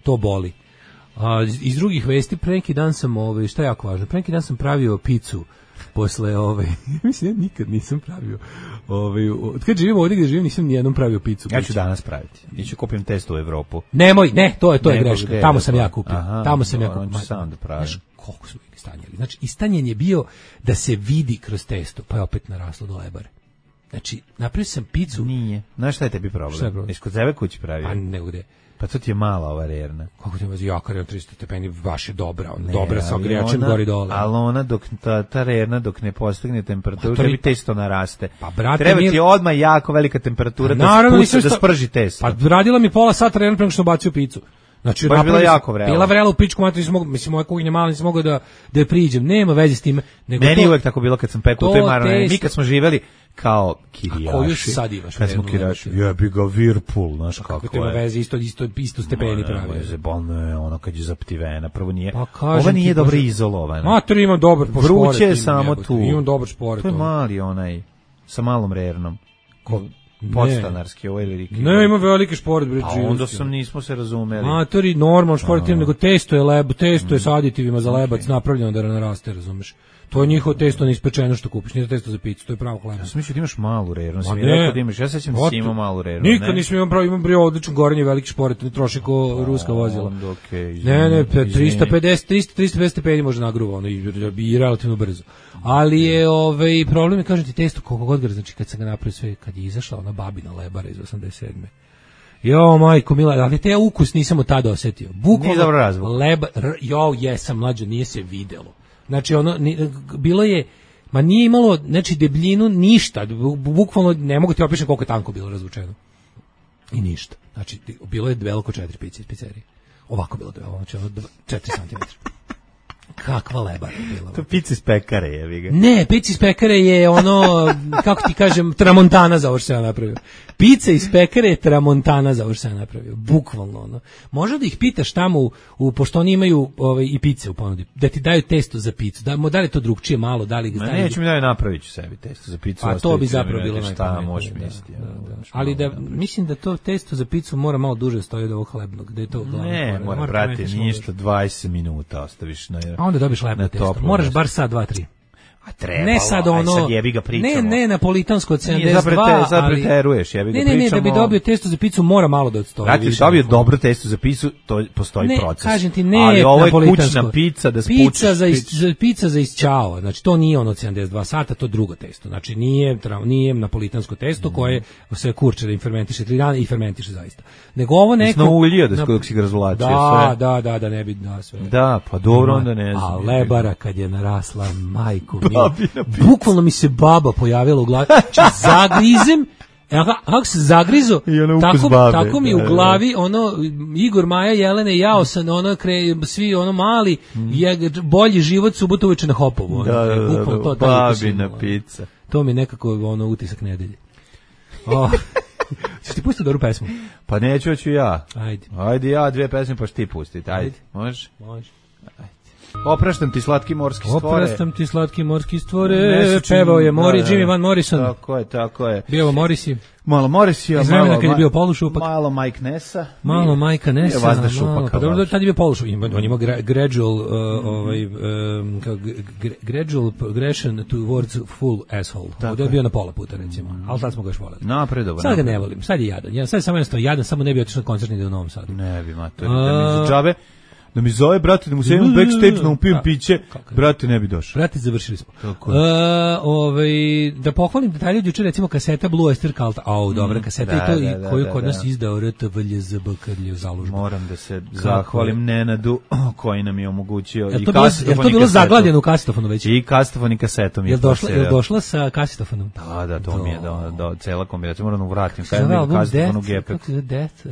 To boli. A iz drugih vesti pre neki dan sam ovaj šta je jako važno, pre neki dan sam pravio picu posle ove, mislim ja nikad nisam pravio ovaj od kad živim ovdje gdje živim nisam ni jednom pravio picu. Ja ću danas praviti. Iću kupim testo u Evropu. Nemoj, ne, to je to je greška. Tamo sam ja kupio. Aha, Tamo sam ja kupio. Sam da pravim. Znaš, koliko smo ih stanjali. Znači, istanjen je bio da se vidi kroz testo, pa je opet naraslo do lebare. Znači, napravio sam picu. Nije. Znaš šta je tebi problem? Šta je problem? Jesi kod sebe kući pravio? A ne gde. Pa to ti je mala ova rerna. Kako ti je jaka rerna, tristo stepeni, baš je dobra, on, ne, dobra sa ogrijačem gori dole. Ali ona, dok, ta, ta rerna dok ne postigne temperaturu, tebi testo naraste. Pa, brate, treba ti odmah jako velika temperatura da, spusti, da sprži testo. Pa radila mi pola sata rerna prema što bacio picu. Znači, baš bila jako vrela. Bila vrela u pičku, matri, nisam mogao, mislim, moja kuhinja mala, nisam mogao da, da je priđem. Nema veze s time. Nego meni to, je uvek tako bilo kad sam pekao u toj marone. Mi kad smo živeli kao kirijaši. A koju sad imaš? Kad smo kirijaši. Jebi ga Whirlpool, znaš kako, kako je. Kako ima veze, isto, isto, isto stepeni pravi. Veze, bolno je ono kad je zaptivena. Prvo nije, pa ova nije dobro izolovana. Matri, imam dobar pošporet. Vruće je samo tu. Imam dobar šporet. To je mali onaj, sa malom rernom. Ko, podstanarski, ovo je veliki. Ne, ima veliki šporet, bre. A onda sam, nismo se razumeli. Matori, normalno šporet, nego testo je leb, testo je s aditivima za lebac napravljeno da naraste, razumeš. To je njihovo testo neispečeno što kupiš, nije testo za picu, to je pravo hleba. Ja sam mislio da imaš malu rernu, sam mi rekao da imaš, ja sećam da si imao malu rernu. Nikad nisam imao pravo, imam brio odlično gorenje, veliki šporet, ne troši ko ruska vozila. Okay, ne, ne, tristo pedeset, trista pedeset stepeni može nagruva, ono, i, i relativno brzo. Ali je, ovaj, problem je, kažem ti, testo koliko god ga, znači kad sam ga napravio sve, kad je izašla ona babina lebara iz osamdeset sedme Jo, majko mila, ali te ukus nisam od tada osetio. Bukvalno, leba, jo, jesam mlađo, nije se videlo. Znači ono ni, bilo je ma nije imalo znači debljinu ništa, bukvalno ne mogu ti opišem koliko je tanko bilo razvučeno. I ništa. Znači bilo je veliko četiri pice iz pizzerije. Ovako bilo debelo, znači ono četiri centimetra. kakva lebara je bila. To pizza iz pekare je, ga. Ne, pizza iz pekare je ono, kako ti kažem, tramontana za ovo što sam ja napravio. Pizza iz pekare je tramontana za ovo što sam ja napravio. Bukvalno ono. Možda da ih pitaš tamo, u, u, pošto oni imaju ovaj, i pice u ponudi, da ti daju testo za picu. Da, da li je to drugčije malo, da li ga Ma neću mi da napravit ću sebi testo za picu. A to bi zapravo bilo najpametnije. Da, da, da. Ali da, mislim da to testo za picu mora malo duže stoji od ovog hlebnog. Da je to glavno. Ne, mora, brate, ništa, dvadeset minuta ostaviš na. A onda dobiš hlebno testo. Moraš bar sad, dva, tri. A treba, ne sad ono, aj sad jebi ga pričamo. Ne, ne, napolitansko od sedamdeset dva, sad preteruješ, jebi ga ne, pričamo. Ne, ne, da bi dobio testo za picu mora malo da odstoji. Brate, da dobio dobro testo za picu, to postoji ne, proces. Kažem ti, ne, ali ovo je kućna pizza da spučiš. Pizza za, is, za pizza za isćao, znači to nije ono sedamdeset dva sata, to drugo testo. Znači nije nije napolitansko testo mm. koje se kurče da im fermentiše tri dana i fermentiše zaista. Nego ovo neko na uljio da dok si ga razvlačio da, sve. Da, da, da, ne bi da sve. Da, pa dobro onda ne znam. A lebara kad je narasla, majku mi. Bukvalno mi se baba pojavila u glavi. Čak zagrizem, kako se zagrizo, tako, tako mi u glavi, ono, Igor, Maja, Jelena i ja sam, ono, kre, svi, ono, mali, mm. je bolji život subotu uveče na Hopovu. Da, da, da, da, da, babina pizza. To mi je nekako, ono, utisak nedelje. Oh. Ćeš ti pustiti dobru pesmu? Pa neću, hoću ja. Ajde. Ajde ja, dvije pesme pa što ti pustiti. Ajde. Ajde. Može? Može. Ajde. Opraštam ti slatki morski stvore. Opraštam ti slatki morski stvore. Pevao je Mori, da, Jimmy Van Morrison. Tako je, tako je. Bio Morrissey. Malo Morrisija, malo kad je bio polušupak. Malo Mike Nessa. Malo Mike Nessa. Je vazda šupak. Pa dobro, tad je bio polušupak. On ima gradual, uh, ovaj, um, kao gradual progression towards full asshole. Ovdje je bio na pola puta, recimo. Mm. Ali sad smo ga još voleli. Napredovo. Sad ga ne volim. Sad je jadan. Ja, sad je samo jednostavno jadan, samo ne bi otišao na koncert ni da u Novom Sadu. Ne bi, ma, to je da mi za džabe. Da mi zove, brate, da mu se imam backstage, da mu pijem piće, brate, ne bi došao. Brate, završili smo. Uh, ovaj, da pohvalim detalje od juče, recimo kaseta Blue Oyster Cult, au, mm, dobra kaseta da, i to, da, da, koju da, kod da, nas da. izdao R T V L Z B kad je zalužba. Moram da se zahvalim Nenadu, koji nam je omogućio i kasetofon. Je to bilo zaglavljeno u kasetofonu već? I kasetofon i kasetom. Je došla, je došla sa kasetofonom? Da, da, to mi je, da, da, cela kombinacija, moram vratim. Kaj je bilo kasetofon u Gepek? Kako je Death?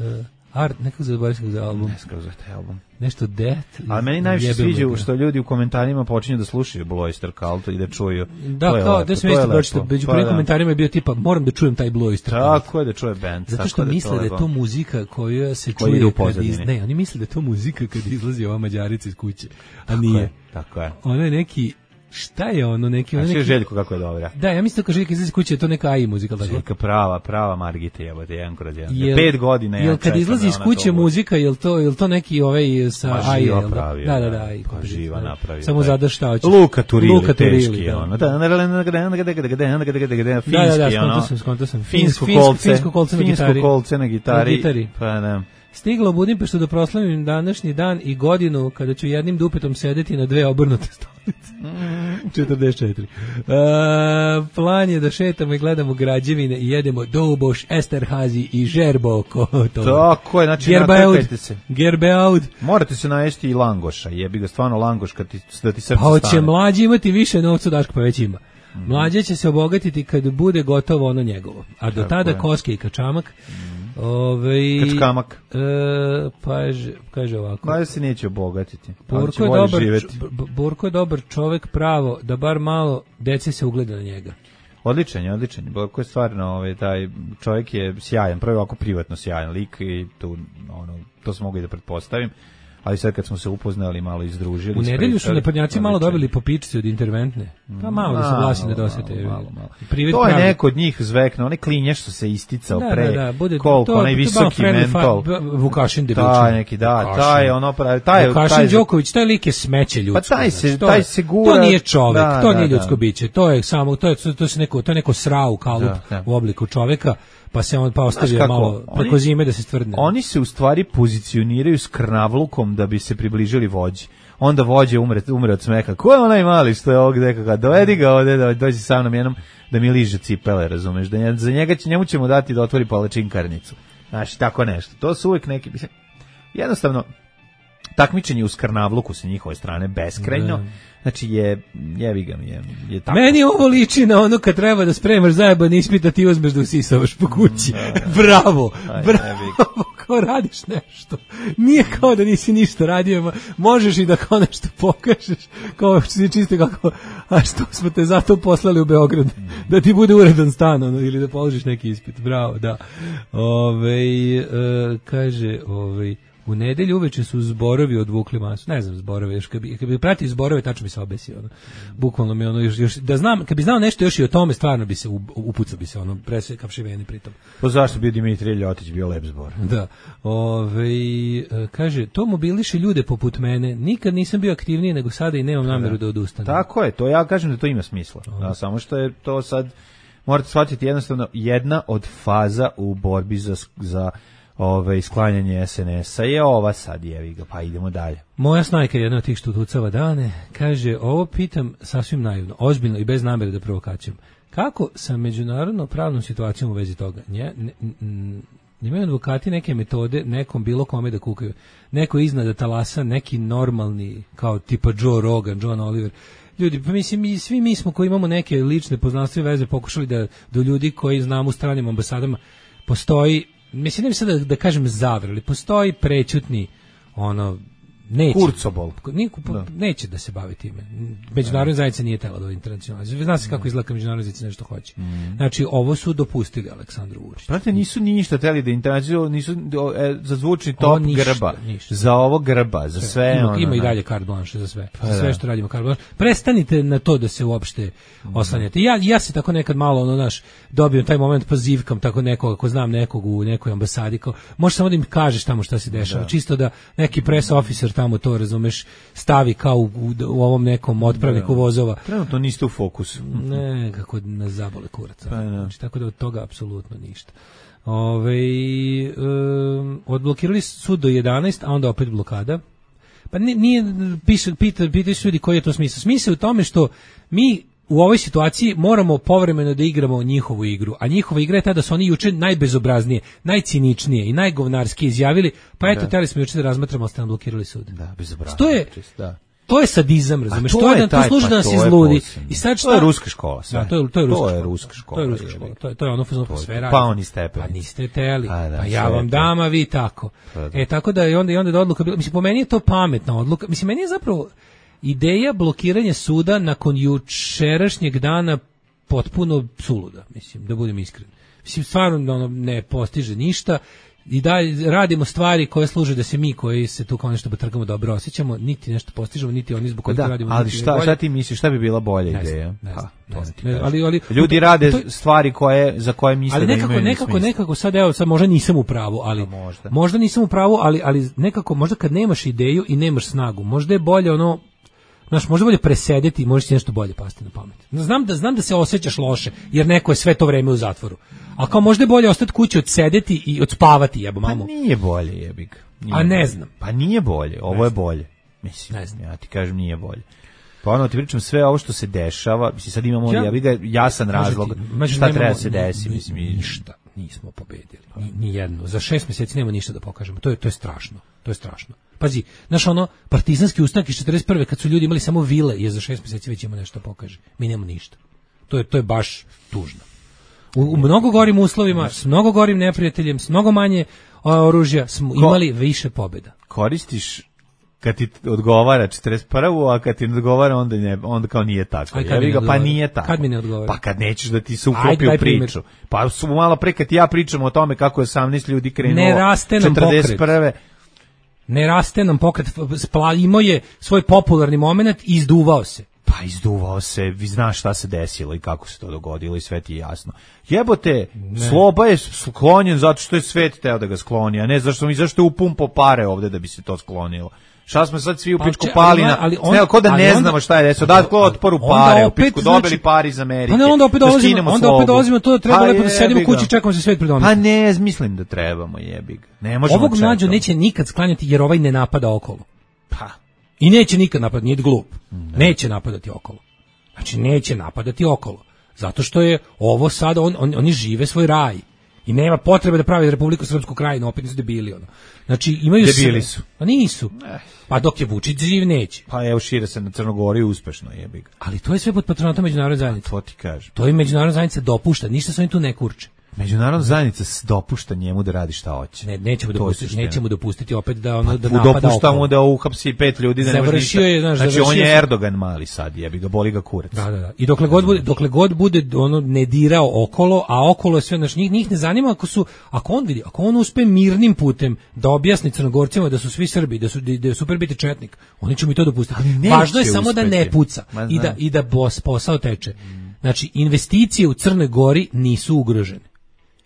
Art, nekako zaboravim se za album. Ne skoro za taj album. Nešto Death. A meni najviše sviđa što ljudi u komentarima počinju da slušaju Blue Oyster Cult i da čuju. Da, to kao, da sam isto pročitao, među prvim komentarima je bio tipa, moram da čujem taj Blue Oyster Cult. Tako je da čuje band. Zato što misle da je to muzika koja se čuje kad iz... Ne, oni misle da je to muzika kad izlazi ova Mađarica iz kuće, a nije. Tako je. Ono je neki... Šta je ono neki... A sve neki... Željko kako je dobra. Da, ja mislim da kao Željka izlazi kuće je to neka A I muzika. Željka prava, prava Margita je, jedan kroz jedan. Jel, Pet godina ja jel kad izlazi iz kuće muzika, jel to, jel to neki ovaj sa A I? Živa pravi. Da, da, da. Pa živa napravi. Samo zadaš šta hoćeš. Luka Turili, Luka Turili, teški, da. ono. Da, finski, da, da, ono. Sam, skonto sam. Finsko kolce. Finsko kolce na gitari. Finsko kolce na gitari. Pa da. Stigla u Budimpeštu da proslavim današnji dan i godinu kada ću jednim dupetom sedeti na dve obrnute stolice. četrdeset četiri. Uh, plan je da šetamo i gledamo građevine i jedemo Douboš, Esterhazy i Žerboko. Tako je, znači natrkajte se. Gerbeaud. Morate se najesti i langoša, jebi ga stvarno langoš kad ti, da ti srce pa stane. Pa će mlađi imati više novca, Daško, pa već ima. Mm. Mlađe će se obogatiti kad bude gotovo ono njegovo. A do tako tada je. Koske i kačamak. Mm. Ove, Kačkamak. E, pa je, kaže ovako. Mada se neće obogatiti. Burko je, dobar, Burko je dobar čovek pravo, da bar malo dece se ugleda na njega. Odličan je, odličan je. Burko je stvarno, ovaj, taj čovjek je sjajan, prvo ovako privatno sjajan lik i tu, ono, to smo mogli da pretpostavim. Ali sad kad smo se upoznali, malo izdružili. U nedelju su naprednjaci malo dobili po pičci od interventne. Pa malo da se glasi da dosete. Malo, malo, malo. To je neko od njih zvekno, onaj klinješ što se isticao da, pre. Da, da, bude, koliko, to, onaj visoki mentol. Vukašin debilčin. Taj neki, da, taj ono pravi. Taj, Vukašin taj, Đoković, taj lik je smeće ljudsko. Pa taj se, znači, to, taj se gura. To nije čovek, da, to da, nije da, ljudsko biće. To je samo, to je, to je neko, to je neko srau kalup da, da. u obliku čoveka. Pa se on pa ostavio malo preko zime da se stvrdne. Oni se u stvari pozicioniraju s krnavlukom da bi se približili vođi. Onda vođe umre, umre od smeka. Ko je onaj mali što je ovdje nekakav? Dovedi ga ovdje, da dođi sa mnom jednom da mi liže cipele, razumeš? Da za njega, njemu ćemo dati da otvori palačinkarnicu. Znaš, tako nešto. To su uvijek neki... Jednostavno, takmičenje u skrnavluku sa njihove strane beskrajno. Da. Znači je, jebi ga mi je, je tako. Meni ovo liči na ono kad treba da spremaš zajeban ispit, a ti uzmeš da usisavaš po kući. Da, da. Bravo, Aj, bravo, kao radiš nešto. Nije kao da nisi ništa radio, možeš i da kao nešto pokažeš, kao si čisto kako, a što smo te zato poslali u Beograd, da ti bude uredan stan, ono, ili da položiš neki ispit. Bravo, da. Ove, e, kaže, ove, u nedelju uveče su zborovi odvukli masu. Ne znam zborove, još kad bi, kad bi pratio zborove, tačno bi se obesio. Ono. Bukvalno mi ono još, još, da znam, kad bi znao nešto još i o tome, stvarno bi se upucao bi se ono, presve kapšiveni pritom. Pa zašto bi Dimitrije Ljotić bio lep zbor? Da. Ove, kaže, to mobiliše ljude poput mene. Nikad nisam bio aktivniji nego sada i nemam nameru da odustanem. Tako je, to ja kažem da to ima smisla. Da, samo što je to sad, morate shvatiti jednostavno, jedna od faza u borbi za, za Ove, sklanjanje es en esa je ova sad, jevi ga, pa idemo dalje. Moja snajka je jedna od tih što tucava dane, kaže, ovo pitam sasvim naivno, ozbiljno i bez namere da provokacijom. Kako sa međunarodno pravnom situacijom u vezi toga? Nje, ne, n, imaju advokati neke metode nekom bilo kome da kukaju. Neko iznad talasa, neki normalni, kao tipa Joe Rogan, John Oliver. Ljudi, pa mislim, mi, svi mi smo koji imamo neke lične poznanstva i veze pokušali da do ljudi koji znamo u stranim ambasadama postoji, mislim, ne bi sad da, da kažem zavrali, postoji prećutni, ono, neće. Kurcobol. Niko, da. Neće da se bavi time. Međunarodna zajednica nije tela do internacionalizma. Zna se kako izgleda međunarodna zajednica nešto hoće. Mm. Znači, ovo su dopustili Aleksandru Vučiću. Prate, nisu ništa teli da internacionalizmu, nisu e, za zvučni top ništa, grba. Ništa. Za ovo grba, za sve. sve ima, ono, ima i dalje carte blanche za sve. Pa za sve da. Što radimo carte blanche. Prestanite na to da se uopšte mm. oslanjate. Ja, ja se tako nekad malo, ono, naš, dobijem taj moment, pa zivkam tako nekog, ako znam nekog u nekoj ambasadi, kao, možeš samo da im kažeš tamo šta se dešava. Da. Čisto da neki press officer tamo to, razumeš, stavi kao u, u, u ovom nekom otpravniku vozova. Trenutno niste u fokusu. Ne, kako nas zabole kurac. Pa, znači, tako da od toga apsolutno ništa. Ove, um, odblokirali sud do jedanaest, a onda opet blokada. Pa nije, piše, pita, pitaju ljudi koji je to smisao. Smisao je u tome što mi u ovoj situaciji moramo povremeno da igramo njihovu igru, a njihova igra je ta da su oni juče najbezobraznije, najciničnije i najgovnarskije izjavili, pa eto, teli smo juče da razmatramo, ste nam blokirali sud. Da, bezobrazno. To je, da. To je sadizam, razumeš? To, to je da to služi da nas izludi. I sad šta? To je ruska škola, sve. Da, to je to je ruska, to je ruska škola. To je ruska škola. To je to je ono fuzno sve radi. Pa oni stepeni. Pa niste teli. A, da, pa ja vam dam, a vi tako. Pa, e tako da je onda i onda je odluka bila, mislim, po meni je to pametna odluka. Mislim, meni je zapravo ideja blokiranja suda nakon jučerašnjeg dana potpuno suluda, mislim, da budem iskren. Mislim, stvarno ono, ne postiže ništa i da radimo stvari koje služe da se mi koji se tu kao nešto potrgamo dobro osjećamo, niti nešto postižemo, niti oni zbog kojih da, radimo. Ali šta, šta ti misliš, šta bi bila bolja ne ideja? Znam, ne znam, ha, ne znam, ne znam. Ali, ali, ljudi rade to, stvari koje, za koje misle ali da nekako, imaju nekako, smisla. nekako sad, evo, sad možda nisam u pravu, ali možda. možda nisam u pravu, ali, ali nekako, možda kad nemaš ideju i nemaš snagu, možda je bolje ono, znaš, možda bolje presedeti i možeš ti nešto bolje pasti na pamet. Znam da, znam da se osjećaš loše, jer neko je sve to vreme u zatvoru. A kao možda je bolje ostati kući, odsedeti i odspavati, jebo mamu. Pa nije bolje, jebik. Nije A ne bolje. znam. Pa nije bolje, ovo je bolje. Mislim, ne znam. Ja ti kažem nije bolje. Pa ono ti pričam sve ovo što se dešava, mislim sad imamo ja, jebiga jasan razlog ti, šta treba se desi, mislim i ništa nismo pobedili. Ni, ni jedno. Za šest mjeseci nema ništa da pokažemo. To je to je strašno. To je strašno. Pazi, znaš ono, partizanski ustanak iz četrdeset prve kad su ljudi imali samo vile, je za šest mjeseci već ima nešto da pokaže. Mi nemamo ništa. To je to je baš tužno. U, u mnogo gorim uslovima, s mnogo gorim neprijateljem, s mnogo manje oružja smo imali više pobjeda. Koristiš kad ti odgovara četrdeset prvu, a kad ti ne odgovara onda, ne, onda kao nije tako. Ja ga, pa nije tako. Kad mi ne odgovara? Pa kad nećeš da ti se uklopi u priču. Pa su malo pre kad ja pričam o tome kako je osamnaest ljudi krenulo ne raste nam četrdeset prve. Pokret. Ne raste nam pokret. Imao je svoj popularni moment i izduvao se. Pa izduvao se, vi znaš šta se desilo i kako se to dogodilo i sve ti je jasno. Jebote, ne. Sloba je sklonjen zato što je svet teo da ga skloni, a ne zašto mi zašto je upumpo pare ovde da bi se to sklonilo. Šta smo sad svi u pičku pa, pali na, ali on, ne, ko da ne onda, znamo šta je desilo, da ko otporu pare, opet, u pičku dobili znači, pari iz Amerike. Pa ne, onda opet dolazimo, onda opet dolazimo to da treba pa lepo da sedimo u kući i čekamo se svet predomiti. Pa ne, mislim da trebamo, jebi ga. Ne možemo ovog mlađu neće nikad sklanjati jer ovaj ne napada okolo. Pa. I neće nikad napadati, nije glup. Ne. Neće napadati okolo. Znači neće napadati okolo. Zato što je ovo sad, on, on, oni žive svoj raj. I nema potrebe da pravi Republiku Srpsku krajinu, opet nisu debili ono. Znači imaju debili sve. Su. Pa nisu. Pa dok je Vučić živ neće. Pa evo šire se na Crnogoriju uspešno jebi ga. Ali to je sve pod patronatom međunarodne zajednice. To ti kažem. To je međunarodna zajednica dopušta, ništa se oni tu ne kurče. Međunarodna zajednica dopušta njemu da radi šta hoće. Ne, nećemo dopustiti, nećemo dopustiti opet da ono pa, da napada. Dopuštamo da uhapsi pet ljudi, da ne može ništa. Je, znaš, znači on je Erdogan mali sad, jebi ga, boli ga kurac. Da, da, da. I dokle god bude, dokle god bude ono ne dirao okolo, a okolo je sve naš njih, njih ne zanima ako su, ako on vidi, ako on uspe mirnim putem da objasni Crnogorcima da su svi Srbi, da su da je super biti četnik, oni će mi to dopustiti. Važno je samo uspeti. Da ne puca i da i da bos, posao teče. Znači investicije u Crnoj Gori nisu ugrožene.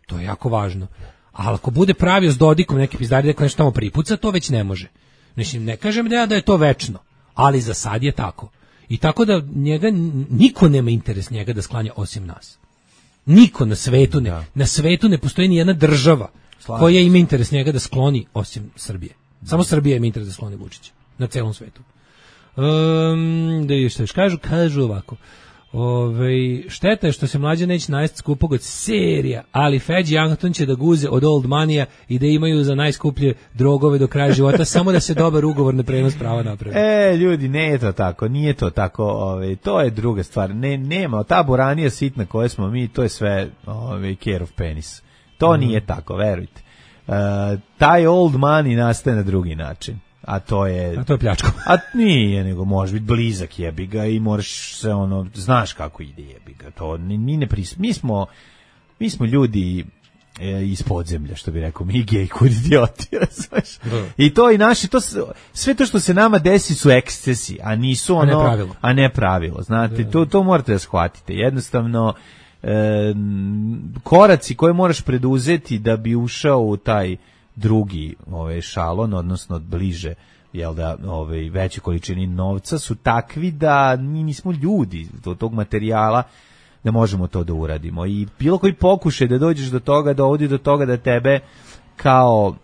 To je jako važno. Ali ako bude pravio s Dodikom neki pizdari da nešto tamo pripuca, to već ne može. Mislim, ne kažem da ja da je to večno, ali za sad je tako. I tako da njega, niko nema interes njega da sklanja osim nas. Niko na svetu ne, da. Na svetu ne postoji ni jedna država Slažim. Koja ima interes njega da skloni osim Srbije. Samo Srbija ima interes da skloni Vučića. Na celom svetu. Um, da je što još kažu, kažu ovako. Ove, šteta je što se mlađa neće najst skupog od serija, ali Feđi i Anton će da guze od Old Manija i da imaju za najskuplje drogove do kraja života, samo da se dobar ugovor na prenos prava napravi. E, ljudi, ne je to tako, nije to tako, ove, to je druga stvar. Ne, nema, ta boranija sitna koje smo mi, to je sve ove, care of penis. To mm. nije tako, verujte. Uh, taj Old Money nastaje na drugi način. A to je... A to je pljačko. A nije, nego može biti blizak jebi ga i moraš se ono, znaš kako ide jebi ga. To ni ne pris... Mi smo, mi smo ljudi e, iz podzemlja, što bi rekao, mi gej kud idioti, razumeš? I to i naši, to, sve to što se nama desi su ekscesi, a nisu ono... A ne pravilo. A ne pravilo, znate, da. to, to morate da shvatite. Jednostavno, e, koraci koje moraš preduzeti da bi ušao u taj drugi ovaj šalon, odnosno bliže, jel da, ovaj veće količini novca su takvi da mi nismo ljudi do tog materijala da možemo to da uradimo. I bilo koji pokušaj da dođeš do toga, dovodi do toga da tebe kao,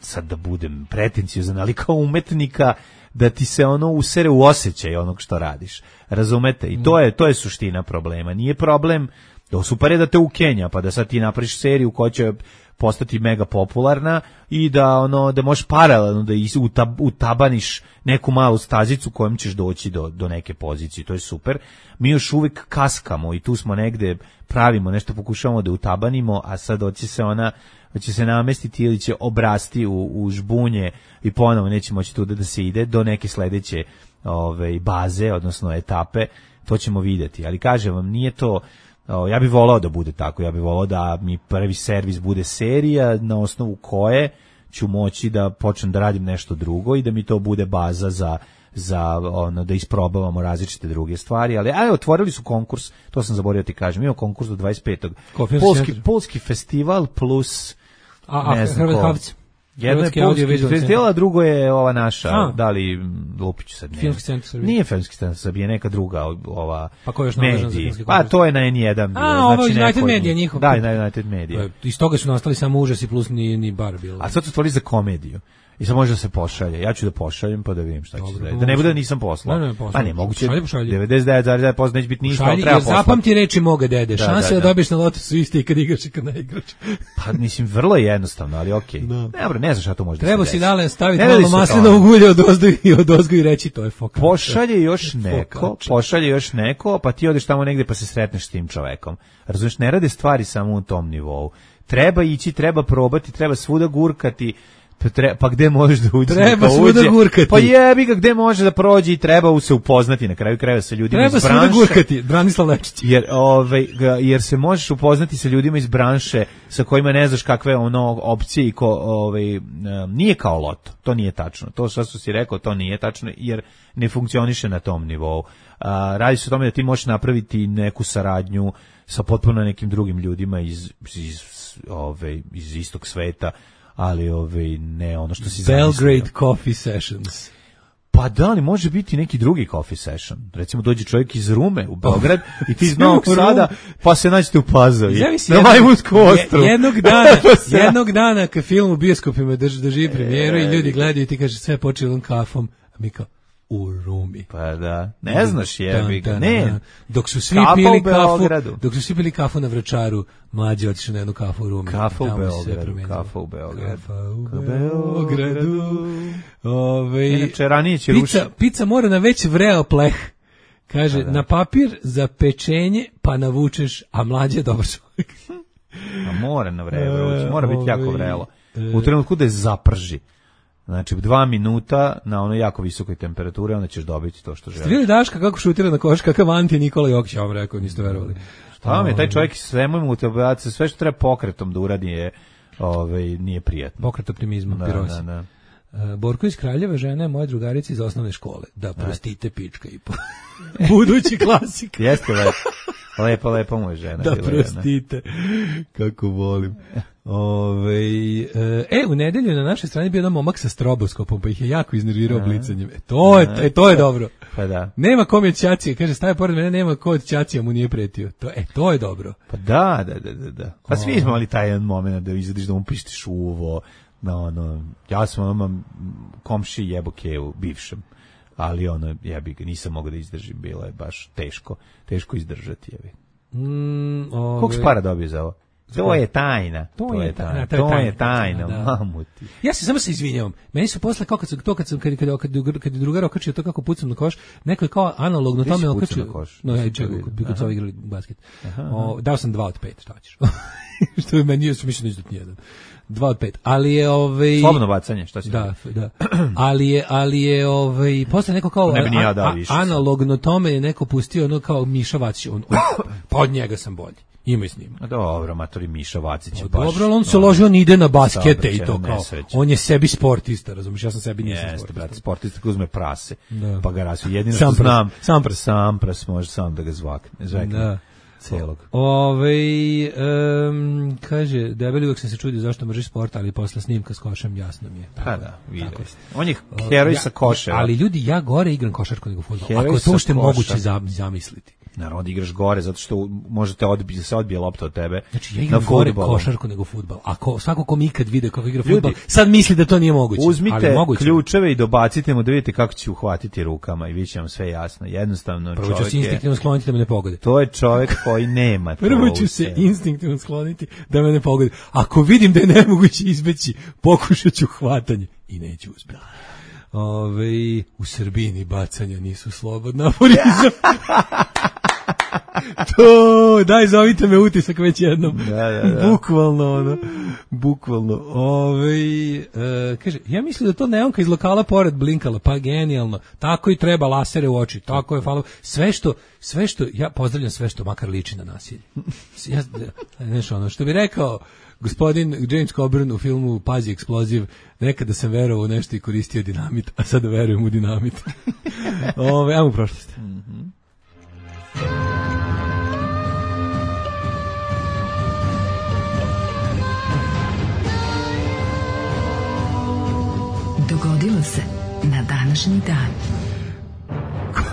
sad da budem pretenciozan, ali kao umetnika, da ti se ono usere u osjećaj onog što radiš. Razumete? I to je, to je suština problema. Nije problem, to super je da te ukenja, pa da sad ti napraviš seriju koja će postati mega popularna i da ono da možeš paralelno da utab, utabaniš neku malu stazicu kojom ćeš doći do, do neke pozicije. To je super. Mi još uvijek kaskamo i tu smo negde, pravimo nešto, pokušavamo da utabanimo, a sad hoće se ona hoće se namestiti ili će obrasti u, u žbunje i ponovo neće moći tu da se ide do neke sledeće ove, baze, odnosno etape. To ćemo vidjeti. Ali kažem vam, nije to... O, ja bih volao da bude tako, ja bih volao da mi prvi servis bude serija na osnovu koje ću moći da počnem da radim nešto drugo i da mi to bude baza za, za ono, da isprobavamo različite druge stvari, ali aj, otvorili su konkurs, to sam zaboravio ti kažem, imamo konkurs do dvadeset petog Polski, Polski festival plus a, ne znam ko. Jedno je polski festival, a drugo je ova naša, a. da li Lupić sad ne. Filmski centar Srbije. Nije Filmski centar Srbije, neka druga ova pa ko još nadležan za filmski konkurs? Pa to je na N jedan. A, ovo znači United Media njihov. Da, na United Media. Iz toga su nastali samo užasi plus ni, ni bar bilo. A sad su otvorili za komediju. I sad može da se pošalje. Ja ću da pošaljem pa da vidim šta će se da. Da ne bude da nisam poslao. Ne, ne, pa ne, moguće. devedeset devet zarez devet posto neće biti ništa, ali treba poslati. Zapamti reči moga dede. Da, šanse da, da, da dobiješ na lotu su iste i kad igraš i kad ne igraš. Pa mislim vrlo je jednostavno, ali okej. Okay. No. Ne, bro, ne znaš šta to može da se treba si dale staviti malo maslinovog ulja od ozdo i od ozgo i reći to je foka. Pošalje još neko, pošalje još neko, pa ti odeš tamo negde pa se sretneš s tim čovekom. Razumeš, ne rade stvari samo u tom nivou. Treba ići, treba probati, treba svuda gurkati. Pa, tre, pa gde možeš da uđe? Treba svuda gurkati. Pa jebi ga, gde može da prođe i treba se upoznati na kraju krajeva sa ljudima treba iz branše. Treba svuda gurkati, Branislav Lečić. Jer, ovaj, jer se možeš upoznati sa ljudima iz branše sa kojima ne znaš kakve ono opcije i ko, ovaj, nije kao loto. To nije tačno. To što si rekao, to nije tačno jer ne funkcioniše na tom nivou. A, radi se o tome da ti možeš napraviti neku saradnju sa potpuno nekim drugim ljudima iz, iz, ovaj, iz istog sveta, ali ovaj ne ono što si Belgrade zamislio. Coffee Sessions. Pa da li može biti neki drugi coffee session? Recimo dođe čovjek iz Rume u Beograd i ti iz Novog Sada, pa se nađete u Pazovi. Na Majmunskom ostrvu. Jednog dana, jednog dana kad film u bioskopima drži, drži premijeru i ljudi gledaju i ti kaže sve počelo kafom, a mi kao u Rumi. Pa da, ne znaš jebi ga, ne. Dok su svi pili kafu, dok su svi pili kafu na Vračaru, mlađi otišli na jednu kafu u Rumi. Kafa u Beogradu, kafa u Beogradu. Kafa u Beogradu. Ove, inače, ranije će pizza, rušiti. Pizza mora na već vreo pleh. Kaže, da, da. Na papir za pečenje, pa navučeš, a mlađi je dobar čovjek. A mora na vreme, mora biti jako vrelo. U trenutku da je zaprži. Znači, dva minuta na onoj jako visokoj temperaturi, onda ćeš dobiti to što želiš. Ste vidjeli Daška kako šutira na koš, kakav anti Nikola Jokić, ja vam rekao, niste verovali. Šta vam je, taj čovjek sve mu mu te obraca, sve što treba pokretom da uradi je, ovaj, nije prijatno. Pokret optimizma, da, pirosi. Da, da. Uh, Borko iz Kraljeva, žena je moja drugarica iz osnovne škole. Da, prostite pička i po... Budući klasik. Jeste lepo. Lepa, lepa mu je žena. Da, prostite. Kako volim. Ove, e, u nedelju na našoj strani bio jedan momak sa stroboskopom, pa ih je jako iznervirao blicanjem. E, to je, e, to je dobro. Pa da. Nema kom je ćacija, kaže, staje pored mene, nema ko od ćacija mu nije pretio. To, e, to je dobro. Pa da, da, da, da. Pa svi smo imali taj jedan moment da izadiš da mu pištiš uvo. No, no, ja sam ono komši jebo kevu, bivšem. Ali ono, ja bi ga nisam mogao da izdržim, bilo je baš teško, teško izdržati. Je mm, ove... Koliko si para dobio za ovo? To je tajna. To, to je, je tajna. tajna. To je tajna, je tajna da. Mamuti. Ja se samo se izvinjavam. Meni su posle kao kad sam to kad sam kad kad kad, kad je drugar okačio to kako pucam na koš, neko je kao analogno tome okačio. No ja čekaj, kad su igrali basket. O, dao sam dva od pet, šta hoćeš? Što je meni još mislim da jedan. Dva od pet, ali je ovaj slobodno bacanje, šta si da, da. ali je ali je ovaj posle neko kao ne bi ni ja dao više. Analogno tome je neko pustio ono kao Miša Vacić, on, on pod njega sam bolji. Ima i snima. A dobro, matori Miša Vacić je baš. Dobro, on se ložio, on ide na baskete i to kao. On je sebi sportista, razumiješ, ja sam sebi nisam Jeste, sportista. Brate, sportista koji uzme prase, da. Pa ga rasu. Jedino sam što znam, sam pras, sam pras može sam da ga zvakne, zvekne. Da. Celog. Ove, um, kaže, debeli uvek sam se čudio zašto mrži sport, ali posle snimka s košem jasno mi je. Pa da, vidio. On je heroj sa koševa. Ali ljudi, ja gore igram košarku nego fudbal. Ako je to što je moguće zamisliti. Naravno, igraš gore zato što možete odbiti se odbije lopta od tebe. Znači ja igram gore košarku nego fudbal. Ako svako ko mi ikad vide kako igra fudbal, sad misli da to nije moguće. Uzmite ali moguće. Ključeve i dobacite mu da vidite kako će uhvatiti rukama i biće vam sve jasno. Jednostavno prvo čovjek ću se instinktivno skloniti da me ne pogode. To je čovjek koji nema. Prvo ću se instinktivno skloniti da me ne pogode. Ako vidim da je nemoguće izbeći, pokušat ću hvatanje i neću uspjeti. Ove, u Srbiji ni bacanja nisu slobodna aforizam. To, daj, zovite me utisak već jednom. Da, da, da. Bukvalno, ono, bukvalno. Ove, e, kaže, ja mislim da to neonka iz lokala pored blinkala, pa genijalno. Tako i treba, lasere u oči, tako je, hvala. Sve što, sve što, ja pozdravljam sve što makar liči na nasilje. Ja, znaš, ono, što bi rekao gospodin James Coburn u filmu Pazi eksploziv, nekada sam verovao u nešto i koristio dinamit, a sada verujem u dinamit. Ove, ajmo u prošlost. Mhm. Dogodilo se na današnji dan.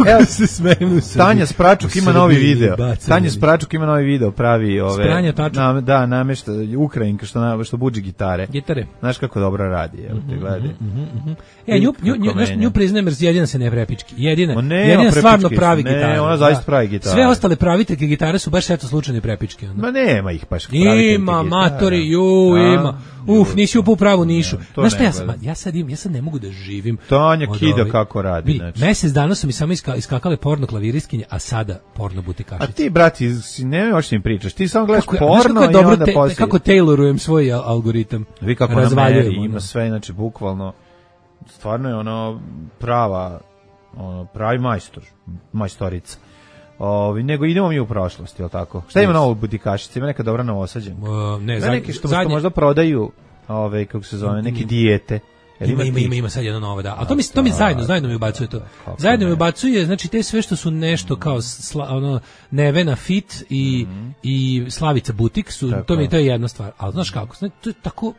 Evo se smejem. Tanja Spračuk ima novi video. Tanja Spračuk ima novi video, pravi ove Spranja, na, da, namešta Ukrajinka što na, što buđi gitare. Gitare. Znaš kako dobro radi, evo te gledaj. Mm -hmm. E nju nju nju, nju priznajem, jedina se ne prepički. Jedina. Ne, jedina stvarno pravi gitare. Ne, ona zaista pravi gitare. Sve ostale praviteljke gitare su baš eto slučajne prepičke onda. Ma nema ih baš praviteljke. Ima matori, ju, ima. Uf, nisi u pravu nišu. Znaš šta ja sam, ja sad im, ja sad ne mogu da živim. Tanja kida kako radi, znači. Mesec dana su mi samo iska, iskakale porno klaviristkinje, a sada porno butikašice. A ti, brati, ne možeš im pričaš. Ti samo gledaš porno kako i onda te, poslije. Kako taylorujem svoj algoritam. Vi kako na meri, ima sve, znači, bukvalno, stvarno je ono prava, ono, pravi majstor, majstorica. Ovi, nego idemo mi u prošlost, je li tako? Šta ima novo u butikašici? Ima neka dobra novosađenja? Uh, ne, zadnje, neki što, zadnje... što možda prodaju, ove, kako se zove, neki dijete. Ima, ima, ima, ima sad jedno novo, da. A to mi, to mi zajedno, zajedno mi ubacuje to. Zajedno mi ubacuje, znači, te sve što su nešto kao sla, ono, Nevena Fit i, mm-hmm. i Slavica Butik su, tako. To mi to je jedna stvar. Ali znaš kako, znači, to je tako...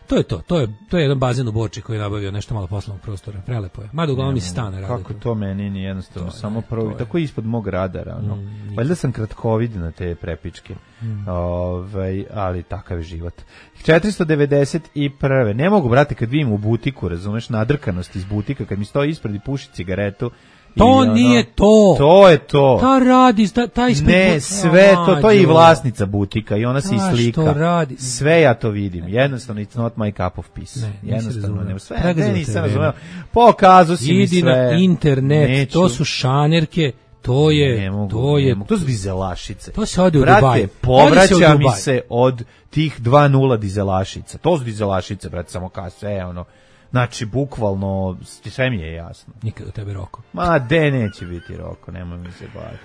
To je to, to je to je jedan bazen u Borči koji je nabavio nešto malo poslovnog prostora, prelepo je. Mada uglavnom iz stana radi. Kako to meni nije jednostavno, to samo prvo tako ispod mog radara, ono. Mm, valjda sam kratkovid na te prepičke. Mm. Ovaj, ali takav je život. četiristo devedeset prve Ne mogu, brate, kad vidim u butiku, razumeš, nadrkanost iz butika, kad mi stoji ispred i puši cigaretu. To ono, nije to. To je to. Ta radi, ta, ta ispred... Ne, sve to, to je i vlasnica butika i ona se i slika. Što radi? Sve ja to vidim. Jednostavno, it's not my cup of peace. Ne, jednostavno, nema sve. Ne, nisam razumeo. Pokazu si mi sve. Idi na internet, neću. To su šanerke, To je, ne mogu, to je, ne mogu. To su dizelašice. To se ode u Brate, Dubaj. povraća mi se od tih dva nula dizelašica. To su dizelašice, brate, samo kao sve, ono. Znači, bukvalno, sve mi je jasno. Nikad u tebe Roko. Ma, de neće biti Roko, nemoj mi se baviti.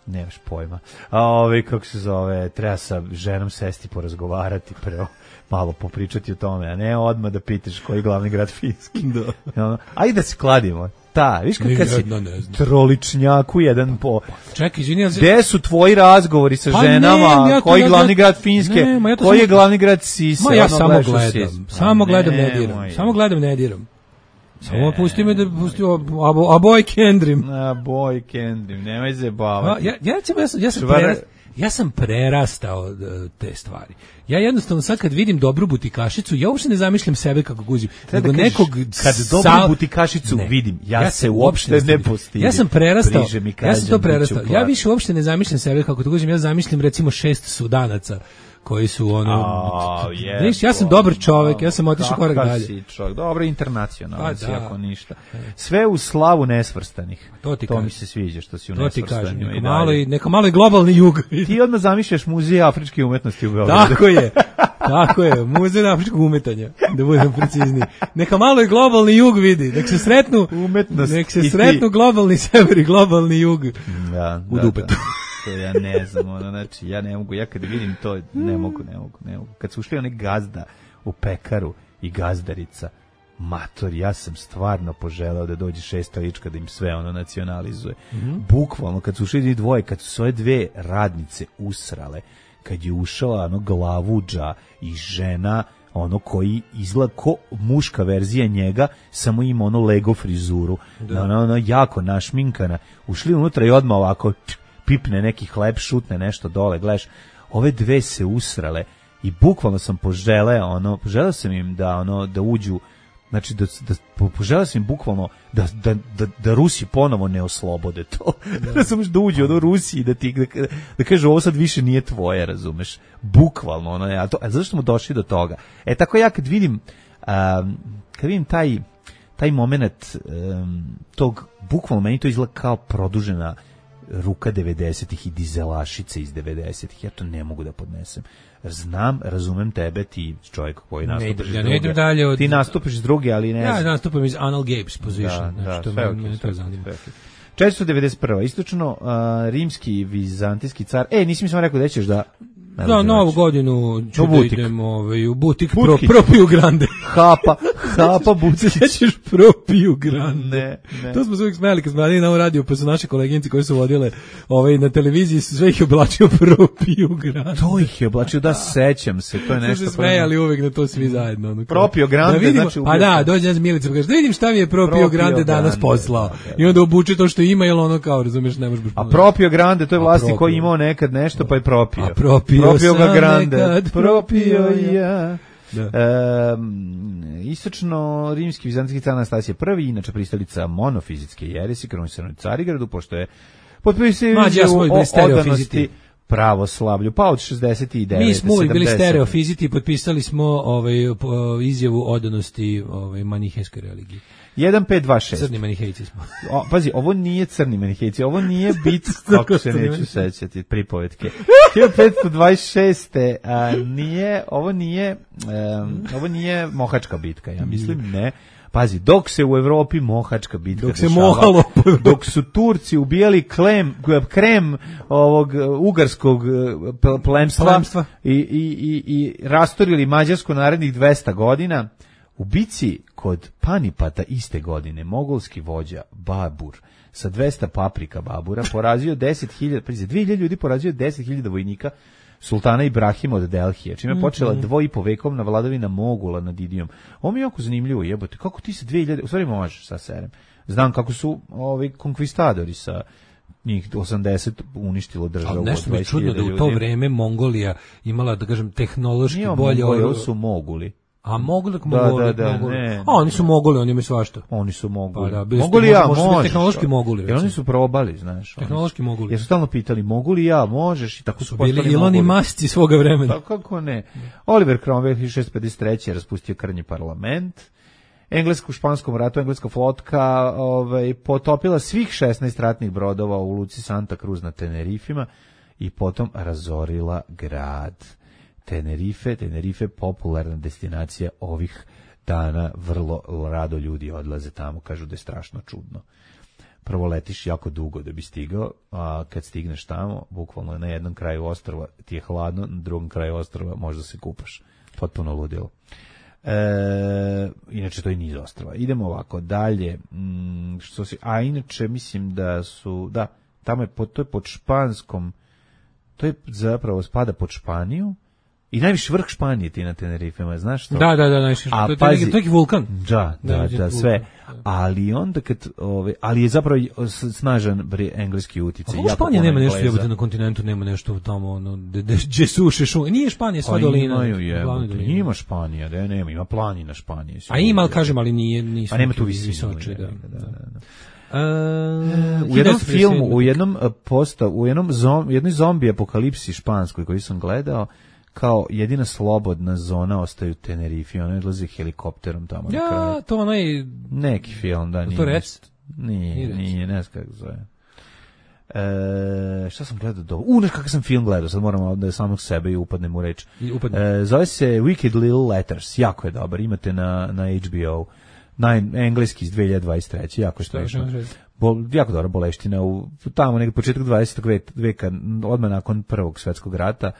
Nemaš pojma. A ove, kako se zove, treba sa ženom sesti porazgovarati preo, malo popričati o tome, a ne odmah da pitaš koji je glavni grad Finski. Da. Ajde da se kladimo. Ta, viš kad, kad si troličnjaku jedan po... Čekaj, izvini, ali... Gde su tvoji razgovori sa pa ženama? Ne, ja koji ja, glavni ja, grad Finske? Ne, ja koji sam, je glavni grad Sise? Ma ja samo gledam. Sis. Samo gledam, ne diram. Moj. Samo gledam, ne diram. Samo pusti me da pusti a, a boy kendrim. A boy kendrim, nemoj se bavati. Ja, ja, ja, sam, ja, sam prerastao, ja sam prerastao te stvari. Ja jednostavno sad kad vidim dobru butikašicu, ja uopšte ne zamišljam sebe kako guzim. Nego da nekog kad dobru sa... butikašicu ne, vidim, ja, ja se uopšte ne postidim. Ja sam prerastao, ja sam to prerastao. Ja više uopšte ne zamišljam sebe kako to guzim, ja zamišljam recimo šest Sudanaca koji su ono oh, yes, viš, ja sam dobar čovjek, ja sam otišao korak dalje. Si čovjek, dobro internacionalan si, ako ništa. Sve u slavu nesvrstanih. To, ti to kažem. Mi se sviđa što si u nesvrstanju. Neka malo i neka malo i globalni jug. Ti odmah zamišljaš muzej afričke umetnosti u Beogradu. Tako je. Tako je, muzej afričkog umetanja, da budem precizniji. Neka malo i globalni jug vidi, nek se sretnu umetnost. Nek se sretnu globalni sever i globalni jug. Da, u da, dupetu. Da. To ja ne znam, ono, znači, ja ne mogu, ja kad vidim to, ne mogu, ne mogu, ne mogu. Kad su ušli oni gazda u pekaru i gazdarica, mator, ja sam stvarno poželeo da dođe šesta lička da im sve ono nacionalizuje. Mm-hmm. Bukvalno, kad su ušli dvoje, kad su svoje dve radnice usrale, kad je ušao ono glavuđa i žena, ono koji izgleda ko muška verzija njega, samo ima ono Lego frizuru, da. ono, ono jako našminkana, ušli unutra i odmah ovako pipne neki hleb, šutne nešto dole, gledaš, ove dve se usrale i bukvalno sam poželeo, ono, poželeo sam im da, ono, da uđu, znači, da, da poželeo sam im bukvalno da, da, da, da Rusi ponovo ne oslobode to, da, razumeš, da uđu od Rusiji, da ti, da, da kažu, ovo sad više nije tvoje, razumeš, bukvalno, ono, a, to, a zašto smo došli do toga? E, tako ja kad vidim, um, kad vidim taj, taj moment um, tog, bukvalno meni to izgleda kao produžena ruka devedesetih i dizelašice iz devedesetih, ja to ne mogu da podnesem. Znam, razumem tebe, ti čovjek koji nastupiš iz ja druge. Ne dalje od... Ti nastupiš iz druge, ali ne ja, znam. Ja nastupam iz Anal Gapes position. Da, znači, da, sve me, okay, me sve, to zanima. četiristo devedeset prva. Istočno uh, rimski vizantijski car. E, nisi mi samo rekao da ćeš da... Ne za novu godinu ću da idem ovaj, u butik pro, Butkić. Propiju Grande. Hapa, hapa Butkić. Sećaš Propiju Grande? Ne, ne. To smo se uvijek smijali kad smo radili na ovom radiju, pa su naše koleginici koje su vodile ovaj, na televiziji, sve ih je oblačio Propiju Grande. To ih je oblačio, da, sećam se, to je nešto... Su se smejali uvijek na to svi zajedno. Ono, Propio Grande, da vidimo, znači... Pa da, dođe nas Milica, pa kaže, da vidim šta mi je Propio, Propio Grande danas poslao. Da, i onda obuče to što ima, jer ono kao, razumiješ, ne možeš... A Propio Grande, to je vlasti koji imao nekad nešto, pa je propio. A propio, propio ga Grande. Nekad propio ja. E, istočno rimski vizantijski car Anastasije prvi, inače pristalica monofizitske jeresi, kronisan u Carigradu, pošto je potpisao o odanosti pravoslavlju, pa od šezdeset devet. Mi smo uvijek bili stereofiziti i potpisali smo ovaj, izjavu odanosti ovaj, manihejskoj religiji. jedan pet dva šest. Crni manihejci smo. O, pazi, ovo nije crni manihejci, ovo nije bit, kako se neću sećati, pripovetke. hiljadu petsto dvadeset šeste. A, nije, ovo nije, um, ovo nije mohačka bitka, ja mislim, ne. Pazi, dok se u Evropi mohačka bitka dok se dešava, mohalo, dok su Turci ubijali klem, krem ovog ugarskog plemstva, plemstva. I, i, i, i rastorili Mađarsku narednih dvesta godina, u bici kod Panipata iste godine mogolski vođa Babur sa dvesta paprika Babura porazio deset hiljada, pa dvije hiljade ljudi porazio deset hiljada vojnika sultana Ibrahima od Delhije, čime je počela dvo i po vekovna vladavina Mogula nad Idijom. Ovo mi je jako zanimljivo, jebote, kako ti se dve hiljade, u stvari možeš sa serem. Znam kako su ovi konkvistadori sa njih osamdeset uništilo državu. Ali nešto mi je čudno da u to vreme Mongolija imala, da kažem, tehnološki nije bolje... Mongolija, ovo su Moguli. A mogli da, moguli, da, da, moguli. Ne, A oni su moguli, oni imaju svašta. Oni su moguli. Pa da, moguli ja, možeš, možeš. Tehnološki moguli. Jer oni su probali, znaš. Tehnološki oni, moguli. Jer su stalno pitali, mogu li ja, možeš, i tako su, su postali bili Iloni Masci svoga vremena. Pa kako ne. Oliver Cromwell hiljadu šessto pedeset treće raspustio krnji parlament. Englesko-španskom ratu engleska flotka ovaj, potopila svih šesnaest ratnih brodova u luci Santa Cruz na Tenerifima i potom razorila grad. Tenerife, Tenerife popularna destinacija ovih dana, vrlo rado ljudi odlaze tamo, kažu da je strašno čudno. Prvo letiš jako dugo da bi stigao, a kad stigneš tamo, bukvalno na jednom kraju ostrva ti je hladno, na drugom kraju ostrva možda se kupaš. Potpuno ludilo. E, inače to je niz ostrva. Idemo ovako dalje. Mm, što si, a inače mislim da su, da, tamo je, to je pod španskom, to je zapravo spada pod Španiju. I najviši vrh Španije ti na Tenerifema, znaš što? Da, da, da, najviši. A to je pazi, neki vulkan. Da, da, da, da sve. Ali onda kad, ove, ali je zapravo snažan engleski uticaj. Kako Španija nema nešto jebote na kontinentu, nema nešto tamo, ono, gdje suše šume. Nije Španija sva dolina. Pa imaju jebote, ima Španija, da nema, ima planina Španije. A ima, ali kažem, ali nije, nisu. A nema tu visinu. Visoče, da, da, da, da. Uh, u jednom filmu, u jednom posta, u jednom zom, jednoj zombi apokalipsi španskoj koji sam gledao, kao jedina slobodna zona ostaju Tenerife, ona odlazi helikopterom tamo ja, na kraju. Ja, to onaj... Neki film, da, nije. To rec? Nije, nije, nije, ne znam kako zove. E, šta sam gledao do... U, nešto kakav sam film gledao, sad moram da je samog sebe i upadnem u reč. E, zove se Wicked Little Letters, jako je dobar, imate na, na H B O. Na engleski iz dve hiljade dvadeset treće jako je smešno. Bol, jako dobra boleština, u, tamo nekako početak dvadesetog veka, odmah nakon Prvog svjetskog rata,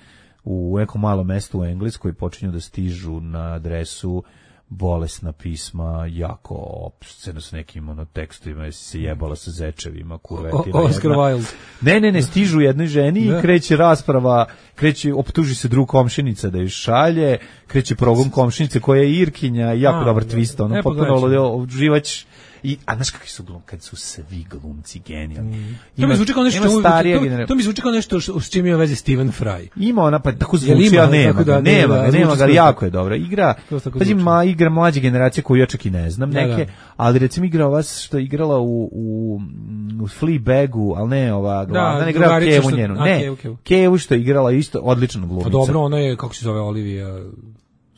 u nekom malom mestu u Engleskoj počinju da stižu na adresu bolesna pisma, jako opsceno s nekim ono, tekstovima, jesi se jebala sa zečevima, kurvetina. Oscar Wilde. Ne, ne, ne, stižu jednoj ženi da. I kreće rasprava, kreće, optuži se drug komšinica da ju šalje, kreće progon komšinice koja je Irkinja, jako A, dobar twist, ono, potpuno živać. I, a znaš kakvi su glumci, kad su svi glumci genijalni. Mm. To mi zvuči kao nešto, to, to mi zvuči kao nešto s čim ima veze Stephen Fry. Ima ona, pa tako zvuči, ali nema ga, nema ga, nema ga, jako je dobra. Igra, pazi, ma, igra mlađe generacije koju ja čak i ne znam neke, da, da. Ali recimo igra ova što je igrala u, u, u Fleabagu, ali ne ova glavna, da, ne igrala Kevu njenu, ne, okay, okay. Kevu što je igrala isto, odlična glumica. A dobro, ona je, kako se zove, Olivia...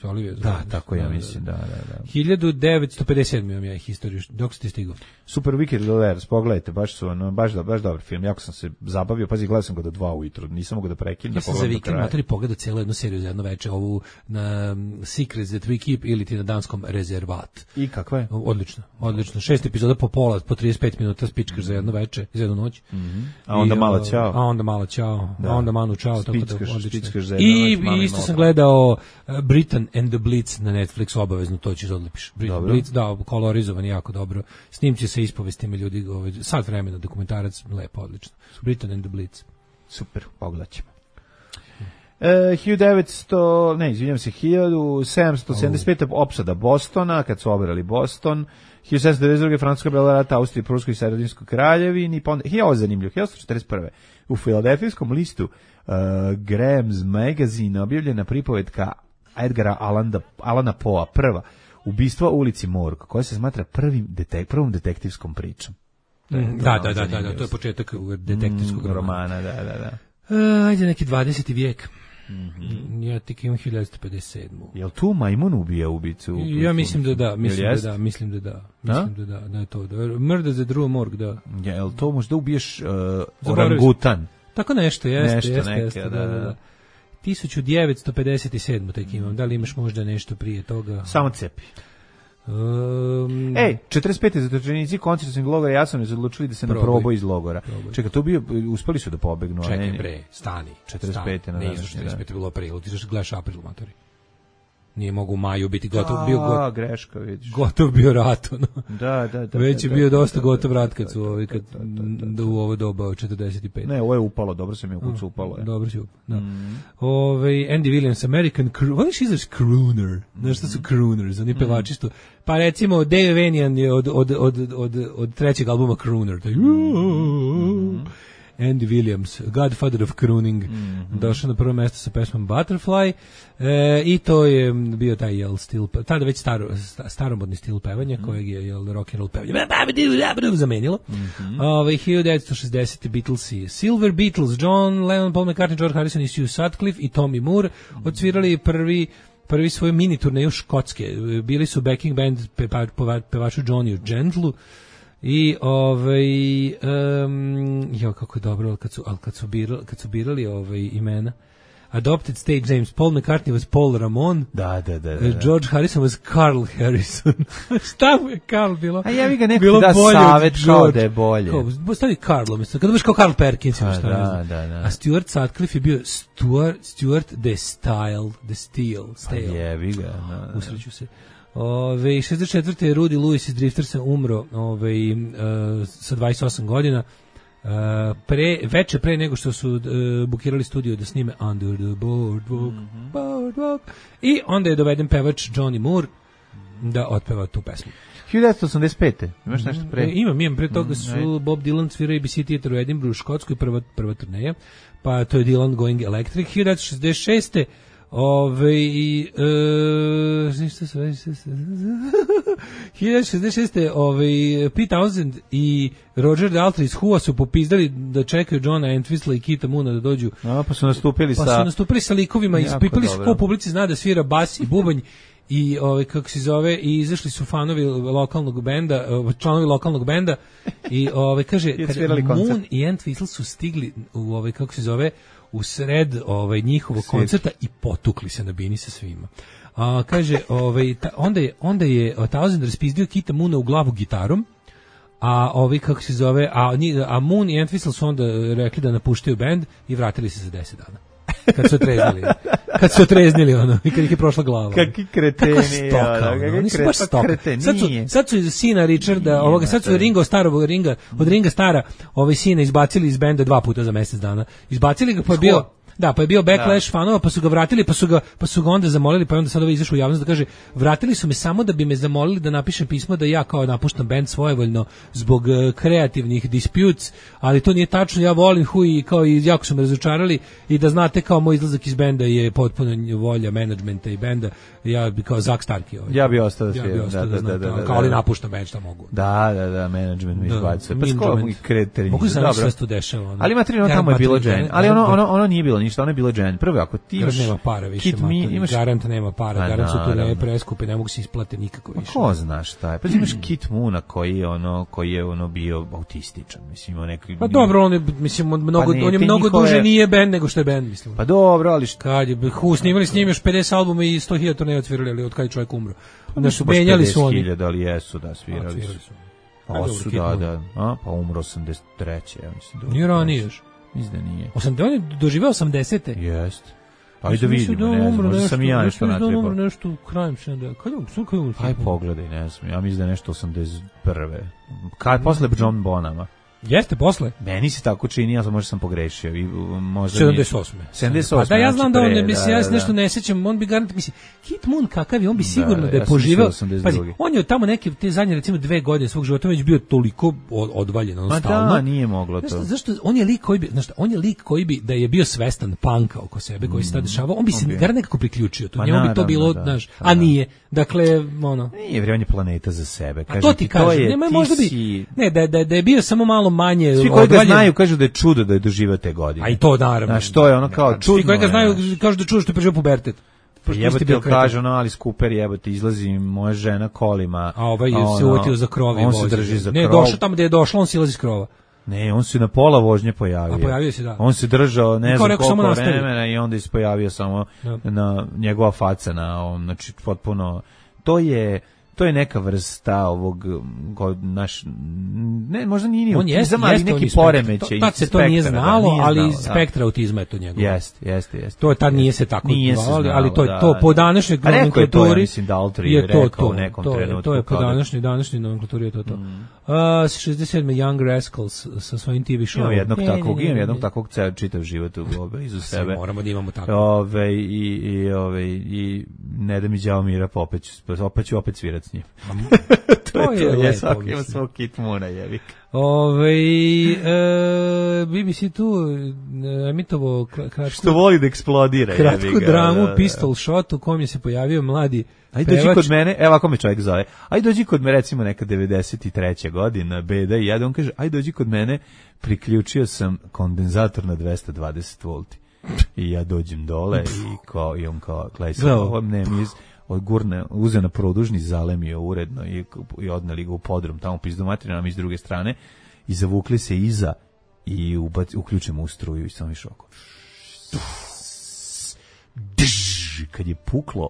Olivia, da, tako ja mislim, da, da, da. hiljadu devetsto pedeset sedam imam ja historiju, dok ste stigao. Super Wicked Little Letters, pogledajte, baš su, ono, baš, baš dobar film, jako sam se zabavio, pazi, gledao sam ga do dva ujutru, nisam mogao da prekinem. Ja sam za vikend materi pogledao cijelu jednu seriju za jedno veče, ovu na Secrets That We Keep ili ti na danskom Rezervat. I kakva je? Odlično, odlično. Šest epizoda po pola, po trideset pet minuta spičkaš mm-hmm. za jedno veče, za jednu noć. Mm-hmm. A onda I, malo čao. A onda malo čao, da. A onda manu čao. Spickaš, tako da, spickaš za jednu I, noć. I isto sam gledao uh, Britain and the Blitz na Netflixu, obavezno to ćeš odlepiš. Blitz, da, kolorizovan jako dobro. Snimci sa ispovestima ljudi, ovaj, sad vremena, dokumentarac, lepo, odlično. Britain and the Blitz. Super, pogledat ćemo. E, hiljadu devetsto, ne, izvinjam se, hiljadu sedamsto sedamdeset pete opsada Bostona, kad su obrali Boston, hiljadu sedamsto devedeset druge Francuska bila rata Austriji, Pruskoj i Sredinskoj kraljevini, pa onda, ovo je zanimljivo, hiljadu osamsto četrdeset prve u filadelfijskom listu uh, Graham's Magazine objavljena pripovetka Edgara Allana, Allana Poe, prva, ubistva u ulici Morg, koja se smatra prvim detek, prvom detektivskom pričom. Da, da, da, da, da, da, to je početak detektivskog mm, romana, da, da, da. Uh, ajde neki dvadeseti vijek. Mm-hmm. Ja tik imam hiljadu devetsto pedeset sedam. Jel tu majmun ubija ubicu? Ja mislim da da, mislim da da, mislim da da. Mislim da da, da je to. Murder the Drew Morg, da. Ja, jel to možda ubiješ uh, orangutan? Tako nešto, jeste, nešto, jeste, neke, jeste, da, da, da. da. hiljadu devetsto pedeset sedam tek imam. Da li imaš možda nešto prije toga? Samo cepi. Um, Ej, četrdeset pete zatočenici koncentracionog logora Jasenovac odlučili da se proboj, na proboj iz logora. Proboj. Čekaj, to bio, uspeli su da pobegnu. Čekaj, ne, bre, stani. četrdeset pete na današnji. Ne, četrdeset pete bilo april, ti znaš gledaš april, matori. Nije mogu u maju biti gotov, bio gotov. greška, vidiš. Gotov bio rat, ono. Da, da, da. Već je da, bio da, dosta da, gotov da, rat kad su ovi, kad u ovo doba četrdeset pet. Ne, ovo je upalo, dobro se mi u kucu upalo. Je. Dobro si upalo, da. Mm. Ove, Andy Williams, American Crooner, voliš izraz crooner, znaš šta su crooners, oni pevači što, pa recimo Dave Vanian je od, od, od, od, od trećeg albuma Crooner, taj, mm. Andy Williams, Godfather of Crooning, mm-hmm. došao na prvo mjesto sa pesmom Butterfly e, i to je bio taj jel, stil, tada već staro, staromodni stil pevanja mm-hmm. kojeg je jel, rock and roll pevanje zamenilo. Mm-hmm. Ove, hiljadu devetsto šezdesete Beatlesi, Silver Beatles, John Lennon, Paul McCartney, George Harrison i Sue Sutcliffe i Tommy Moore odsvirali prvi prvi svoju mini turneju Škotske. Bili su backing band peva, peva, pevaču Johnny Gentlu i ovaj um, jo kako je dobro kad su al kad su birali kad su birali ovaj imena. Adopted stage names. Paul McCartney was Paul Ramon. Da, da, da. da. George Harrison was Carl Harrison. Šta mu je Carl bilo? A ja vi ga neko da savet kao da je bolje. Kao, stavi Carl, umjesto. Kada biš kao Carl Perkins. A, šta da, da, da. A Stuart Sutcliffe je bio Stuart, Stuart the Style, the Steel. Stale. A je, vi ga. Da, da. Usreću se. Ove, šezdeset četvrte je Rudy Lewis iz Driftersa umro ove, uh, sa dvadeset osam godina. Uh, pre, veče pre nego što su uh, bukirali studio da snime Under the Boardwalk, mm-hmm. Boardwalk i onda je doveden pevač Johnny Moore da otpeva tu pesmu. hiljadu devetsto osamdeset pete Imaš nešto pre? E, imam, imam. Pre toga su mm, Bob Dylan svirao A B C Theater u Edinburghu u Škotskoj, prva, prva turneja, pa to je Dylan Going Electric. hiljadu devetsto šezdeset šeste Ove i e, ništa se hiljadu devetsto šezdeset šeste ovaj Pete Townshend i Roger Daltrey iz Who su popizdali da čekaju Johna Entwistle i Keitha Moona da dođu. A, pa su nastupili pa sa Pa su nastupili sa likovima, ispipali su ko publici zna da svira bas i bubanj i ovaj kako se zove i izašli su fanovi lokalnog benda, članovi lokalnog benda i ovaj kaže kada Moon i Entwistle su stigli u ovaj kako se zove u sred ovaj njihovog Svijet. koncerta i potukli se na bini sa svima. A kaže ovaj ta, onda je onda je Townshend raspizdio Keitha Moona u glavu gitarom. A ovi kako se zove, a, a Moon i Entwistle su onda rekli da napuštaju bend i vratili se za deset dana. Kad su otreznili. Kad su otreznili ono, i kad ih je prošla glava. Kakvi kreteni. Kakva stoka, ono, oni su baš stoka. Sad su, sad su iz sina Richarda, ovoga, sad su Ringa starog Ringa, od Ringa stara, ovaj sina izbacili iz benda dva puta za mjesec dana. Izbacili ga pa je bio Da, pa je bio backlash da. fanova, pa su ga vratili, pa su ga, pa su ga onda zamolili, pa je onda sad ovaj izašao u javnost da kaže, vratili su me samo da bi me zamolili da napišem pismo da ja kao napuštam band svojevoljno zbog uh, kreativnih disputes, ali to nije tačno, ja volim Who i kao i jako su me razočarali i da znate kao moj izlazak iz benda je potpuno volja menadžmenta i benda, ja bi kao Zak Starkey ovaj. Ja bi ostao da ja bi ostao da, da, da, da, da, kao ali napuštam band, šta mogu. Da, da, da, menadžment mi izbacuje. Pa skoro i kreateri. Mogu se sve to dešava. Ono. Ali ima tri, ono tamo je bilo Jane, ali ono ono ono nije bilo ništa, ono je bilo Jane. Prvo ako ti imaš nema para više, Kit mi, imaš garant nema para, pa, garant su tu ne preskupe, ne mogu se isplate nikako više. Ko zna šta je? Pa imaš Kit Moona koji je ono koji je ono bio autističan, mislim, on neki. Pa dobro, on je mislim mnogo pa ne, on je mnogo njihove... duže nije bend nego što je bend, mislim. Pa dobro, ali šta kad je Who snimali s njim još pedeset albuma i sto hiljada turneja odsvirali, ali od kad je čovjek umro. Da su menjali su oni. hiljada ali jesu da svirali su. Pa su da, da, a pa umro osamdeset treće ja mislim. Nije ranije još. Mislim da nije. osamdeset on je doživeo osamdesete Jeste. Ajde da vidimo, ne znam, možda sam i ja nešto natrebao. Nešto, nešto krajem sedamdesetih. Kad je on, kad je on? Aj pogledaj, ne znam, ja mislim da je nešto osamdeset prve Kad, posle John Bonama. Jeste, posle? Meni se tako čini, ja sam možda sam pogrešio. I, možda sedamdeset osme sedamdeset osme Pa da, ja znam da on, ne, mislim, ja se nešto ne sećam, on bi garant, mislim, Kit Moon kakav je, on bi sigurno da, da je ja poživeo. Pazi, on je tamo neke, te zadnje, recimo, dve godine svog života već bio toliko odvaljen, on stalno. Da, nije moglo to. Znaš, zašto, on je lik koji bi, znaš, on je lik koji bi, da je bio svestan panka oko sebe, koji se tada dešavao, on bi se garant nekako priključio, to njemu bi to bilo, znaš, a nije. Dakle, ono. Nije vrijeme planeta za sebe. Kaže, to ti kaže, nema možda bi, ne, da, da, da je bio samo malo manje. Svi koji ga znaju kažu da je čudo da je doživio te godine. A i to naravno. Znaš, to je ono kao čudno. Svi koji ga znaju kažu da je čudo što je preživio pubertet. Jebote, ti kaže ono, ali Cooper jebote, izlazi moja žena kolima. A ovaj je se uvatio za krov i on se drži za krov. Ne, došao tamo gde je došlo, on silazi s krova. Ne, on se na pola vožnje pojavio. A pojavio se, da. On se držao ne znam koliko vremena i onda se pojavio samo na njegova faca, na on, znači potpuno, to je to je neka vrsta ovog naš ne možda nije ni autizam, ali neki poremećaj. Tad se to nije znalo, ali spektra autizma je to njegov. Jeste, jeste, jeste. To tad nije se tako zvalo, ali to je to po današnjoj nomenklaturi. Mislim da Daltrey je rekao u nekom trenutku. To je po današnjoj današnjoj nomenklaturi je to to. šezdeset sedme Young Rascals sa svojim T V showom. Jednog takvog, imam jednog takvog ceo čitav život iza sebe. Moramo da imamo tako. Ove i i ove i ne da mi đavo mira, pa opet opet ću opet svirati s njim. to, to je to, je svaki ima svog Kit Moona, jevik. Ove, e, B B C tu emitovo kratku... Što voli da eksplodira, kratku jeviga, dramu da, da. Pistol Shot u kom je se pojavio mladi Ajde dođi kod mene, evo ako me čovjek zove, ajde dođi kod mene, recimo neka devedeset treća godina, Beda i ja, on kaže, ajde dođi kod mene, priključio sam kondenzator na dvesta dvadeset volti. I ja dođem dole i, kao, i on kao, gledaj se, ovo ne mi iz... odgurne, uzeo na produžni, zalemio uredno i, i odneli ga u podrum, tamo pizdu materina nam iz druge strane i zavukli se iza i ubac, uključimo u struju i samo išao oko. Kad je puklo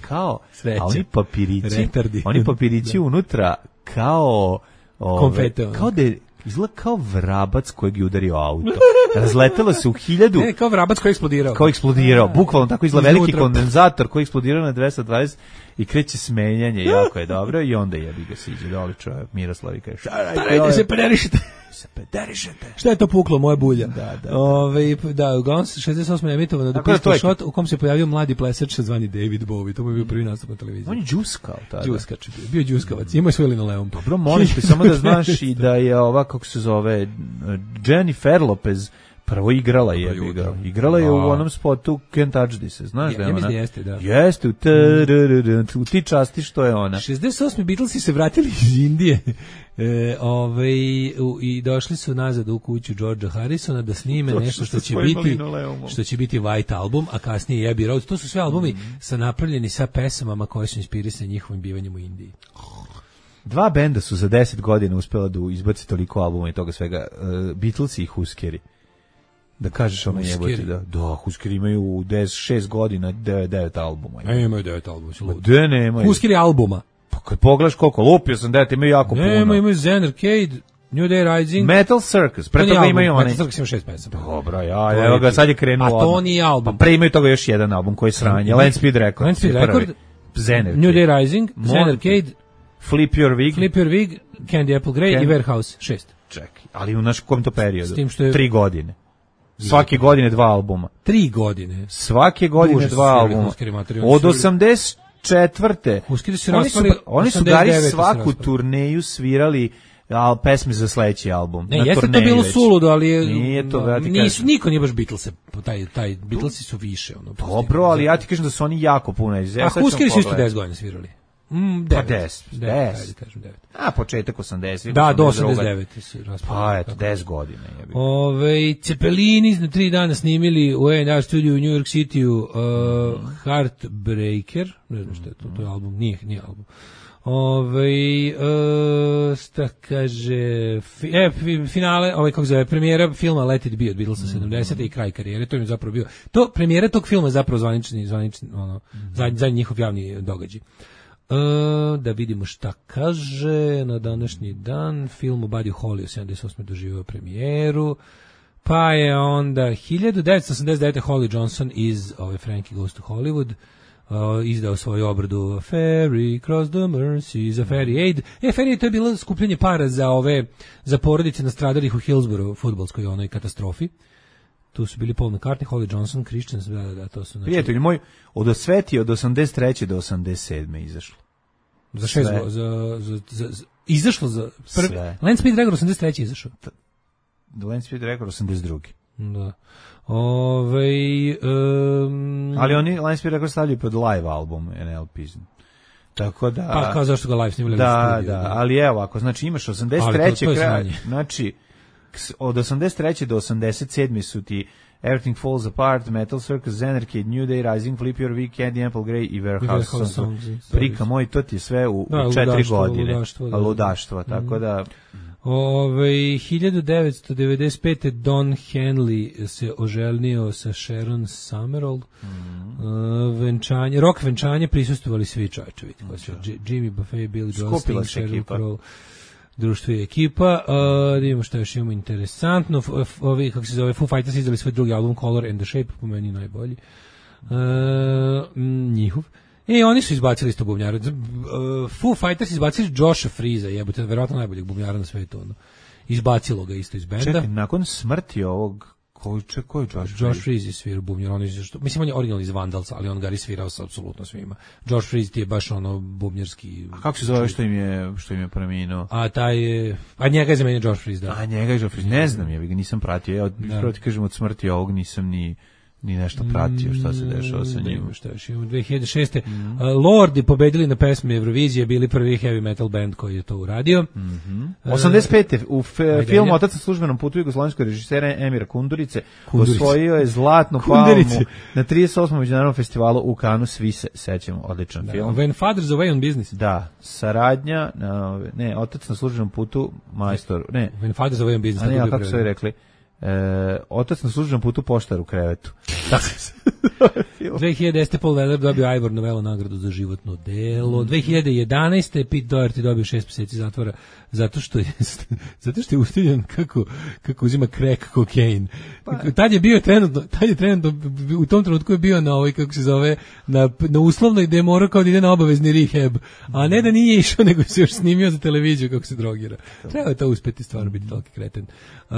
kao, Sreća. a oni papirići, Retardi. oni papirići unutra kao ove, kao da je izgleda kao vrabac kojeg je udario auto. Razletelo se u hiljadu... Ne, kao vrabac koji je eksplodirao. Kao eksplodirao, bukvalno tako izgleda veliki kondenzator koji je eksplodirao na dvesta dvadeset i kreće smenjanje, jako je dobro i onda jebi ga se iđe doli čovjek, Miroslav i kaže, starajte se, pederišete. Se pederišete. Šta je to puklo, moja bulja? Da, da. Ove, da, uglavnom šezdeset osme emitovano The Pistol Shot u kom se pojavio mladi plesač zvani David Bowie, to mu je bio prvi nastup na televiziji. On je džuskao tada. Džuskač, bio džuskavac, imao je svoj linoleum. Dobro, molim te, samo da znaš i da je ova, kako se zove, Jennifer Lopez prvo igrala je, igrala. igrala je u onom spotu Can't Touch This, znaš ja, da je ja ona? Ja jeste, da. Jeste, u, u ti časti što je ona. šezdeset osme Beatlesi se vratili iz Indije e, ovaj, u, i došli su nazad u kuću Georgea Harrisona da snime to nešto što će biti što će biti White Album, a kasnije Abbey Road. To su sve albumi mm. sa napravljeni sa pesamama koje su inspirisane njihovim bivanjem u Indiji. Dva benda su za deset godina uspela da izbaci toliko albuma i toga svega. Uh, Beatlesi i Huskeri. Da kažeš ono jebote, da, da, Huskeri imaju u šest godina devet albuma. Ne, imaju devet albuma. Da, ne, imaju. Huskeri albuma. Pa kad pogledaš koliko, lupio sam devet, imaju jako ne, puno. Ne, imaju Zen Arcade, New Day Rising. Metal Circus, pre toga imaju onaj. Metal Circus ima šest pesama. Dobro, ja, evo ga, sad je krenuo. A to nije album. Pa pre imaju toga još jedan album koji je sranje, Land Speed Record. Land Speed Record, Zen Arcade. New Day Rising, Zen Arcade, Flip Your Wig, Flip Your Wig, Candy Apple Grey Candy. i Warehouse, šest. Čekaj, ali u naš kom to periodu? S tim što je... Tri godine. Svake godine dva albuma. Tri godine. Svake godine Duže dva albuma. Od osamdeset četvrte Huskeri su oni su, oni su gari svaku turneju svirali al pesme za sledeći album. Ne, jeste to bilo suludo, ali je, nije to, ja nisu, niko nije baš Beatlese, taj, taj Beatlesi su više. Ono, dobro, ali ja ti kažem da su oni jako puno. A Huskeri su isto deset godina svirali. Mm, pa deset, deset. A početak osamdeset. Da, do osamdeset devete su pa eto, deset godina. Ove, Cepelini na tri dana snimili u A and R studiju u New York City-u uh, mm. Heartbreaker, ne znam što je to, to je album, nije, nije album. Ove, uh, sta kaže, fi, e, finale, ovaj kako zove, premijera filma Let It Be od Beatlesa mm. sedamdesete i kraj karijere, to im je zapravo bio, to, premijera tog filma je zapravo zvanični, zvanični, ono, mm. zadnji, zadnji njihov javni događaj. Uh, da vidimo šta kaže na današnji dan. Film o Buddy Holly u sedamdeset osme doživio premijeru, pa je onda hiljadu devetsto osamdeset devete Holly Johnson iz ove Frankie Goes to Hollywood uh, izdao svoju obradu Ferry Cross the Mersey za Ferry Aid. E, Ferry Aid, to je bilo skupljanje para za ove za porodice nastradalih u Hillsborough fudbalskoj onoj katastrofi. Tu su bili Paul McCartney, Holly Johnson, Christians, da, da, da, to su... Znači... Prijatelj moj, od osveti od osamdeset treće do osamdeset sedme izašlo. Za šest go, za, za, za, za, izašlo za... Prv, Land Speed Record osamdeset treće izašao. Land Speed Record osamdeset druge Da. Ove, um, ali oni Land Speed Record stavljaju pod live album N L P. Tako da... Pa kao zašto ga live snimali? Da, studio, da, da, ali evo, ako znači imaš osamdeset treće kraj, znači... Od osamdeset treće do osamdeset sedme su ti Everything Falls Apart, Metal Circus, Zen Arcade, New Day Rising, Flip Your Wig, Candy Apple Grey i Warehouse Songs. Prika moj, to ti je sve u, da, u četiri ludaštvo, godine. Ludaštvo, da, ludaštvo, tako mm. da... Ove, hiljadu devetsto devedeset pete Don Henley se oženio sa Sharon Summerall. Mm. Uh, venčanje, rock venčanje prisustvovali svi čovječe. Mm. Jimmy Buffett, Billy Joel, Sting, Sheryl Crow. Društvo i ekipa, uh, da vidimo što još imamo interesantno. F, ovi, kako se zove, Foo Fighters izdali svoj drugi album Color and the Shape, po meni najbolji. Uh, njihov. I oni su izbacili isto bubnjara. Uh, Foo Fighters izbacili Josha Freeza, jebote, verovatno najboljeg bubnjara na svetu. Ono. Izbacilo ga isto iz benda. Čekaj, nakon smrti ovog Koji če, koji Josh Freeze? Josh Freeze je svirao bubnjar, on je, što, mislim on je original iz Vandalsa, ali on ga je svirao sa apsolutno svima. Josh Freeze ti je baš ono bubnjarski... A kako se zove što im je, što im je preminuo? A taj je... A njega je zamenio Josh Freeze, da. A njega je Josh Freeze, ne znam, ja ga nisam pratio, ja od, prvo ti kažem od smrti ovog nisam ni... ni nešto pratio šta se dešava sa njim. Šta još imamo, dve hiljade šeste. Mm. Uh, Lordi pobedili na pesmi Eurovizije, bili prvi heavy metal band koji je to uradio. Mm-hmm. Uh, osamdeset pete. u fe, filmu Otac na službenom putu jugoslovenskog režisera Emira Kundurice Kundurice. osvojio je zlatnu palmu na trideset osmom međunarodnom festivalu u Kanu, svi se sećamo, odličan da. film. When Father's Away on Business. Da, saradnja, ne, Otac na službenom putu, majstor, ne. When Father's Away on Business. A ne, a kako su rekli? E, otac na službenom putu, poštar u krevetu. dve hiljade desete. Paul Weller dobio Ivor Novello nagradu za životno delo. dve hiljade jedanaeste. Pete Doherty dobio šest mjeseci zatvora zato što je zato što je ustiljen kako kako uzima crack kokain. Pa. Tad je bio trenutno, tad je trenutno u tom trenutku je bio na ovoj kako se zove na na uslovnoj gde je morao kao da ide na obavezni rehab, a ne da nije išao nego se još snimio za televiziju kako se drogira. Treba je to uspeti stvarno biti toliki kreten. Uh,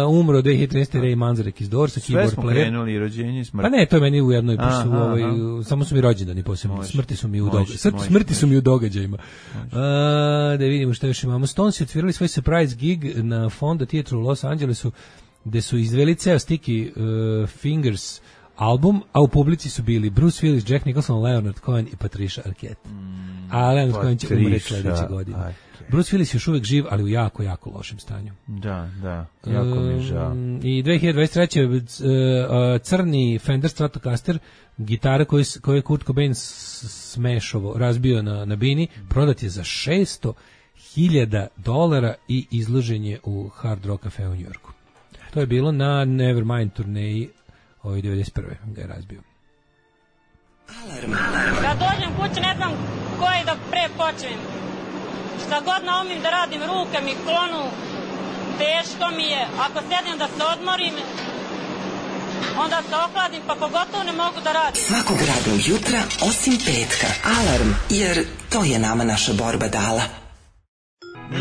umro dve hiljade trinaeste. Ray Manzarek iz Dorsa, keyboard player. Sve smo krenuli, rođenje, smrt. Pa ne, to je meni u jednoj, aha, u ovoj, samo su mi rođendani posebno, smrti su mi u, doga smrti, smrti su mi u događajima. Uh, da vidimo što još imamo. Stones otvirali svoj surprise gig na Fonda Theatre u Los Angelesu, gde su izveli ceo Sticky uh, Fingers album, a u publici su bili Bruce Willis, Jack Nicholson, Leonard Cohen i Patricia Arquette. Mm, a Leonard Cohen će umreti sledeće godine. Aj. Bruce Willis je još uvijek živ, ali u jako, jako lošem stanju. Da, da, jako mi je žao. I dve hiljade dvadeset treće. crni Fender Stratocaster, gitara koju, koju je Kurt Cobain smešovo razbio na, na bini, prodat je za šesto hiljada dolara i izložen je u Hard Rock Cafe u Njujorku. To je bilo na Nevermind turneji ovoj devedeset prve ga je razbio. Alarm. Kad dođem kući ne znam koji da pre počnem. Šta god naumim da radim, ruke mi klonu, teško mi je. Ako sedim da se odmorim, onda se ohladim, pa pogotovo ne mogu da radim. Svakog radnog jutra, osim petka. Alarm, jer to je nama naša borba dala.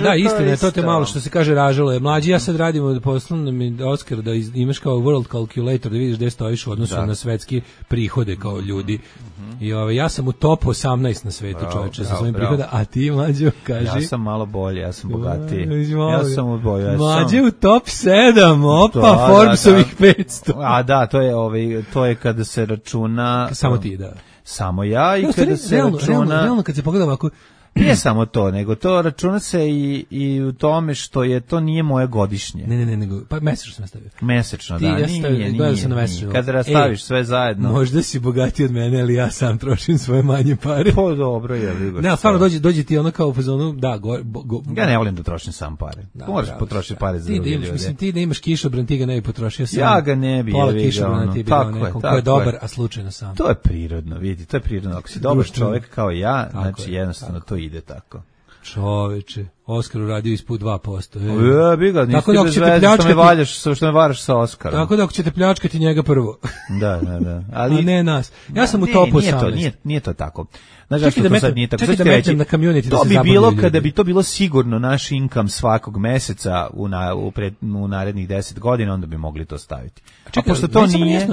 Da, istina je, to te malo što se kaže ražalo je. Mlađi, ja sad radim poslovno mi Oskar da iz, imaš kao World Calculator da vidiš gde stojiš u odnosu da. na svetski prihode kao ljudi. Mm-hmm. I ove, ja sam u top osamnaest na svetu, čoveče, sa svojim prihoda, a ti, Mlađo, kaži. Ja sam malo bolje, ja sam bogatiji. Ja sam u boju. Ja Mlađe u top sedam, opa, da, Forbesovih da, da. petsto. A da, to je, ovaj, to je kada se računa... Samo ti, da. Samo ja i ja, kada se realno, računa... Realno, realno, kad se pogleda ovako... Nije samo to, nego to računa se i, i u tome što je to nije moje godišnje. Ne, ne, ne, nego, pa mesečno sam stavio. Mesečno, ti, da, ja nije, stavio, nije, nije, nije, nije. nije. Kada rastaviš e, sve zajedno. Možda si bogatiji od mene, ali ja sam trošim svoje manje pare. Po dobro je, vidiš. Ne, stvarno dođe, dođe ti ono kao u fazonu, da, go, go, go, ja ne volim da trošim sam pare. Da, moraš potrošiti pare za druge ljude. Mislim, ti da imaš kišobran, ti ga ne bi potrošio sam. Ja ga ne bi, pola kišobrana ti bi dao nekom ko je dobar, a slučajno sam. To je prirodno, vidi, to je prirodno. Ako si dobar čovjek kao ja, znači jednostavno to ide tako. Čoveče, Oskar uradio ispod dva posto. Ja, bi ga, nisi bez veze što me valjaš, što me varaš sa Oskarom. Tako da ako ćete pljačkati njega prvo. Da, da, da. Ali a ne nas. Ja sam u topu osamnaest. Nije, nije to tako. Znaš zašto to sad nije tako? Čekaj da metem na community da se zabavljaju. To bi bilo kada bi to bilo sigurno naš income svakog meseca u, na, u, pred, u narednih deset godina, onda bi mogli to staviti. A, čekaj, a pošto to nije...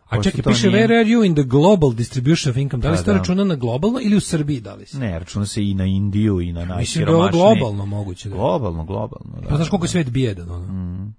A čekaj, piše nije... where are you in the global distribution of income? Da li se to računa na globalno ili u Srbiji da li se? Ne, računa se i na Indiju i na najsiromašnije. Mislim da je ovo globalno moguće. Da. Globalno, globalno. Da. Pa znaš koliko je svet bijedan, ono? Mm.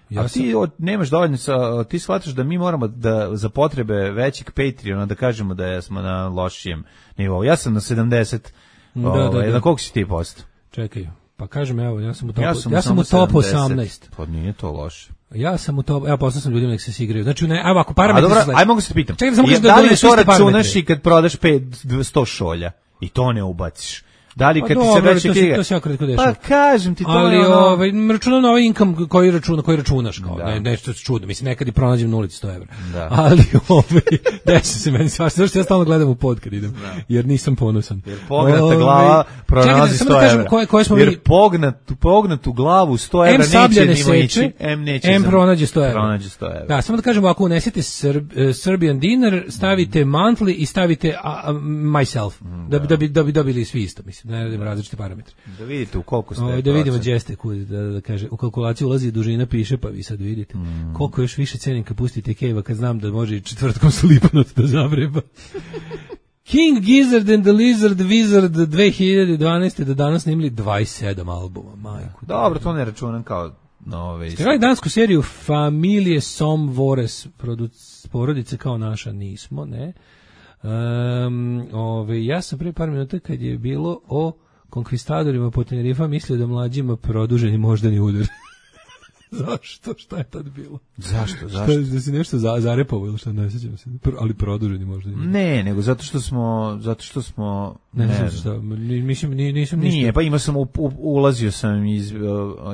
Ja a sam... ti od, nemaš dovoljno, sa, ti shvataš da mi moramo da za potrebe većeg Patreona da kažemo da smo na lošijem nivou. Ja sam na sedamdeset. Da, o, da, da. Na koliko si ti posto? Čekaj. Pa kažem, evo, ja sam u topu, ja sam, ja sam u topu osamnaest. Pa nije to loše. Ja sam u topu, ja poslao sam ljudima nek se igraju. Znači, ne, evo, ako parametri su sledi. Aj, mogu se te pitam. Čekaj, samo kažem da, da li to računaš i kad prodaš pet, sto šolja i to ne ubaciš? Da li kad pa, ti se vraća knjiga? To se jako kratko dešava. Pa kažem ti to. Ali ono... ovaj računam na ovaj income koji računa, koji računaš kao, da. ne, nešto čudno. Mislim nekad i pronađem na ulici sto evra. Da. Ali ovaj desi se meni svašta, što ja stalno gledam u pod kad idem, da. Jer nisam ponosan. Jer pognata glava pronalazi sto evra. Čekaj, koje, koje smo jer mi... pognat, pognatu glavu sto evra neće nimo ići. M neće. M pronađe sto evra. Pronađe sto evra. Da, samo da kažemo, ako unesete Serb, uh, Serbian dinar, stavite monthly i stavite uh, uh, myself. Da bi da bi da bi dobili svi isto, mislim. Ne radimo različite parametre. Da vidite u koliko ste. O, da vidimo gdje ste, da, da kaže, u kalkulaciju ulazi dužina, piše, pa vi sad vidite. Mm. Koliko još više cenim kad pustite Keva, kad znam da može i četvrtkom Slipanot da zavreba. King Gizzard and the Lizard Wizard dve hiljade dvanaeste do danas snimili dvadeset sedam albuma, majku. Dobro, to ne računam kao Ove, ste gledali dansku seriju Familije Somvores, porodice kao naša? Nismo, ne. Um, ove, ja sam pre par minuta kad je bilo o konkvistadorima po Tenerifa mislio da mlađima produženi moždani udar. Zašto? Šta je tad bilo? Zašto? Zašto? Šta, da si nešto za, zarepovao ili šta, ne sjećam se. Ali produženi moždani udar. Ne, nego zato što smo, zato što smo, ne, ne, ne znam šta, mislim, nisam ništa. Nije, pa imao sam, u, u, ulazio sam iz,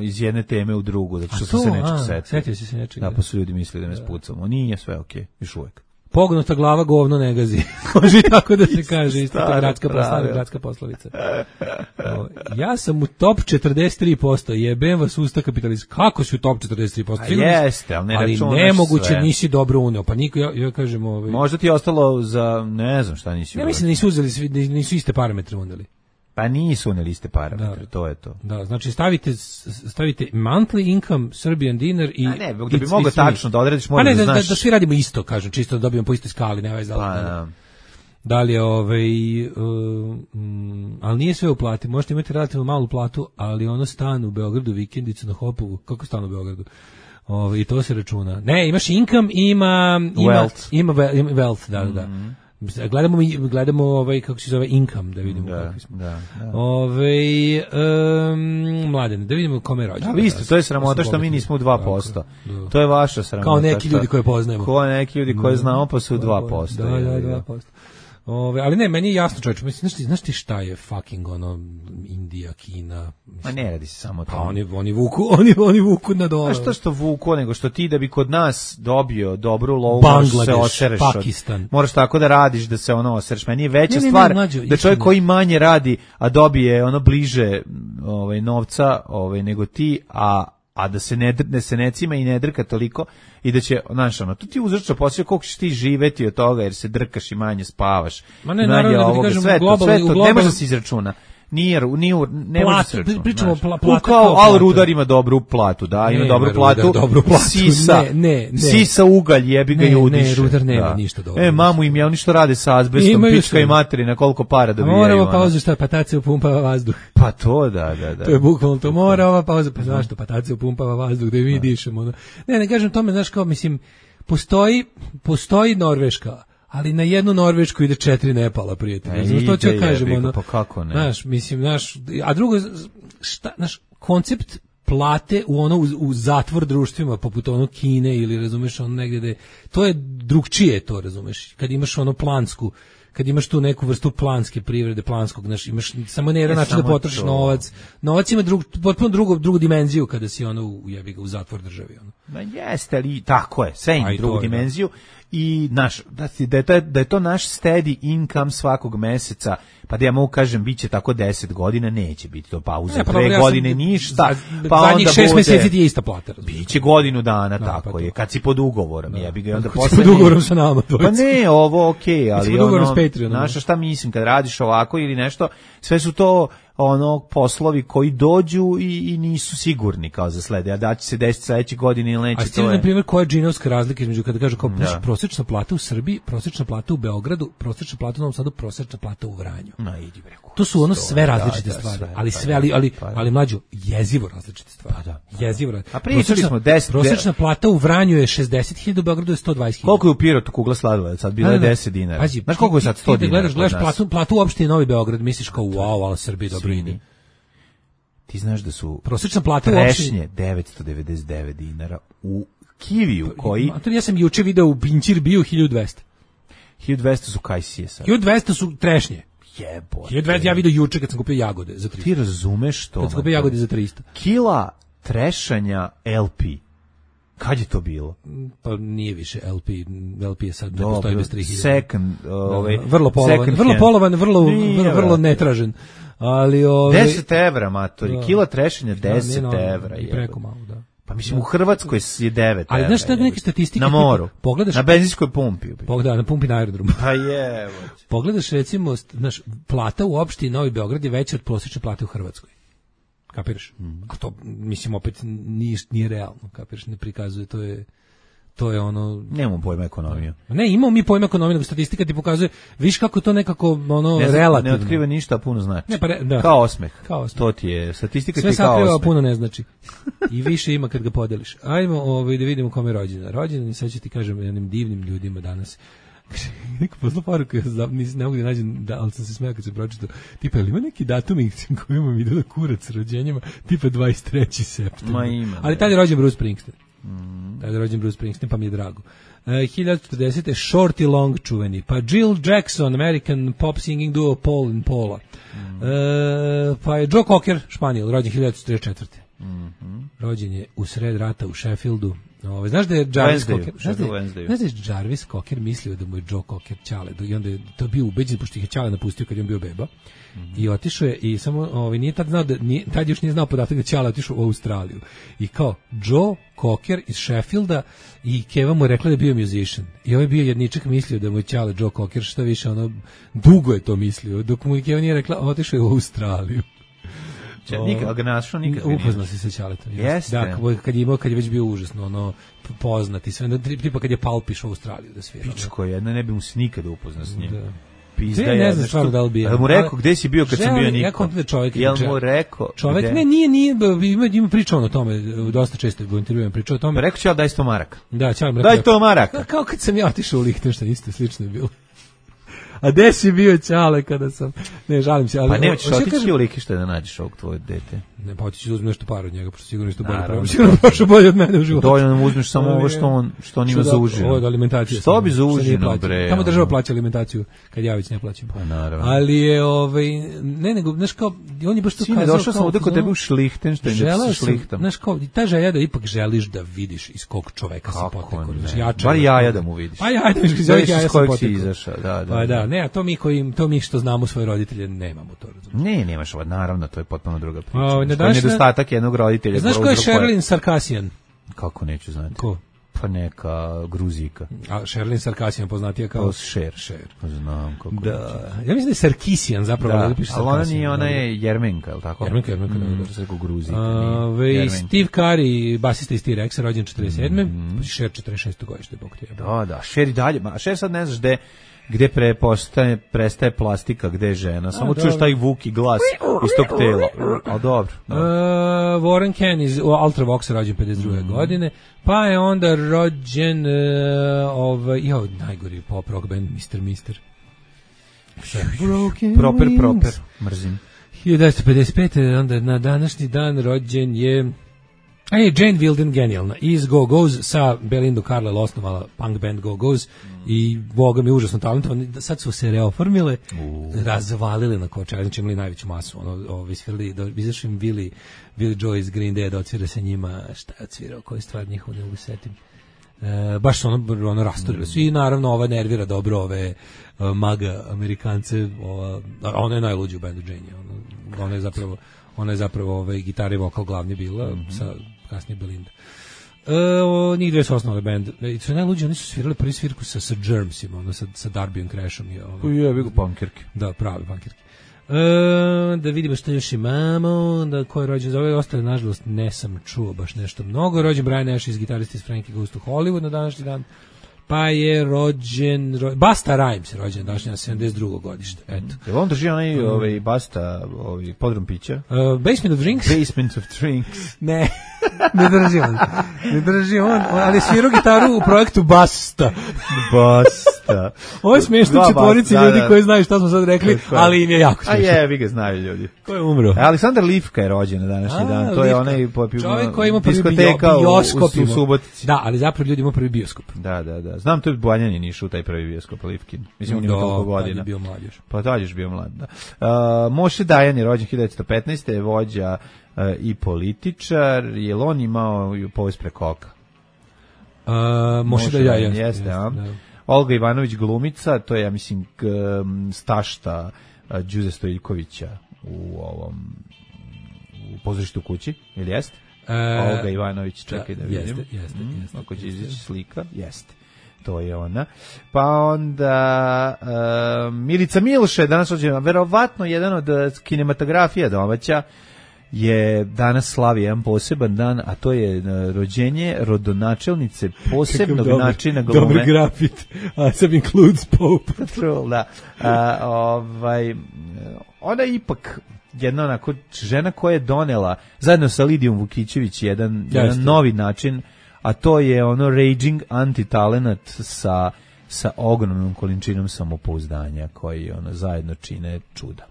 iz jedne teme u drugu, zato što sam se nečeg setio. Setio si se nečeg. Da, pa su ljudi mislili da me spucamo. Nije sve okej, okay, još uvek. Pognuta glava govno ne gazi. Može tako da se kaže, isto ta gradska poslovica, gradska poslovica. O, ja sam u top četrdeset tri posto, jebem vas usta kapitalist. Kako si u top četrdeset tri posto? A jeste, ali ne ali nemoguće sve. Nisi dobro uneo, pa niko, ja, ja kažem... Ovaj, možda ti je ostalo za, ne znam šta nisi... Ja mislim da nisu uzeli, svi, nisu iste parametre uneli. Pa nisu uneli iste parametre, da, to je to. Da, znači stavite stavite monthly income Serbian dinar i... A ne, da bi mogao tačno da odrediš, moraš da, da znaš... Da, da svi radimo isto, kažem, čisto da dobijemo po istoj skali, ne veze. Pa, da. Da li je ovaj... Uh, um, ali nije sve u plati, možete imati relativno malu platu, ali ono stan u Beogradu, vikendicu na Hopovu, kako stan u Beogradu? Ovaj, i to se računa. Ne, imaš income i ima... ima wealth. Ima, ima wealth, da, da. Mm-hmm. Gledamo gledamo ovaj kako se zove income da vidimo da, kakvi smo. Da, da. Ovaj um, Mladen, da vidimo kome je rođendan. A vi isto, to je sramota što mi nismo u dva posto. To je vaša sramota. Kao neki ljudi koje poznajemo. Kao neki ljudi koje znamo pa su u dva posto. Da, da, dva posto. Ove, ali ne, meni je jasno, čovječe, mislim, znaš ti, znaš ti šta je fucking ono Indija, Kina? Mislim, ma ne radi se samo to. Pa oni, oni vuku, oni, oni vuku na dole. A što što vuku, nego što ti da bi kod nas dobio dobru lovu, moraš se osereš. Pakistan. Od, moraš tako da radiš da se ono osereš. Meni je veća ne, ne, stvar ne, mlađo, da čovjek koji manje radi, a dobije ono bliže ovaj, novca ovaj, nego ti, a a da se ne, ne se necima i ne drka toliko i da će, znaš, ono, tu ti uzrača posle koliko ćeš ti živeti od toga jer se drkaš i manje spavaš. Ma ne, naravno da ti kažem, sve globalno, to, sve to, globalno, ne može da se izračuna. Nije, nije, ne može se računati. Pričamo pla, plata kao, kao al Rudar ima dobru platu, da, ima ne, dobru, Rudar, platu, dobru platu. Sisa, ne, ne, ne. Sisa ugalj, jebi ga i udiše. Ne, Rudar nema da. ništa dobro. E, mamu im je, oni što rade sa azbestom, pička i materina, koliko para dobijaju. Mora ova pauza, šta, patacija upumpava vazduh. Pa to, da, da, da. To je bukvalno to, mora ova pauza, pa zašto, patacija upumpava vazduh, da i mi dišemo. Ne, ne kažem tome, znaš, kao, mislim, postoji, postoji Norveška, ali na jednu Norvešku ide četiri Nepala, prijatelji. Znači, to ću kažem, ono. Pa kako ne? Znaš, mislim, znaš, a drugo, šta, znaš, koncept plate u ono, u, u zatvor društvima, poput ono Kine ili, razumeš, ono negdje da je, to je drugčije to, razumeš, kad imaš ono plansku, kad imaš tu neku vrstu planske privrede, planskog, znaš, imaš samo ne jedan način da potrošiš novac. Novac ima drug, potpuno drugu, drugu dimenziju kada si ono u, jebi ga, u zatvor državi. Ono. Ma jeste, ali tako je, sve ima drugu dimenziju. I naš, da, da, je to, da je to naš steady income svakog meseca, pa da ja mogu kažem, bit će tako deset godina, neće biti to pauza, pa dve ja godine sam, ništa, za, pa onda šest bude, meseci ti je ista plata. Biće godinu dana, no, tako pa je, kad si pod ugovorom, no, ja bi ga onda posle... pod ugovorom sa nama. Pa ne, ovo okej, okay, ali ono, Patreon, znaš šta mislim, kad radiš ovako ili nešto, sve su to ono poslovi koji dođu i, i nisu sigurni kao za slede, a da će se desiti sledeće godine ili neće, a to je... na primjer, koja je džinovska razlika između kada kažu kao da. Prosječna plata u Srbiji, prosječna plata u Beogradu, prosječna plata u Novom Sadu, prosječna plata u Vranju. No, idi bre. To su ono sve različite da, da, stvari, sve, ali pa, sve, ali, ali, pa, ali mlađo, jezivo različite stvari. Pa da, pa, jezivo različite. A pričali smo deset... Prosječna plata u Vranju je šezdeset hiljada, u Beogradu je sto dvadeset hiljada. Koliko je u Pirotu kugla sladoleda? Sad bila je deset dinara. Pazi, znaš koliko je sad sto dinara? Gledaš, gledaš platu, platu u opštini Novi Beograd, misliš kao wow, ali Srbiji dobro ide. Ti znaš da su prosječna plata trešnje devetsto devedeset devet dinara u Kiviju koji... A to ja sam juče video u Pinčir bio hiljadu dvesta. hiljadu dvesta su kajsije sad. hiljadu dvesta su trešnje. Jebote. hiljadu dvesta ja video juče kad sam kupio jagode za trista. Ti razumeš to? Kad sam kupio jagode za trista. Kila trešanja L P. Kad je to bilo? Pa nije više L P, L P je sad ne postoji bez tri hiljade. Second, ovaj, vrlo polovan, vrlo polovan, vrlo, vrlo, vrlo netražen. Ali ovaj deset evra, matori, kila trešenja deset evra je. Preko malo, da. Pa mislim u Hrvatskoj je devet ali evra. Ali znaš šta neke statistike? Na moru, pogledaš, na benzinskoj pumpi. Pogledaj, na pumpi na aerodromu. Pa je. Pogledaš recimo, znaš, plata u opštini Novi Beograd je veća od prosječne plate u Hrvatskoj. Kapiraš? Mm. A to, mislim, opet nije, nije realno, kapiraš, ne prikazuje, to je... to je ono... Nemamo pojma ekonomiju. Ne, imamo mi pojma ekonomiju, nego statistika ti pokazuje, viš kako to nekako ono, ne, relativno. Ne otkriva ništa, a puno znači. Ne, pa re, da. Kao osmeh. Kao osmeh. To ti je, statistika sve ti je kao osmeh. Sve sakriva, puno ne znači. I više ima kad ga podeliš. Ajmo ovaj, da vidimo kome je rođena. Rođena, sad ću ti kažem, jednim divnim ljudima danas. Neko posla poruku, ja ne mogu da nađem, da, ali sam se smeo kad sam pročitao. Tipa, ali ima neki datum kojima mi ide da kurac rođenjima, tipa dvadeset treći septembar. Ma ima. Ali tada je rođen Bruce Springsteen. Mm. Tada je rođen Bruce Springsteen, pa mi je drago. Uh, hiljadu četrdesete. Shorty Long čuveni. Pa Jill Jackson, American pop singing duo Paul and Paula. Mm. Uh, pa je Joe Cocker, Španijol, rođen hiljadu četrideset četvrte. Mm-hmm. Rođen je u sred rata u Sheffieldu. Ove, znaš da je Jarvis Cocker, znaš da je, znaš da je Jarvis Cocker mislio da mu je Joe Cocker ćale, i onda je to bio ubeđen, pošto ih je ćale napustio kad je on bio beba, mm-hmm. i otišao je, i samo, ovaj, nije tad znao da, nije, tad još nije znao podatak da ćale otišao u Australiju, i kao, Joe Cocker iz Sheffielda, i Keva mu je rekla da je bio musician, i ovaj bio jedničak mislio da mu je ćale Joe Cocker, šta više, ono, dugo je to mislio, dok mu Keva nije rekla, otišao je u Australiju. Nikad ga našao, nikad ga upoznao se sa ćaletom. Jeste. Da, kad je imao, kad je već bio užasno, ono, poznati sve, tipa kad je Palpiš u Australiju da svira. Pičko je, jedna ne bi mu se nikada upoznao s njim. Da. Pizda je, ne znam stvarno da li bi. Da mu rekao, gde si bio kad sam bio niko? Ja kontam da čovjek. Jel mu rekao? Čovjek, ne, nije, nije, ima, ima pričao o tome, dosta često u intervjuima pričao o tome. Rekao ću ja daj sto maraka. Da, ćao im rekao. Daj sto maraka. Kao kad sam ja otišao u Lihtenštajn, isto slično je bilo. A gde si bio ćale kada sam... Ne, žalim se. Ali, pa nećeš otići u Lihtenštajn da nađeš ovog tvoje dete. Ne, pa otići da uzmi nešto para od njega, pošto sigurno isto bolje prošlo. Sigurno prošlo bolje od mene u životu. Dovoljno nam uzmeš samo ovo što on, što on ima za užinu. Ovo je alimentacija. Što bi za užinu, bre? Tamo država plaća alimentaciju, kad ja već ne plaćam. Pa naravno. Ali je, ovaj, ne, nego, znaš kao, on je baš to kazao. Sine, došao sam ovdje kod tebe u Lihtenštajn, da se šlihtam. Znaš kao, ta želja da ipak želiš da vidiš iz kog čoveka si potekao. Bar jaja da mu vidiš. Pa jaja da vidiš iz ovih jaja sam potekao. Pa da, ne, to mi koji to mi što znamo svoje roditelje nemamo to, razumiješ. Ne, nemaš ovo, naravno, to je potpuno druga priča. O, to je nedostatak jednog roditelja. Znaš ko je Sherlyn Sarkisian? Kako neću znati? Ko? Pa neka Gruzika. A Sherlyn Sarkisian poznatija kao... Sher. Sher. Znam kako. Da. Ja mislim da je Sarkisian zapravo. Da, ali ona nije, ona je Jermenka, je li tako? Jermenka, Jermenka. Mm, da se rekao Gruzika. Ove, Steve Carey, basista iz T-Rexa, rođen četrdeset sedme. Mm. Sher četrdeset šeste godište, bog te. Da, da, Sher i dalje. Ma, Sher sad ne znaš gde... gde prepostaje, prestaje plastika, gde je žena. Samo čuješ taj vuki glas iz tog tela. A dobro. Uh, Warren Ken iz Ultravox rođen pedeset druge Mm. godine. Pa je onda rođen uh, ovaj, jo, najgori pop rock band mister mister Proper, proper. Mrzim. hiljadu devetsto pedeset pete. onda na današnji dan rođen je Ej, Jane Wilden, genijalna, iz Go-Go's, sa Belinda Carlisle osnovala punk band Go-Go's mm. i boga mi užasno talentovani, sad su se reoformile, uh. razvalile na kočar, znači imali najveću masu, ono, ovi svirali, izašli im Billy, Billy Joe iz Green Day da odsvira sa njima, šta je odsvirao, koji stvar njihov, ne mogu setim. E, baš su ono, ono rasturili su i naravno ova nervira dobro ove uh, maga Amerikance, ova, ona je najluđa u bandu Jane, ona, ona je zapravo, ona je zapravo ove, gitara i vokal glavni bila, mm-hmm. sa kasnije Belinda. E, o, njih dve su osnovali band. I su najluđi, oni su svirali prvi svirku sa, sa Germsima, ono, sa, sa Darbyom Crashom. I, ono, je, vidio punkirke. Da, pravi punkirke. E, da vidimo što još imamo, da ko je rođen za ove ostale, nažalost, ne sam čuo baš nešto mnogo. Rođen Brian Ash iz gitarista iz Frankie Goes to Hollywood na današnji dan. Pa je rođen, ro, Basta Rhymes je rođen današnji na sedamdeset drugo godište. Eto. Je li on drži onaj ovaj, Basta ovaj, podrum pića? Uh, Basement of Drinks? Basement of Drinks. Ne, ne drži on. Ne drži on, ali svirao gitaru u projektu Basta. Basta. Ovo je smiješno četvorici ljudi da, da. koji znaju šta smo sad rekli, ali im je jako smiješno. A je, vi ga znaju ljudi. Ko je umro? E, Aleksandar Livka je rođen na današnji A, dan. To Livka. Je onaj popio, čovjek koji ima prvi bioskop. U, u, u Subotici. Da, ali zapravo ljudi ima prvi bioskop. Da, da, da. Znam, to je Banjanin išao u taj prvi bioskop Livkin. Mislim, on ima toliko godina. Da, bio mlad još. Pa tad još bio mlad, da. Uh, Moše Dajan je rođen hiljadu devetsto petnaeste. je vođa uh, i političar. Je li on imao povest preko oka? Uh, Moše Dajan, jeste. Jeste, a? Da. Olga Ivanović glumica, to je, ja mislim, k, stašta uh, Đuze Stojiljkovića u ovom u pozorištu kući, ili jeste? Uh, Olga Ivanović, čekaj da, da vidim. Jeste, jeste, mm, jeste. Ako će izaći slika, jeste. To je ona. Pa onda uh, Milica Milše, danas rođena, verovatno jedan od kinematografija domaća, je danas slavi jedan poseban dan, a to je rođenje rodonačelnice posebnog dobar, načina glume. Dobar grafit, a sam includes Pope. da. A, ovaj, ona je ipak jedna onako žena koja je donela, zajedno sa Lidijom Vukićević, jedan, jedan novi način, a to je ono raging anti-talenat sa, sa ogromnom količinom samopouzdanja koji ono zajedno čine čuda.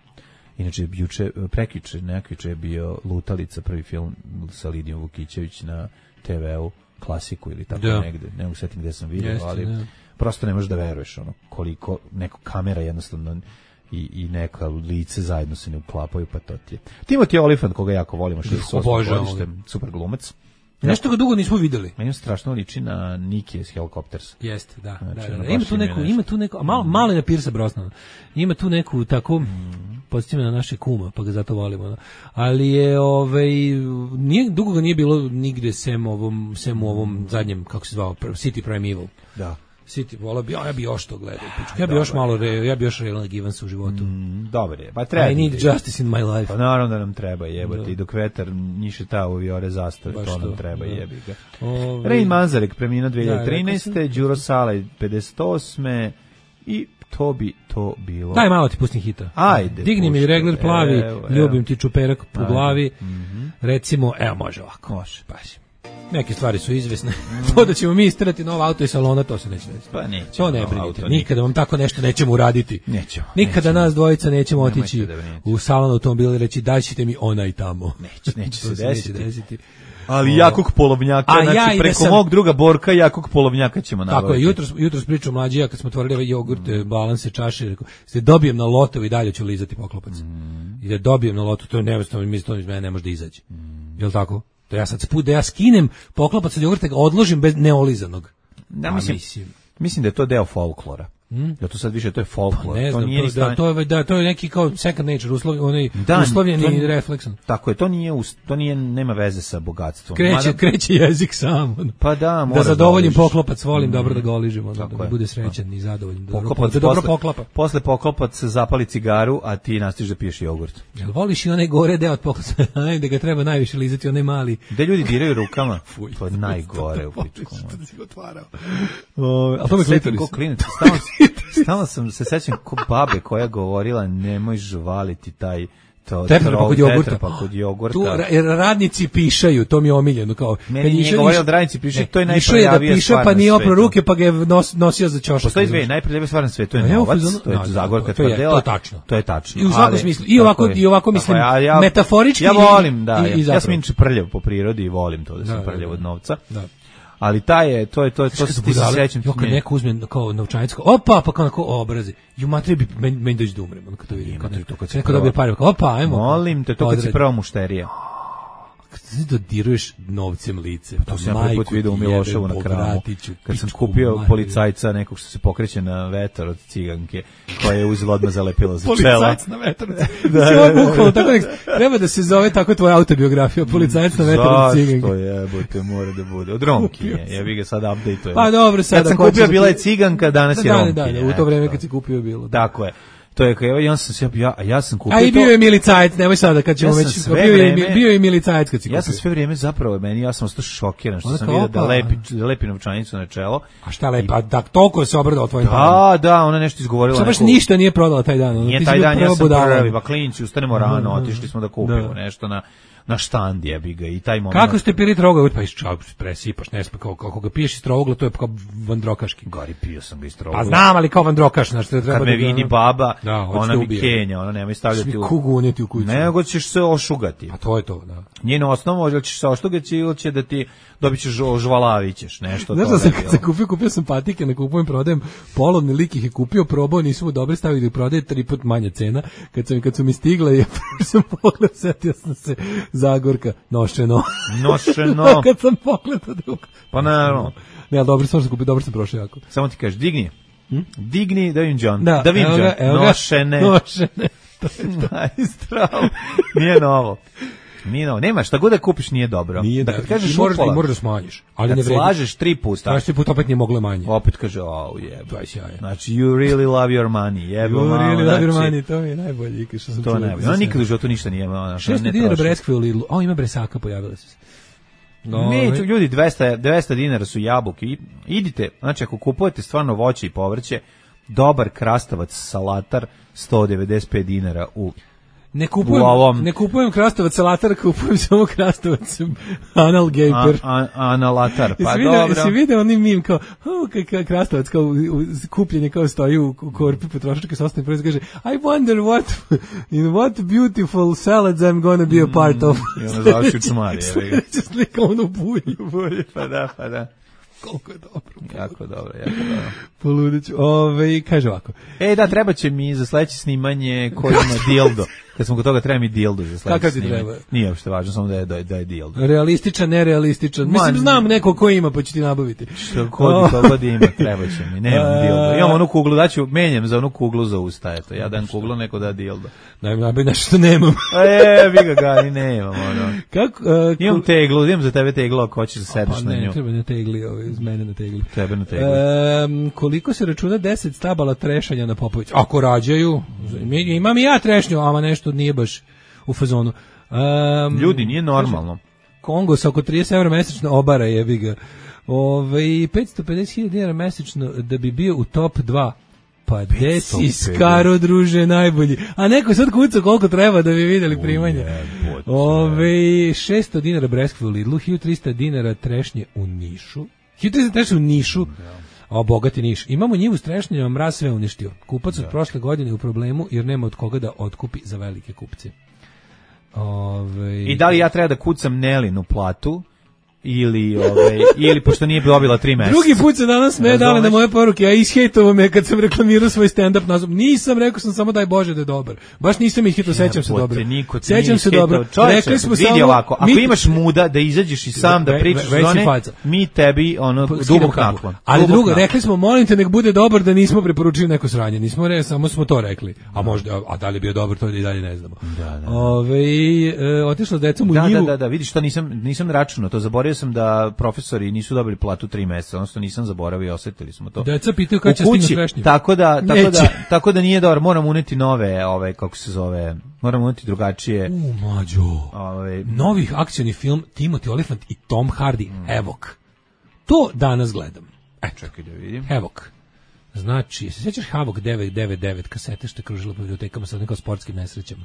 Inače, juče, prekjuče, nekjuče je bio Lutalica, prvi film sa Lidijom Vukićević na te veu, klasiku ili tako da. negde, ne mogu setim gde sam vidio, Jeste, ali da. prosto ne možeš da veruješ ono, koliko neko kamera jednostavno i, i neka lice zajedno se ne uklapaju, pa to ti je. Timothy Olyphant, koga jako volimo, šezdeset osme godište, super glumac. Nešto ga dugo nismo videli. Meni strašno liči na Nike iz Helicopters. Jeste, da. Znači, da, da. Ima tu neku, ima tu neku, malo, malo je na Pierce Brosnana. Ima tu neku tako, mm. podsjeća me na naše kuma, pa ga zato volimo. Ali je, ovaj, nije, dugo ga nije bilo nigde sem ovom, sem u ovom zadnjem, kako se zvao, City Primeval. Da. City, volao bi, ja bi još to gledao. Ja bi još malo, re, ja bi još Raylan Givens u životu. Mm, dobar je. Pa treba. I need justice in my life. Pa naravno da nam treba jebati. I dok vetar njiše ta u viore zastave, to nam to, treba da. jebi ga. Ove... Rain Manzarek preminuo dve hiljade trinaeste. Đuro Salaj pedeset osme. I to bi to bilo. Daj malo ti pustim hita. Ajde. Digni mi regler plavi, evo, evo. Ljubim ti čuperak po Ajde. glavi. Mm-hmm. Recimo, evo može ovako. Može. Pazi. Neke stvari su izvesne. Mm. To da ćemo mi istrati novo auto iz salona, to se neće desiti. Pa neće. To ne brinite. Nikada vam tako nešto nećemo uraditi. Nećemo. Nikada nećemo. nas dvojica nećemo otići u salon automobila i reći daj ćete mi onaj tamo. Neće, neće se, se desiti. desiti. Ali o, jakog polovnjaka, a znači ja preko sam, mog druga Borka jakog polovnjaka ćemo nabaviti. Tako je, jutros, jutros pričao mlađija kad smo otvorili ovaj jogurt, mm. balanse, čaše, rekao, se dobijem na loto i dalje ću lizati poklopac. Mm. I da dobijem na loto, to je nevestavno, mi to iz mene ne može da izađe. Mm. Jel tako? Da ja sad sput, da ja skinem poklopac od jogurta, ga odložim bez neolizanog. Da, mislim, mislim, mislim da je to deo folklora. Hmm? Ja to sad više to je folklor. Pa ne znam, to nije to, stan... da, to je da to je neki kao second nature, uslov, onaj da, uslovljeni to, refleksan. Tako je, to nije to nije nema veze sa bogatstvom. Kreće, Mada... kreće jezik sam. Pa da, da zadovoljim da poklopac, volim mm. dobro da ga oližimo, da, da bude srećan i zadovoljan, da poklopac, da dobro poklapa. Posle poklopac zapali cigaru, a ti nastiš da piješ jogurt. Jel voliš i onaj gore deo od poklopaca, da ga treba najviše lizati, onaj mali. Gde ljudi diraju rukama? Fuj, to je najgore u pičku. Što si ga otvarao? A to me klitoris. Ko klinac, stalno sam se sećam ko babe koja govorila nemoj žvaliti taj to tetrapa kod jogurta. Kod jogurta. Tu radnici pišaju, to mi je omiljeno kao. Meni nije govorio da radnici pišaju, to je najprljavija da piša, pa nije opro ruke, pa ga je nos, nosio za ćošak. Postoji dve najprljavije stvari na svetu, to je novac, to je Zagorka tvrdela. To je tačno. To je tačno. I u svakom smislu, i ovako i ovako mislim metaforički. Ja volim, da, ja sam inače prljav po prirodi i volim to da sam prljav od novca. Da. Ali taj je, to je, to je, to se ti se sećam. Jo, kad neko uzme kao novčanicu, opa, pa kao obrazi, ju matri bi meni, meni doći da umrem, ono kad to vidim. Kad to kad se neko dobije pare, opa, ajmo. Molim te, to kad si prva mušterija. Kad ti dodiruješ novcem lice, pa to sam prvi put vidio u Miloševu na Kramu, kad sam kupio policajca nekog što se pokreće na vetar od ciganke, koja je uzela odmah zalepila za čela. Policajac na vetar. da, tako nek, treba da se zove tako tvoja autobiografija, policajac na vetar od ciganke. Zašto jebote, mora da bude. Od Romki je, ja bih ga sad update-ujem. Pa dobro, sad kad sam kupio bila je ciganka, danas je Romki. Da, da, u to vreme kad si kupio bilo. Tako je. To je kao ja sam ja ja sam kupio. A i bio je milicajac, nemoj sada kad ćemo ja već bio je bio je milicajac kad si kupio. Ja sam sve vrijeme zapravo meni ja sam ostao šokiran što sam vidio da lepi da lepi novčanicu na čelo. A šta lepi? Pa da toliko se obradao tvojim. Da, da, ona nešto izgovorila. Baš ništa nije prodala taj dan. Nije taj dan, ja sam prvi, pa klinci ustanemo rano, otišli smo da kupimo nešto na na štand jebi ga i taj moment. Kako ste pili troga, pa isčao presipaš, ne sme kao kako ga piješ iz trogla, to je kao vandrokaški. Gori pio sam ga iz trogla. Pa znam, ali kao vandrokaš, znači treba kad da me vidi baba, da, ona mi kenja, ona nema stavljati u kugu uneti u kuću. Nego ćeš se ošugati. A to je to, da. Njeno osnovo, ili ćeš se ošugati ili će da ti dobićeš žvalavićeš, nešto to. Znaš, kad sam kupio, kupio sam patike, ne kupujem, prodajem polovni lik ih je kupio, probao, nisu mu dobri, stavili da ih prodaje tri put manja cena. Kad sam kad su mi stigle, ja sam pogled, setio sam se Zagorka, nošeno. Nošeno. Kad sam pogledao drug. Pa naravno. Ne, ali dobro sam se kupio, dobro sam prošao jako. Samo ti kažeš, digni. Hm? Digni, da vidim John. Da, da vidim John. Nošene. Nošene. To je to. Zdravo. Nije novo. Nije no, nema šta god da kupiš nije dobro. Nije da, da kad kažeš moraš, upola, moraš da smanjiš, ali kad ne vredi. slažeš tri puta. Traži put opet nije moglo manje. Opet kaže, oh jeb. To je sjajno. Znači, you really love your money. Jebo, you malo, really love your znači, money, to mi je najbolje. Što sam to čuo, najbolje. Ono nikad u životu ništa nije imao. šesto dinara breskve u Lidlu. O, ima bresaka, pojavila se. No, ne, ljudi, dvesta, dvesta dinara su jabuke. Idite, znači ako kupujete stvarno voće i povrće, dobar krastavac salatar sto devedeset pet dinara u Ne kupujem, ovom... ne kupujem krastavac salatar, kupujem samo krastavac anal gaper. A, a, analatar, pa jesi dobro. Jesi vidio onim mim kao, oh, k- krastavac kao u, u, kupljenje kao stoji u, u korpi potrošačke sostane proizvod, kaže, I wonder what, in what beautiful salads I'm gonna be a part of. Mm, I ono završi u čmari. Sljedeća slika ono u bulju. Bulju, pa da, pa da. Koliko je dobro. Jako dobro, jako dobro. Poludeću. Ove, kaže ovako. E, da, treba će mi za sledeće snimanje koji ima dildo. Kad smo kod toga, treba mi dildo za sledeće snimanje. Kakav ti treba? Nije uopšte važno, samo da je, da je, da je dildo. Realističan, nerealističan. Mislim, Man, znam neko ko ima, pa ću ti nabaviti. Što kod to god ima, treba će mi. Nemam dildo. Imam onu kuglu, daću, menjam za onu kuglu za usta. Eto, ja dan kuglu, neko da dildo. Daj mi nabaj nešto što nemam. E, vi ga ga i nemam, ono. Kako? Uh, imam teglu, imam za tebe teglu, ako hoćeš da sedeš na nju. Ne, treba na tegli, ovaj, iz mene na tegli. Tebe na tegli. Um, koliko se računa deset stabala trešanja na Popović? Ako rađaju, imam i ja trešnju, ama nešto nije baš u fazonu. Um, Ljudi, nije normalno. Kongo sa oko trideset evra mesečno obara, jebi ga. Ove, petsto pedeset hiljada dinara mesečno da bi bio u top dva. Pa gde si skaro, druže, najbolji. A neko sad kuca koliko treba da bi vidjeli primanje. Ove, šesto dinara breskve u Lidlu, hiljadu trista dinara trešnje u Nišu. hiljadu trista trešnje u Nišu. O, bogati Niš. Imamo njivu s trešnjama, mraz sve uništio. Kupac od prošle godine u problemu jer nema od koga da otkupi za velike kupce. Ove... I da li ja treba da kucam Nelinu platu ili ove ili pošto nije dobila tri meseca. Drugi put se danas me dale na moje poruke, a ishejtovao me kad sam reklamirao svoj stand up nazov. Nisam rekao sam samo daj Bože da je dobar. Baš nisam ih hitao, sećam se dobro. Sećam se dobro. Rekli smo vidi samo ovako, ako mi, imaš muda da izađeš i sam da pričaš ve, zone, mi tebi ono dubok naklon. Ali drugo, rekli smo molim te nek bude dobar da nismo preporučili neko sranje. Nismo re, samo smo to rekli. A možda a da li bio dobar to i dalje ne znamo. Da, da. Ove e, otišla decom u da, njivu. Da, da, da, vidiš što nisam nisam računao, to zaboravio sam da profesori nisu dobili platu tri meseca, odnosno nisam zaboravio, osetili smo to. Deca pitaju kad će stići trešnje. Tako da, tako da, tako da nije dobro, moram uneti nove, ove kako se zove, moram uneti drugačije. U mađo. Ove novih akcioni film Timothy Olyphant i Tom Hardy, mm. Evok. To danas gledam. E, čekaj da vidim. Evok. Znači, se sjećaš Havok devet devet devet kasete što je kružila po bibliotekama sa nekim sportskim nesrećama?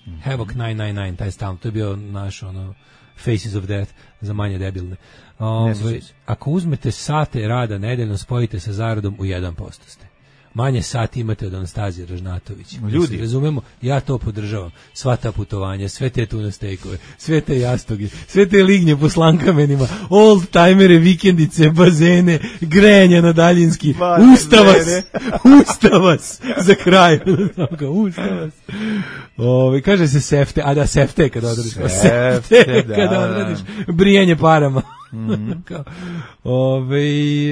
Mm. Havok devet devet devet, taj stan, to je bio naš ono Faces of Death za manje debilne. Ove, ako uzmete sate rada nedeljno, spojite sa zaradom u jedan posto ste. Manje sati imate od Anastazije Ražnatović. Ljudi, razumemo, ja to podržavam. Sva ta putovanja, sve te tuna stejkove, sve te jastoge, sve te lignje po slankamenima, old timere, vikendice, bazene, grejanja na daljinski. Usta vas, usta vas za kraj. Usta vas. Ove, kaže se sefte, a da sefte kada odradiš. Sefte da, kada odradiš. Brijanje parama. Mm. Ove,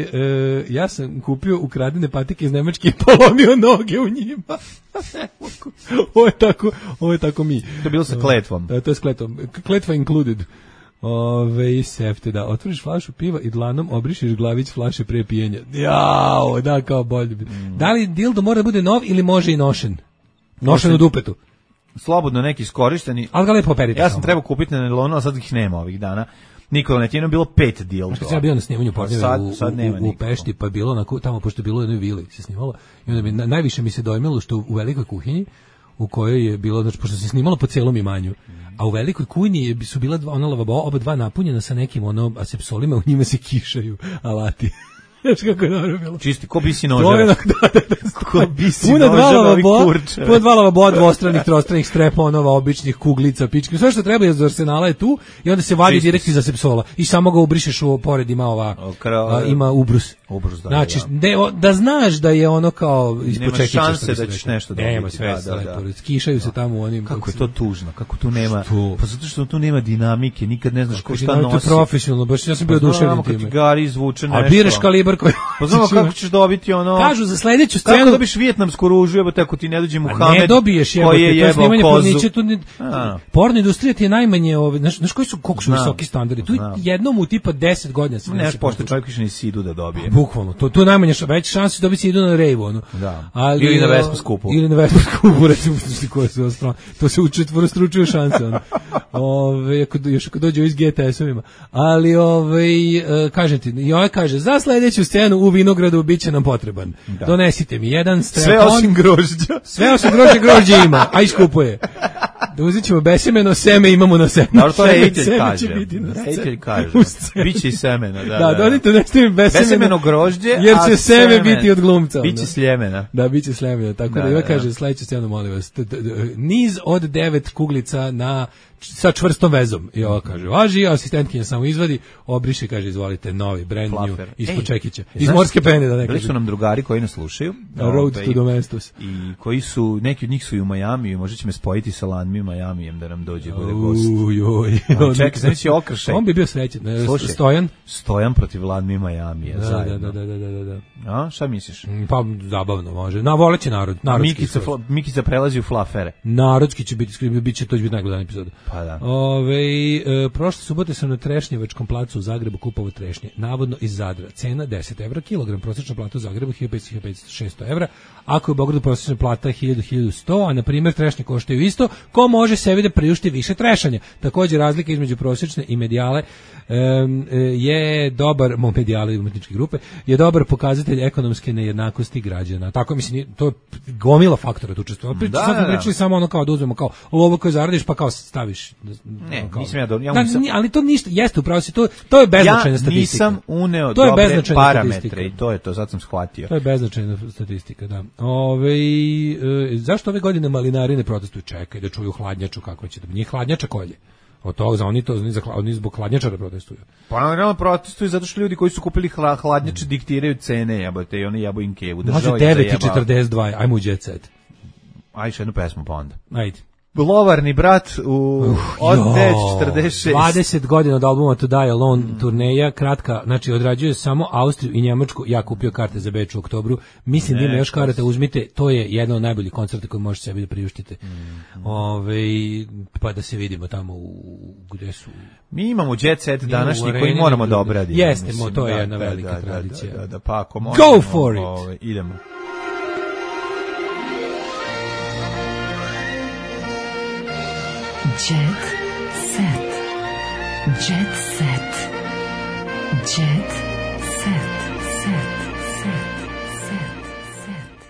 e, ja sam kupio ukradene patike iz Nemačke i polomio noge u njima. Ovo je tako, ovo je tako mi. To je bilo sa kletvom. Da, to je s kletvom. Kletva included. Ove, sefte, da. Otvoriš flašu piva i dlanom obrišiš glavić flaše prije pijenja. Jao, da, kao bolje. Mm. Da li dildo mora da bude nov ili može i nošen? Nošen u dupetu. Slobodno neki iskorišteni. Ali ga lepo operite. Ja sam trebao kupiti na nelonu, a sad ih nema ovih dana. Nikola Netjeno bilo pet dildo. Kad sam bio na snimanju pornjeva u, u, u Pešti, pa je bilo na, tamo, pošto je bilo u jednoj vili se snimalo, i onda mi, na, najviše mi se dojmilo što u, u velikoj kuhinji, u kojoj je bilo, znači, pošto se snimalo po celom imanju, a u velikoj kuhinji su bila dva, ona lavabo, oba dva napunjena sa nekim ono asepsolima, u njima se kišaju alati. Znaš kako je dobro bilo. Čisti, ko bi si nožava. Da, da, da. Ko bi si nožava i kurčeva. Puna dva lavabo, dvostranih, trostranih streponova, običnih kuglica, pički. Sve što treba iz arsenala je tu i onda se vadi direkt iz asepsola. I samo ga ubrišeš u pored, ima ova, a, ima ubrus. Ubrus, da, znači, da. De, o, da znaš da je ono kao ispod čekića. Nema šanse da ćeš nešto dobiti. Nema sve, da, da, da. Kišaju se tamo u onim. Kako je to tužno, kako tu nema, pa zato što tu nema dinamike, nikad ne znaš ko šta nosi. To je profesionalno, baš ja sam bio oduševljen time. Gari izvuče nešto. A biraš kalibar brkovi. Pa znamo kako ćeš dobiti ono... Kažu za sledeću scenu... Kako dobiš vijetnamsku ružu, jebote, ako ti ne dođe Muhamed, ne dobiješ, jebote, koji je jebao snimanje kozu. Porniće, tu ne, porno industrija ti je najmanje, ove, znaš, znaš koji su, koliko su visoki standardi, tu jednom u tipa deset godina se ne pošto čovjek više ni sidu da dobije. Bukvalno, to, tu je najmanje veća šansa da dobiti sidu na rejvu, ono. Da. Ali, ili na Vespa skupu. Ili na Vespa skupu, recimo, koje su ostalo. To se u četvorostručuju šanse, ono. Ove, ako, još ako dođe iz G T S-ovima. Ali, ove, kažem ti, i ovaj kaže, za sledeću scenu u Vinogradu biće nam potreban. Da. Donesite mi jedan strepon. Sve osim grožđa. Sve osim grožđa, grožđe ima, a iskupuje. Da uzet ćemo besemeno, seme imamo na seme. Dobro, to Rejtelj kaže. Rejtelj kaže. Biće i semena, da. Da, donite nešto mi besemeno, besemeno grožđe, jer će seme, seme biti od glumca. Biće sljemena. Da, biće sljemena. Tako da, da Iva kaže, sledeću scenu, molim vas. Niz od devet kuglica na sa čvrstom vezom. I ovo kaže, važi, asistentkinja samo izvadi, obriše, kaže, izvolite, novi, brand new, ispod čekića. Iz morske pene, da ne kaže. Bili su nam drugari koji nas slušaju. Road to Domestos. I koji su, neki od njih su i u Majamiju, možda će me spojiti sa Lanmi Majamijem da nam dođe, bude gost. Ujoj. Čekaj, znači je okršaj. On bi bio srećen. Stojan? Stojan protiv Lanmi Majamije. Da, da, da, da, da, da. A, šta misliš? Pa, zabavno može. Na, voleće narod. Mikica, Mikica prelazi u falafere. Narodski će biti, bit će, to će biti najgledan epizoda. Pa da. Ove, e, prošle subote sam na Trešnjevačkom placu u Zagrebu kupovao trešnje, navodno iz Zadra. Cena deset evra kilogram, prosječna plata u Zagrebu hiljadu petsto do hiljadu šesto evra, ako je u Beogradu prosječna plata hiljadu do hiljadu sto, a na primjer trešnje koštaju isto, ko može sebi da priušti više trešanja. Također razlika između prosječne i medijale um, je dobar, medijale i umetničke grupe, je dobar pokazatelj ekonomske nejednakosti građana. Tako mislim, to je gomila faktora tu učestvuje. Da, sad smo pričali samo ono kao da uzmemo kao lovo koje zaradiš pa kao staviš. Ne, kao, nisam ja do, ja da, nisam, ali to ništa, jeste upravo si, to, to je beznačajna ja statistika. Ja nisam uneo to dobre parametre i to je to, sad sam shvatio. To je beznačajna statistika, da. Ove, e, zašto ove godine malinari ne protestuju? Čekaj da čuju hladnjaču kako će da bi njih hladnjača kolje. Od toga za oni to oni za oni zbog hladnjačara protestuju. Pa naravno protestuju zato što ljudi koji su kupili hladnjače diktiraju cene, jebote, i oni jebaju im kevu. Može devet i četrdeset dva, ajmo u jet set. Ajde jednu pesmu pa onda. Ajde. Lovarni brat u uh, od četrdeset šest dvadeset godina od albuma To Die Alone mm. turneja, kratka, znači odrađuje samo Austriju i Njemačku. Ja kupio karte za Beč u oktobru. Mislim da ima još karata, uzmite, to je jedan od najboljih koncerta koji možete sebi da priuštite. Mm. Ove, pa da se vidimo tamo u, gde su. Mi imamo jet set današnji koji moramo da obradimo. Jeste, mislim, to je da, jedna da, velika da, tradicija. Da, da, da, pa ako možemo, go for it. Ove, idemo. Jet set. Jet set. Jet set. Set. Set. Set. Set.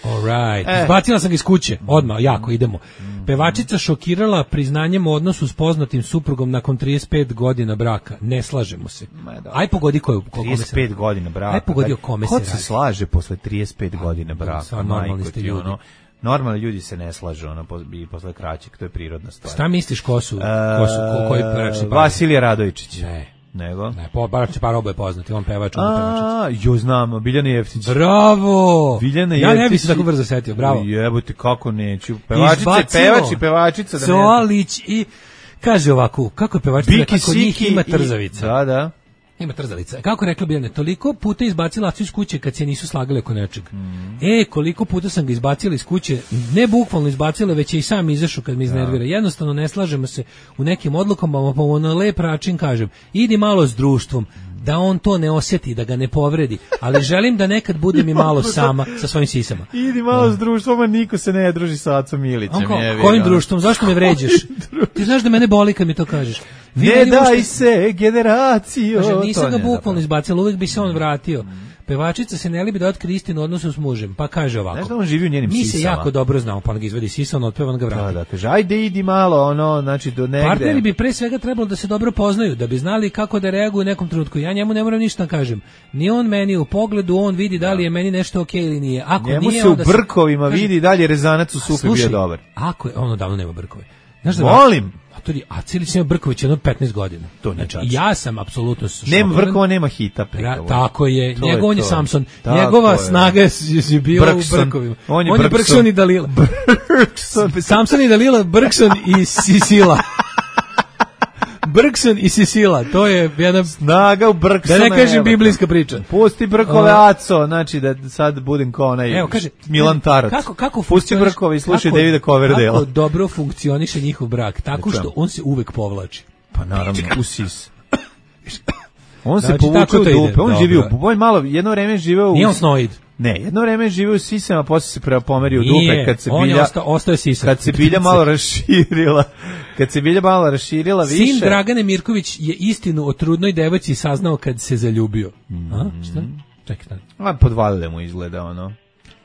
All right. Eh. Zbacila sam ga iz kuće. Odmah, jako, idemo. Pevačica šokirala priznanjem o odnosu s poznatim suprugom nakon trideset pet godina braka. Ne slažemo se. Aj pogodi koju ko, trideset pet godina braka. Aj pogodi o kome se radi. Ko se slaže posle trideset pet godina braka? Sva normalni ste ljudi. Ono, normalni ljudi se ne slažu, ono, i posle kraćeg, to je prirodna stvar. Šta misliš ko su, ko su, ko, koji bračni par? Vasilije Radovičić. Ne. Nego? Ne, po, bračni par oboje poznati, on pevač, on pevačica. Jo, znam, Biljana Jeftić. Bravo! Biljana ja Jeftić. ne bih se tako brzo setio, bravo. Jebote, kako neću. Pevačica, pevač i pevačica. Da Solić i, kaže ovako, kako je pevačica, kako njih ima trzavica. Da, da. Ima trzalica. Kako rekla Biljana, toliko puta izbacila Acu iz kuće kad se nisu slagali oko nečeg. Mm. E, koliko puta sam ga izbacila iz kuće, ne bukvalno izbacila, već je i sam izašao kad me iznervira. Jednostavno ne slažemo se u nekim odlukama, pa na lep način kažem, idi malo s društvom, da on to ne osjeti, da ga ne povredi, ali želim da nekad budem i malo sama sa svojim sisama. Idi malo no. s društvom, a niko se ne druži sa Acom Milićem. Ko, kojim društvom? Zašto me vređaš? Ti znaš da mene boli kad mi to kažeš. Vi ne daj ušte... se, generacijo. Kaže, nisam ga bukvalno izbacila, uvijek bi se on vratio. Pevačica se ne libi da otkrije istinu odnosu s mužem, pa kaže ovako. Znaš da on živi u njenim mi sisama? Mi se jako dobro znamo, pa on ga izvedi sisa, on otpeva, on ga vrati. Da, da, kaže, ajde idi malo, ono, znači do negde. Partneri bi pre svega trebalo da se dobro poznaju, da bi znali kako da reaguju u nekom trenutku. Ja njemu ne moram ništa da kažem. Ni on meni u pogledu, on vidi da li je meni nešto okej okay ili nije. Ako njemu nije, se u onda brkovima kaže, vidi da li je rezanac u supi bio dobar. Ako je, ono davno nema brkove. Znaš da volim. A Cilić nema Brković jedno petnaest godina. To ne znači, ja sam apsolutno nema Brkova, nema hita. Ra, tako je, to njegov je, je Samson. Tako Njegova je. snaga je, je bila Brkson. u Brkovima. On je, on je Brkson i Dalila. Samson i Dalila, Brkson i Sisila. Brkson i Sisila, to je jedna snaga u Brksona. Da ne kažem biblijska priča. Pusti brkove, Aco, znači da sad budem kao onaj Evo, kaže, Milan Tarac. Kako, kako Pusti brkove i slušaj Davida Coverdale. Kako dobro funkcioniše njihov brak, tako što on se uvek povlači. Pa naravno, usis. On se znači, povuče u dupe, on živi u, on malo, jedno vreme živeo u... Nije on snoid. Ne, jedno vreme živeo u sisama, posle se pomerio u dupe, kad se bilja... Osta, ostao je sisa. Kad se bilja malo raširila, kad se bilja malo raširila više... Sin Dragane Mirković je istinu o trudnoj devojci saznao kad se zaljubio. Mm. A, šta? Čekaj, šta? A, podvalile mu izgleda, ono...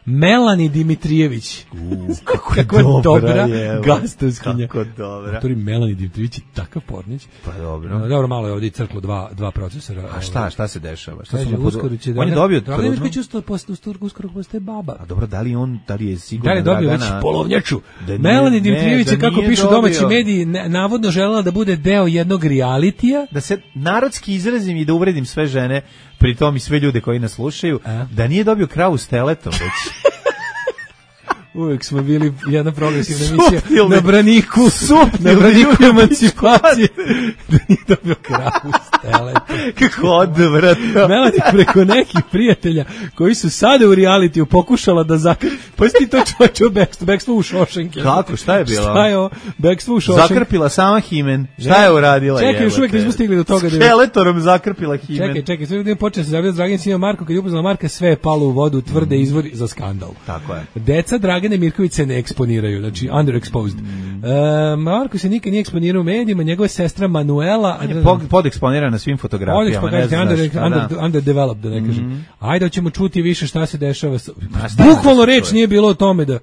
Melani Dimitrijević. Uh, kako, kako je dobra, dobra gastovskinja. Kako dobra. Autori Melani Dimitrijević je takav pornić. Pa dobro. No, dobro, malo je ovdje crklo dva, dva procesora. A šta, šta se dešava? Šta Kaže, su uskoro će on je dobio Dragan Mirković uskoro postaje baba. A dobro, da li on, da li je sigurno da li dobio već polovnjaču? Melani Dimitrijević je, kako pišu domaći mediji, navodno želela da bude deo jednog realitija. Da se narodski izrazim i da uvredim sve žene, pri tom i sve ljude koji nas slušaju, a? Da nije dobio kravu s teletom već. Uvijek smo bili jedna progresivna emisija na braniku, na braniku emancipacije. Da nije dobio kravu s teletom. Kako odvratno. Melani preko nekih prijatelja koji su sada u realitiju pokušala da zakrpi. Pa si ti to čočeo bekstvo, bekstvo u Šošenke. Kako, šta je bilo? Šta je ovo? Bekstvo u Šošenke. Zakrpila sama himen. Šta je uradila? Čekaj, još uvijek nismo stigli do toga. Skeletorom zakrpila himen. Čekaj, čekaj, sve da počne se zavljati Dragan Sima Marko, kad je upoznala Marka, sve je palo u vodu, tvrde izvori za skandal. Tako je. Deca Dragane Mirković se ne eksponiraju, znači underexposed. Mm. E, Marko se nikad nije eksponirao u medijima, njegova sestra Manuela... Je pod, podeksponirana na svim fotografijama. Ne znam under, šta, under, da. Underdeveloped, da ne kažem. Mm. Ajde, ćemo čuti više šta se dešava. Bukvalno reč nije bilo o tome da...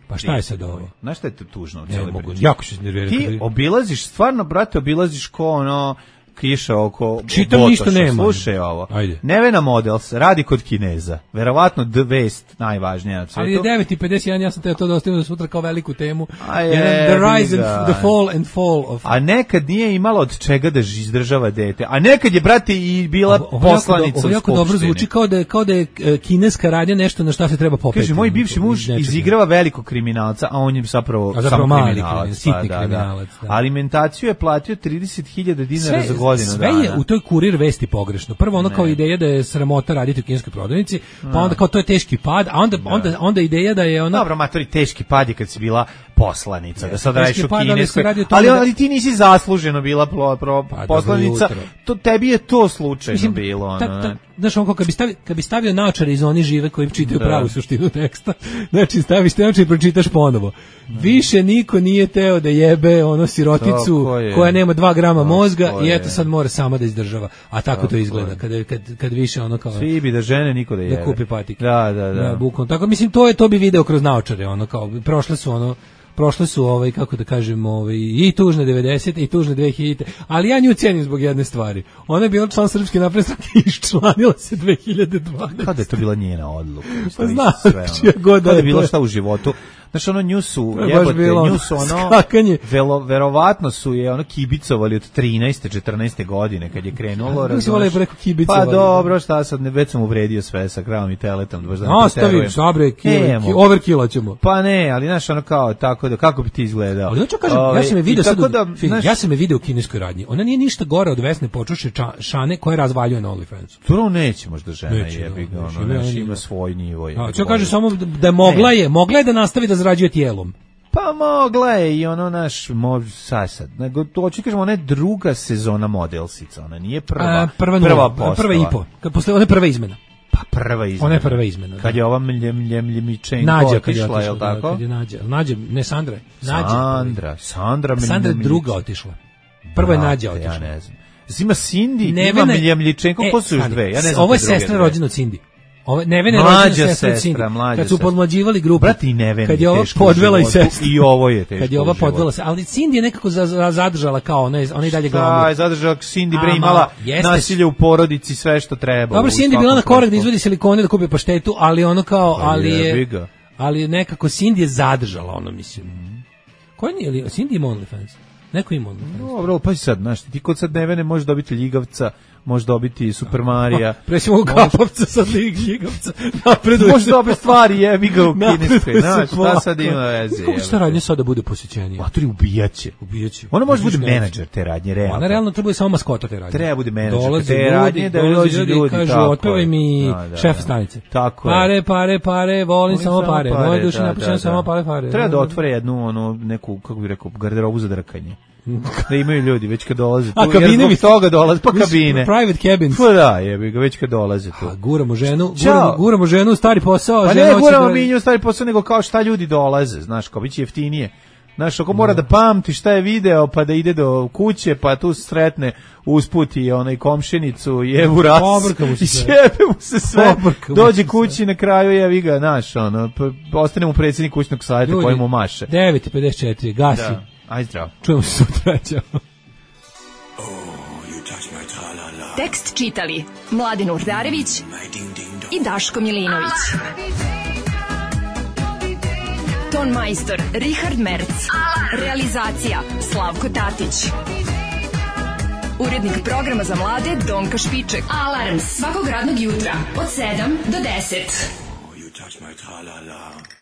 Pa šta je sad ovo? Znaš šta je to tužno u cijeloj priči? Jako se nervirati. Ti obilaziš, stvarno, brate, obilaziš ko ono... kiša oko čitam Botoša. Ništa nema. Slušaj ovo. Ajde. Nevena Models radi kod Kineza. Verovatno the vest najvažnija na svijetu. Ali je devet i pedeset jedan, ja sam te to da ostavim da sutra kao veliku temu. A je, the rise and the fall and fall of... A nekad nije imala od čega da izdržava dete. A nekad je, brate, i bila ovo, poslanica ovo jako, ovo jako dobro zvuči kao da je, kao da je kineska radnja nešto na šta se treba popeti. Kaže, moj bivši muž izigrava velikog kriminalca, a on je zapravo, a zapravo samo kriminalac. Sitni pa, da, kriminalac. Da. Da. Alimentaciju je platio trideset hiljada dinara za godinu sve dana. Je u toj Kurir vesti pogrešno. Prvo ono ne. Kao ideja da je sramota raditi u kineskoj prodavnici, pa onda kao to je teški pad, a onda da. onda onda ideja da je ona... Dobro, matori, teški pad je kad si bila poslanica, yes. Da sad radiš u kineskoj, ali, ali, da... ali ti nisi zasluženo bila pro, pro, pa, poslanica, to, tebi je to slučajno mislim, bilo. Ono, ta, ta, znaš, on kad bi stavio, kad bi stavio naočare iz oni žive koji čitaju pravu suštinu teksta, znači staviš te naočare i pročitaš ponovo. Više niko nije teo da jebe ono siroticu koja nema dva grama mozga i eto sad mora sama da izdržava. A tako to izgleda kad, kad, kad više ono kao... Svi bi da žene niko da jebe. Da kupi patike. Da, da, da. Ja, bukvalno. Tako mislim to je to bi video kroz naočare, ono kao prošle su ono prošle su ovaj kako da kažem ovaj i tužne devedesete i tužne dve hiljadite, ali ja nju cijenim zbog jedne stvari. Ona je bila član Srpske napredne stranke i iščlanila se dve hiljade dvanaeste. Kada je to bila njena odluka? Pa znam, čija god da je bilo šta u životu. Znaš, ono nju su, jebote, nju su ono, velo, verovatno su je ono kibicovali od trinaeste, četrnaeste godine kad je krenulo. Razumeš, preko pa dobro, šta sad, ne, već sam uvredio sve sa kravom i teletom. Da da ostavi, sabre, overkilla ćemo. Pa ne, ali znaš, ono kao, tako da, kako bi ti izgledao? Ali hoću kažem, ja sam je video sad, da, znaš, ja sam je video u kineskoj radnji. Ona nije ništa gore od Vesne Počuše Šane koja razvaljuje na OnlyFans. To neće možda žena jebi ga, ono, ima svoj nivo. Hoću kažem samo da mogla je, mogla je da nastavi da zarađuje tijelom. Pa mogla je i ono naš mož sad. Nego to hoću kažem, ona je druga sezona Modelsica, ona nije prva. A, prva prva, prva, prva i po. Kad posle one prva izmena. Pa prva izmena. Ona je prva izmena. Da. Kad je ova mljem mljem mljemičenko otišla, je l' tako? Kad je Nađa, Nađa, ne Sandra. Nađa. Sandra, Sandra mljem. Sandra druga otišla. Prva je Nađa otišla. Ja ne znam. Ima Cindy, ima mljemljičenko, ko su još dve? Ja ne znam. Ovo je sestra rođena od Cindy. Ove Nevena rođena sestra, mlađa. Kad su podmlađivali grupu. Brati Nevena. Kad je ova podvela i sestra. I ovo je teško. Kad je ova podvela se, ali Cindy je nekako zadržala kao ona je, ona i dalje glavu. Da, je zadržala Cindy bre imala nasilje u porodici, sve što treba. Dobro, Cindy bila na korak da izvadi silikone da kupi paštetu, ali ono kao, ali je ali nekako Cindy je zadržala ono, mislim. Ko je li Cindy ima OnlyFans? Neko ima OnlyFans. Dobro, pa sad, znaš, ti kod sad Nevene možeš dobiti ljigavca, može dobiti Super Marija. Presimo u Kapovca sa Ligljigavca. Napreduje može dobre stvari, jebi ga u kineskoj. Znaš, šta sad ima veze? Kako šta radnje sada bude posjećenije? Maturi, ubijaće. Ubijaće. Ona može bude menadžer te radnje, realno. Ona realno treba bude samo maskota te radnje. Treba bude menadžer te radnje, da dođe ljudi. Kažu, otpevaj mi šef stanice. Tako je. Pare, pare, pare, volim samo pare. Moje duše napušene samo pare, pare. Treba da otvore jednu, ono, neku, kako bih rekao, garderobu za drkanje. Da imaju ljudi već kad dolaze tu. A kabine mi toga dolaze, pa kabine. Private cabins. Pa da, jebi ga, već kad dolaze tu. A guramo ženu, guramo, guramo ženu u stari posao. Pa ne guramo mi nju u stari posao, nego kao šta ljudi dolaze, znaš, kao biće jeftinije. Znaš, ako mora da pamti šta je video, pa da ide do kuće, pa tu sretne usput i onaj komšinicu i Evu Ras. I sjebe mu se sve. Dođe kući na kraju, jevi ga, znaš, ono, ostane mu predsjednik kućnog savjeta koji mu maše. devet i pedeset četiri, gasi. Da. Aj zdravo. Čujemo se sutra. Tekst čitali Mladin Urdarević i Daško Milinović. Ton majstor Richard Merc. Realizacija Slavko Tatić. Urednik programa za mlade Donka Špiček. Alarms svakog radnog jutra od sedam do deset. Oh, you touch my tra-la-la.